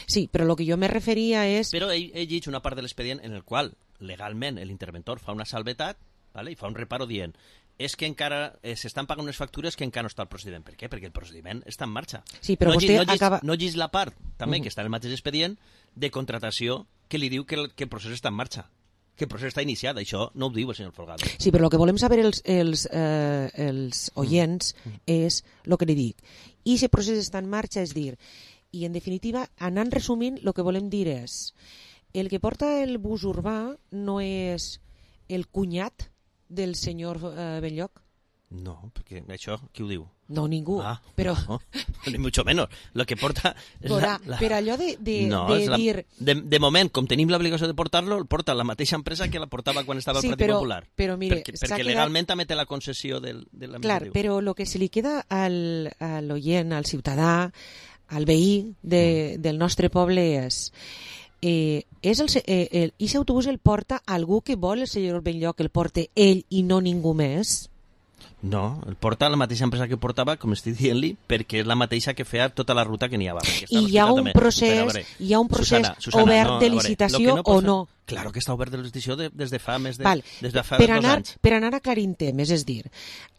Sí, però el que jo me referia és... Però ell, ell llegeix una part de l'expedient en el qual legalment l'interventor fa una salvetat, ¿vale? I fa un reparo dient és que encara eh, s'estan pagant unes factures que encara no està el procediment. Per què? Perquè el procediment està en marxa. Sí, però no vostè no acaba... No llegeix la part, també, uh-huh. que està en el mateix expedient, de contratació que li diu que el, que el procés està en marxa. Que el procés està iniciat. Això no ho diu el senyor Folgado. Sí, però el que volem saber els, els, eh, els oients uh-huh. és el que li dic. I si el procés està en marxa, és dir... I, en definitiva, anant resumint, el que volem dir és el que porta el bus urbà no és el cunyat del senyor eh, Benlloc? No, perquè això, qui ho diu? No, ningú, ah, però... No, ni mucho menos. Lo que porta... Porà, la, la... Per allò de, de, no, de la, dir... De, de moment, com tenim l'obligació de portar-lo, el porta la mateixa empresa que la portava quan estava sí, el Partit però, Popular. Però, mire, perquè perquè quedat... legalment també té la concessió del, de l'administratiu. Clar, però el que se li queda al, a l'oient, al ciutadà, al veí de, del nostre poble és... Eh, és el, eh, el, i l'autobús el porta algú que vol el senyor Benlloc, el porta ell i no ningú més? No, el porta la mateixa empresa que portava, com estic dient-li, perquè és la mateixa que feia tota la ruta que n'hi havia. I hi ha un també. procés, veure, hi ha un procés Susana, Susana, obert no, de licitació no o no? Claro que està obert de licitació de, des de fa més de, Val. des de fa per dos anar, anys. Per anar aclarint temes, és dir,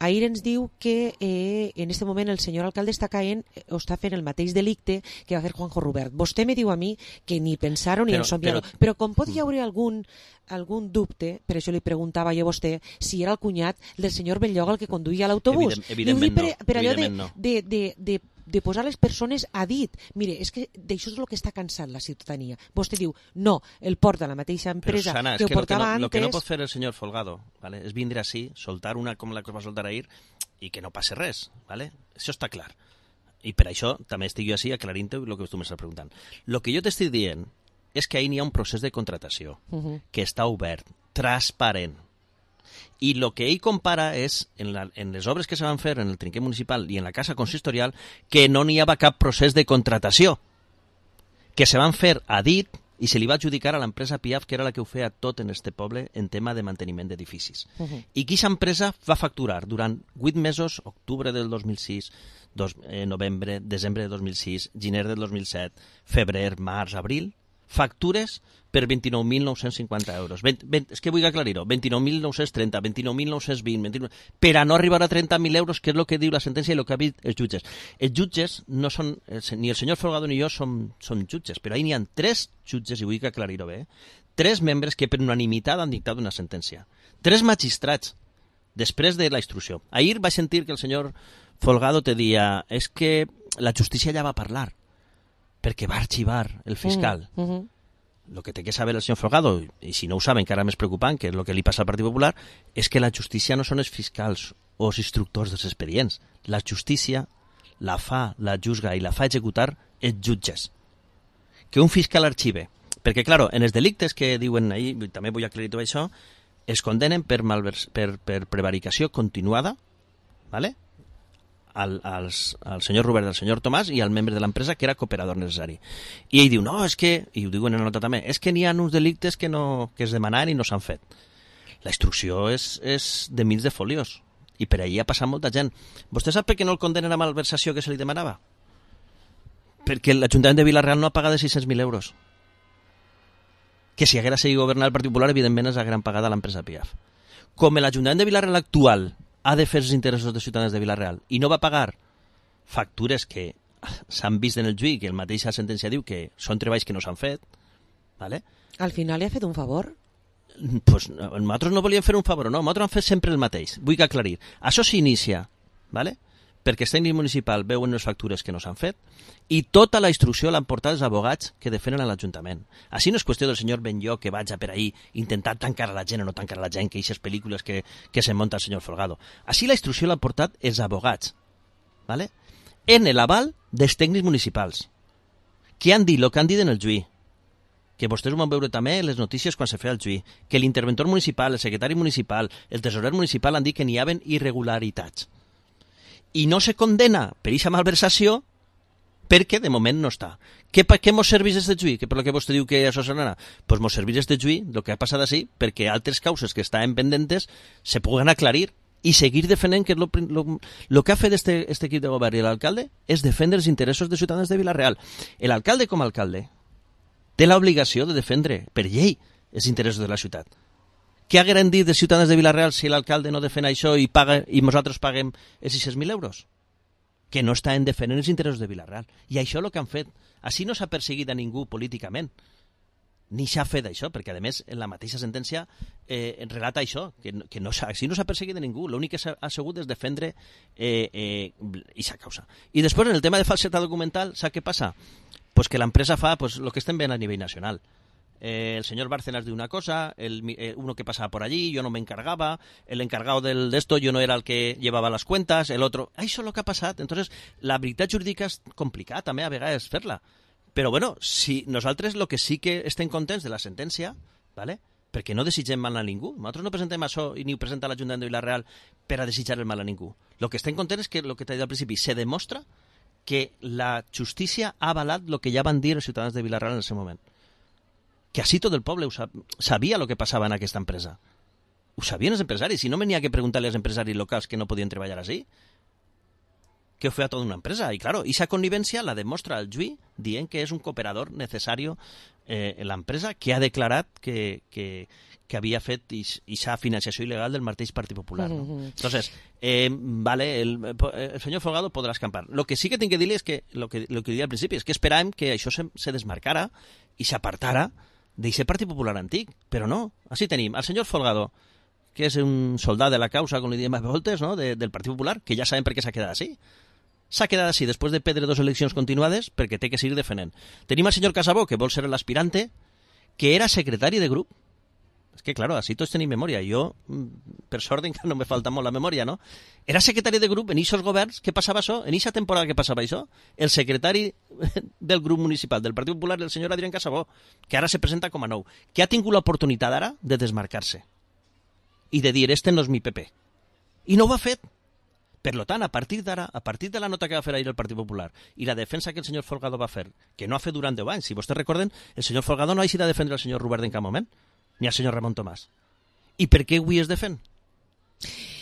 ahir ens diu que eh, en aquest moment el senyor alcalde està caent o està fent el mateix delicte que va fer Juanjo Rubert. Vostè me diu a mi que ni pensar-ho ni en somiar-ho, però, però com pot hi haver algun algun dubte, per això li preguntava jo a vostè si era el cunyat del senyor Benlloc el que conduïa l'autobús. Evident, evidentment per, no. Per allò de, no. de, de, de, de posar les persones a dit. Mire, és que d'això és el que està cansat la ciutadania. Vostè diu, no, el porta la mateixa empresa Sana, que, que ho portava lo que no, antes... Lo que no pot fer el senyor Folgado, ¿vale? És vindre així, soltar una com la que va soltar ahir i que no passe res, ¿vale? Això està clar. I per això també estic jo així aclarint-ho el que tu m'estàs preguntant. El que jo t'estic dient és que ahir n'hi ha un procés de contratació uh-huh. que està obert, transparent. I el que ell compara és, en, la, en les obres que se van fer en el trinquet municipal i en la casa consistorial, que no n'hi havia cap procés de contratació, que se van fer a dit i se li va adjudicar a l'empresa Piaf, que era la que ho feia tot en este poble en tema de manteniment d'edificis. Uh-huh. I que aquesta empresa va facturar durant vuit mesos, octubre del dos mil sis, dos, eh, novembre, desembre de dos mil sis, gener del dos mil set, febrer, març, abril, factures per vint-i-nou mil nou-cents cinquanta euros. vint, vint, és que vull aclarir-ho. vint-i-nou mil nou-cents trenta, vint-i-nou mil nou-cents vint, vint-i-nou... per a no arribar a trenta mil euros, que és el que diu la sentència i el que ha dit els jutges. Els jutges no són... Ni el senyor Folgado ni jo som, som jutges, però ahí n'hi ha tres jutges, i vull que aclarir-ho bé, tres membres que per unanimitat han dictat una sentència. Tres magistrats, després de la instrucció. Ahir vaig sentir que el senyor Folgado te dia és que la justícia ja va parlar, perquè va arxivar el fiscal. Mm, uh-huh. Lo que té que saber el senyor Folgado, i si no ho saben, encara més preocupant, que és el que li passa al Partit Popular, és que la justícia no són els fiscals o els instructors dels expedients. La justícia la fa, la juzga i la fa executar els jutges. Que un fiscal arxive. Perquè, claro, en els delictes que diuen ahir, també vull aclarir tot això, es condenen per, malvers, per, per prevaricació continuada, ¿vale? al, als, al senyor Robert i al senyor Tomàs i al membre de l'empresa que era cooperador necessari. I ell diu, no, és que, i ho diuen en la nota també, és que n'hi ha uns delictes que, no, que es demanen i no s'han fet. La instrucció és, és de mils de folios i per ahir ha passat molta gent. Vostè sap per què no el condenen a malversació que se li demanava? Perquè l'Ajuntament de Vila-real no ha pagat de sis-cents mil euros. Que si haguera seguit governant el Partit Popular, evidentment es hagueren pagat a l'empresa P I A F. Com l'Ajuntament de Vila-real actual ha de fer els interessos dels ciutadans de Vila-real i no va pagar factures que s'han vist en el juí, que el mateix la sentència diu que són treballs que no s'han fet, ¿vale? Al final li ha fet un favor? Pues nosaltres no volíem fer un favor, no, nosaltres hem fet sempre el mateix, vull que aclarir. Això s'inicia, ¿vale? Perquè el tècnic municipal veuen les factures que no s'han fet i tota la instrucció l'han portat els abogats que defenen a l'Ajuntament. Així no és qüestió del senyor Benllo que vaig a per ahir intentar tancar a la gent o no tancar a la gent, que aquestes pel·lícules que, que se munta el senyor Folgado. Així la instrucció l'han portat els abogats, ¿vale? En l'aval dels tècnics municipals, que han dit el que han dit en el juí, que vostès ho van veure també en les notícies quan se feia el juí, que l'interventor municipal, el secretari municipal, el tesorer municipal han dit que n'hi havia irregularitats. I no se condena per aquesta malversació perquè de moment no està. Què, què mos serveix este juí? Que per lo que vostè diu que això serà? Pues mos serveix este juí, el que ha passat així, perquè altres causes que estaven pendentes se puguen aclarir i seguir defendent que el que ha fet este, este equip de govern i l'alcalde és defendre els interessos dels ciutadans de Vila-real. L'alcalde com a alcalde té l'obligació de defendre per llei els interessos de la ciutat. Què hagueren dit dels ciutadans de Vila-real si l'alcalde no defèn això i paga i nosaltres paguem els sis-cents mil euros? Que no estaven defendent els interessos de Vila-real. I això és el que han fet. Així no s'ha perseguit a ningú políticament. Ni s'ha fet això, perquè a més en la mateixa sentència eh, relata això, que, que no així no s'ha perseguit a ningú. L'únic que s'ha assegut és defendre eh, eh, aquesta causa. I després en el tema de falsetat documental, sap què passa? Pues que l'empresa fa pues, el que estem veient a nivell nacional. Eh, el señor Bárcenas diu una cosa, el, eh, uno que pasaba por allí, yo no me encargaba, el encargado del, de esto yo no era el que llevaba las cuentas, el otro... Això és el que ha passat. Entonces, la veritat jurídica és complicada també a vegades fer-la. Però bueno, si nosaltres el que sí que estem contents de la sentència, ¿vale? Perquè no desitgem mal a ningú. Nosaltres no presentem això i ni ho presenta l'Ajuntament de Vila-real per a desitjar el mal a ningú. El que estem contents és que, el que t'he dit al principi, se demostra que la justícia ha avalat el que ja van dir els ciutadans de Vila-real en el seu moment. Que així tot el poble sabia el que passava en aquesta empresa. Ho sabien els empresaris. Si no me n'hi ha que preguntar-li als empresaris locals que no podien treballar així, que ho feia tota una empresa. I, claro, aquesta connivència la demostra el juí dient que és un cooperador necessari eh, en l'empresa que ha declarat que, que, que havia fet aquesta financiació il·legal del mateix Partit Popular. No? Mm-hmm. Entonces, eh, vale, el, el senyor Folgado podrà escampar. Lo que sí que tinc que dir-li és que, lo que, lo que diria al principi, és que esperàvem que això se, se desmarcara i s'apartara d'aquest Partit Popular antic, però no. Així tenim el senyor Folgado, que és un soldat de la causa, com li diem a voltes, no? de, del Partit Popular, que ja sabem per què s'ha quedat així. S'ha quedat així després de perdre dues eleccions continuades perquè té que seguir defendent. Tenim el senyor Casabó, que vol ser l'aspirante, que era secretari de grup. És que, claro, així tots tenim memòria. Jo, per sort, encara no me falta molt la memòria, no? Era secretari de grup en aquests governs. Què passava això? En aquesta temporada que passava això? El secretari del grup municipal del Partit Popular, el senyor Adrián Casabó, que ara se presenta com a nou, que ha tingut l'oportunitat ara de desmarcar-se i de dir, este no és mi P P. I no ho ha fet. Per tant, a partir d'ara, a partir de la nota que va fer ahir el Partit Popular i la defensa que el senyor Folgado va fer, que no ha fet durant deu anys, si vostès recorden, el senyor Folgado no ha eixit a defendre el senyor Robert en cap moment, ni al senyor Ramon Tomàs. I per què avui es defèn?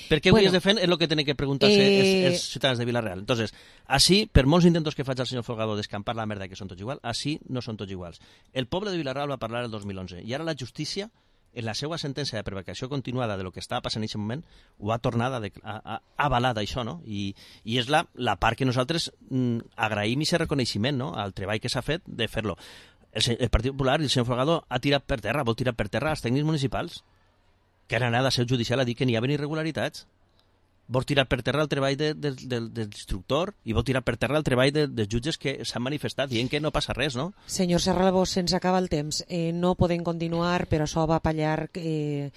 Per què avui bueno, es defèn és el que tenen que preguntar-se eh... els, els ciutadans de Vila-real. Entonces, així, per molts intentos que faig al senyor Folgado d'escampar la merda que són tots iguals, així no són tots iguals. El poble de Vila-real va parlar el dos mil onze i ara la justícia, en la seva sentència de prevaricació continuada de lo que estava passant en aquest moment, ho ha tornat a, a, a avalar d'això, no? I, i és la, la part que nosaltres mm, agraïm i aquest reconeixement, no?, al treball que s'ha fet de fer-lo. El, el Partit Popular i el senyor Folgado ha tirat per terra, vol tirar per terra els tècnics municipals, que han anat a seu judicial a dir que n'hi havia irregularitats. Vol tirar per terra el treball de, de, de, de l'instructor i vol tirar per terra el treball de, dels jutges que s'han manifestat dient que no passa res, no? Senyor Serralbó, se'ns acaba el temps. Eh, no podem continuar, però això va pallar. Eh,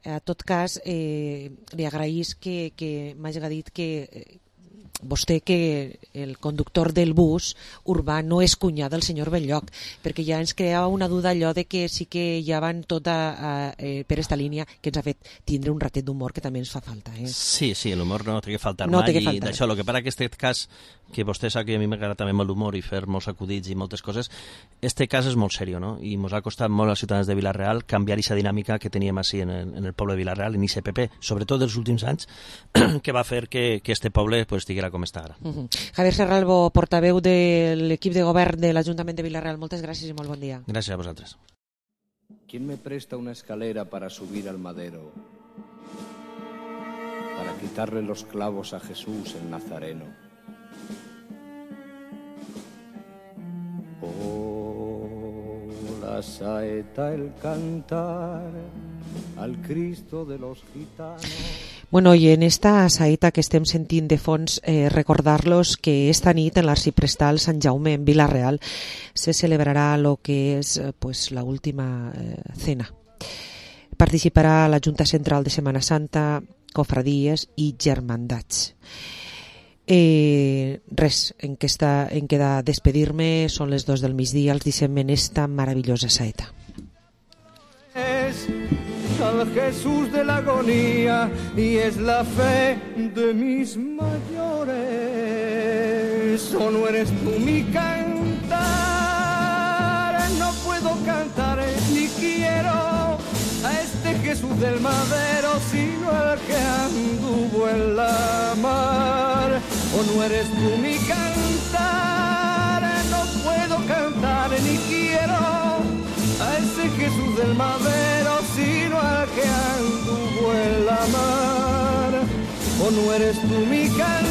en tot cas, eh, li agraïs que, que m'hagi dit que, vostè que el conductor del bus urbà no és cunyà del senyor Belllloc, perquè ja ens creava una duda allò de que sí que ja van tota eh, per esta línia, que ens ha fet tindre un ratet d'humor que també ens fa falta. Eh? Sí, sí, l'humor no té que faltar no mai, que faltar. I d'això, el que passa que aquest cas, que vostè sap que a mi m'agrada també molt l'humor i fer molts acudits i moltes coses, este cas és molt seriós, no? I ens ha costat molt als ciutadans de Vila-real canviar aquesta dinàmica que teníem així en el, en el poble de Vila-real, en I C P P, sobretot dels últims anys, que va fer que, que este poble pues, estiguera com està ara. Uh-huh. Javier Serralbo, portaveu de l'equip de govern de l'Ajuntament de Vila-real, moltes gràcies i molt bon dia. Gràcies a vosaltres. ¿Quién me presta una escalera para subir al madero? Para quitarle los clavos a Jesús el Nazareno. Oh, la saeta, el cantar al Cristo de los gitanos. Bueno, i en esta saeta que estem sentint de fons, eh, recordar-los que esta nit en l'Arxiprestal Sant Jaume en Vila-real se celebrarà lo que és eh, pues, la última eh, cena. Participarà la Junta Central de Setmana Santa, cofradies i germandats. Eh, res, en què, està, en queda despedir-me, són les dos del migdia, els deixem en esta meravellosa saeta. Es al Jesús de la agonía y es la fe de mis mayores. ¿O no eres tú mi cantar? No puedo cantar ni quiero a este Jesús del madero, sino al que anduvo en la mar. ¿O no eres tú mi cantar? No puedo cantar ni quiero a ese Jesús del madero, sino al que anduvo en la mar. ¿O no eres tú mi cantar?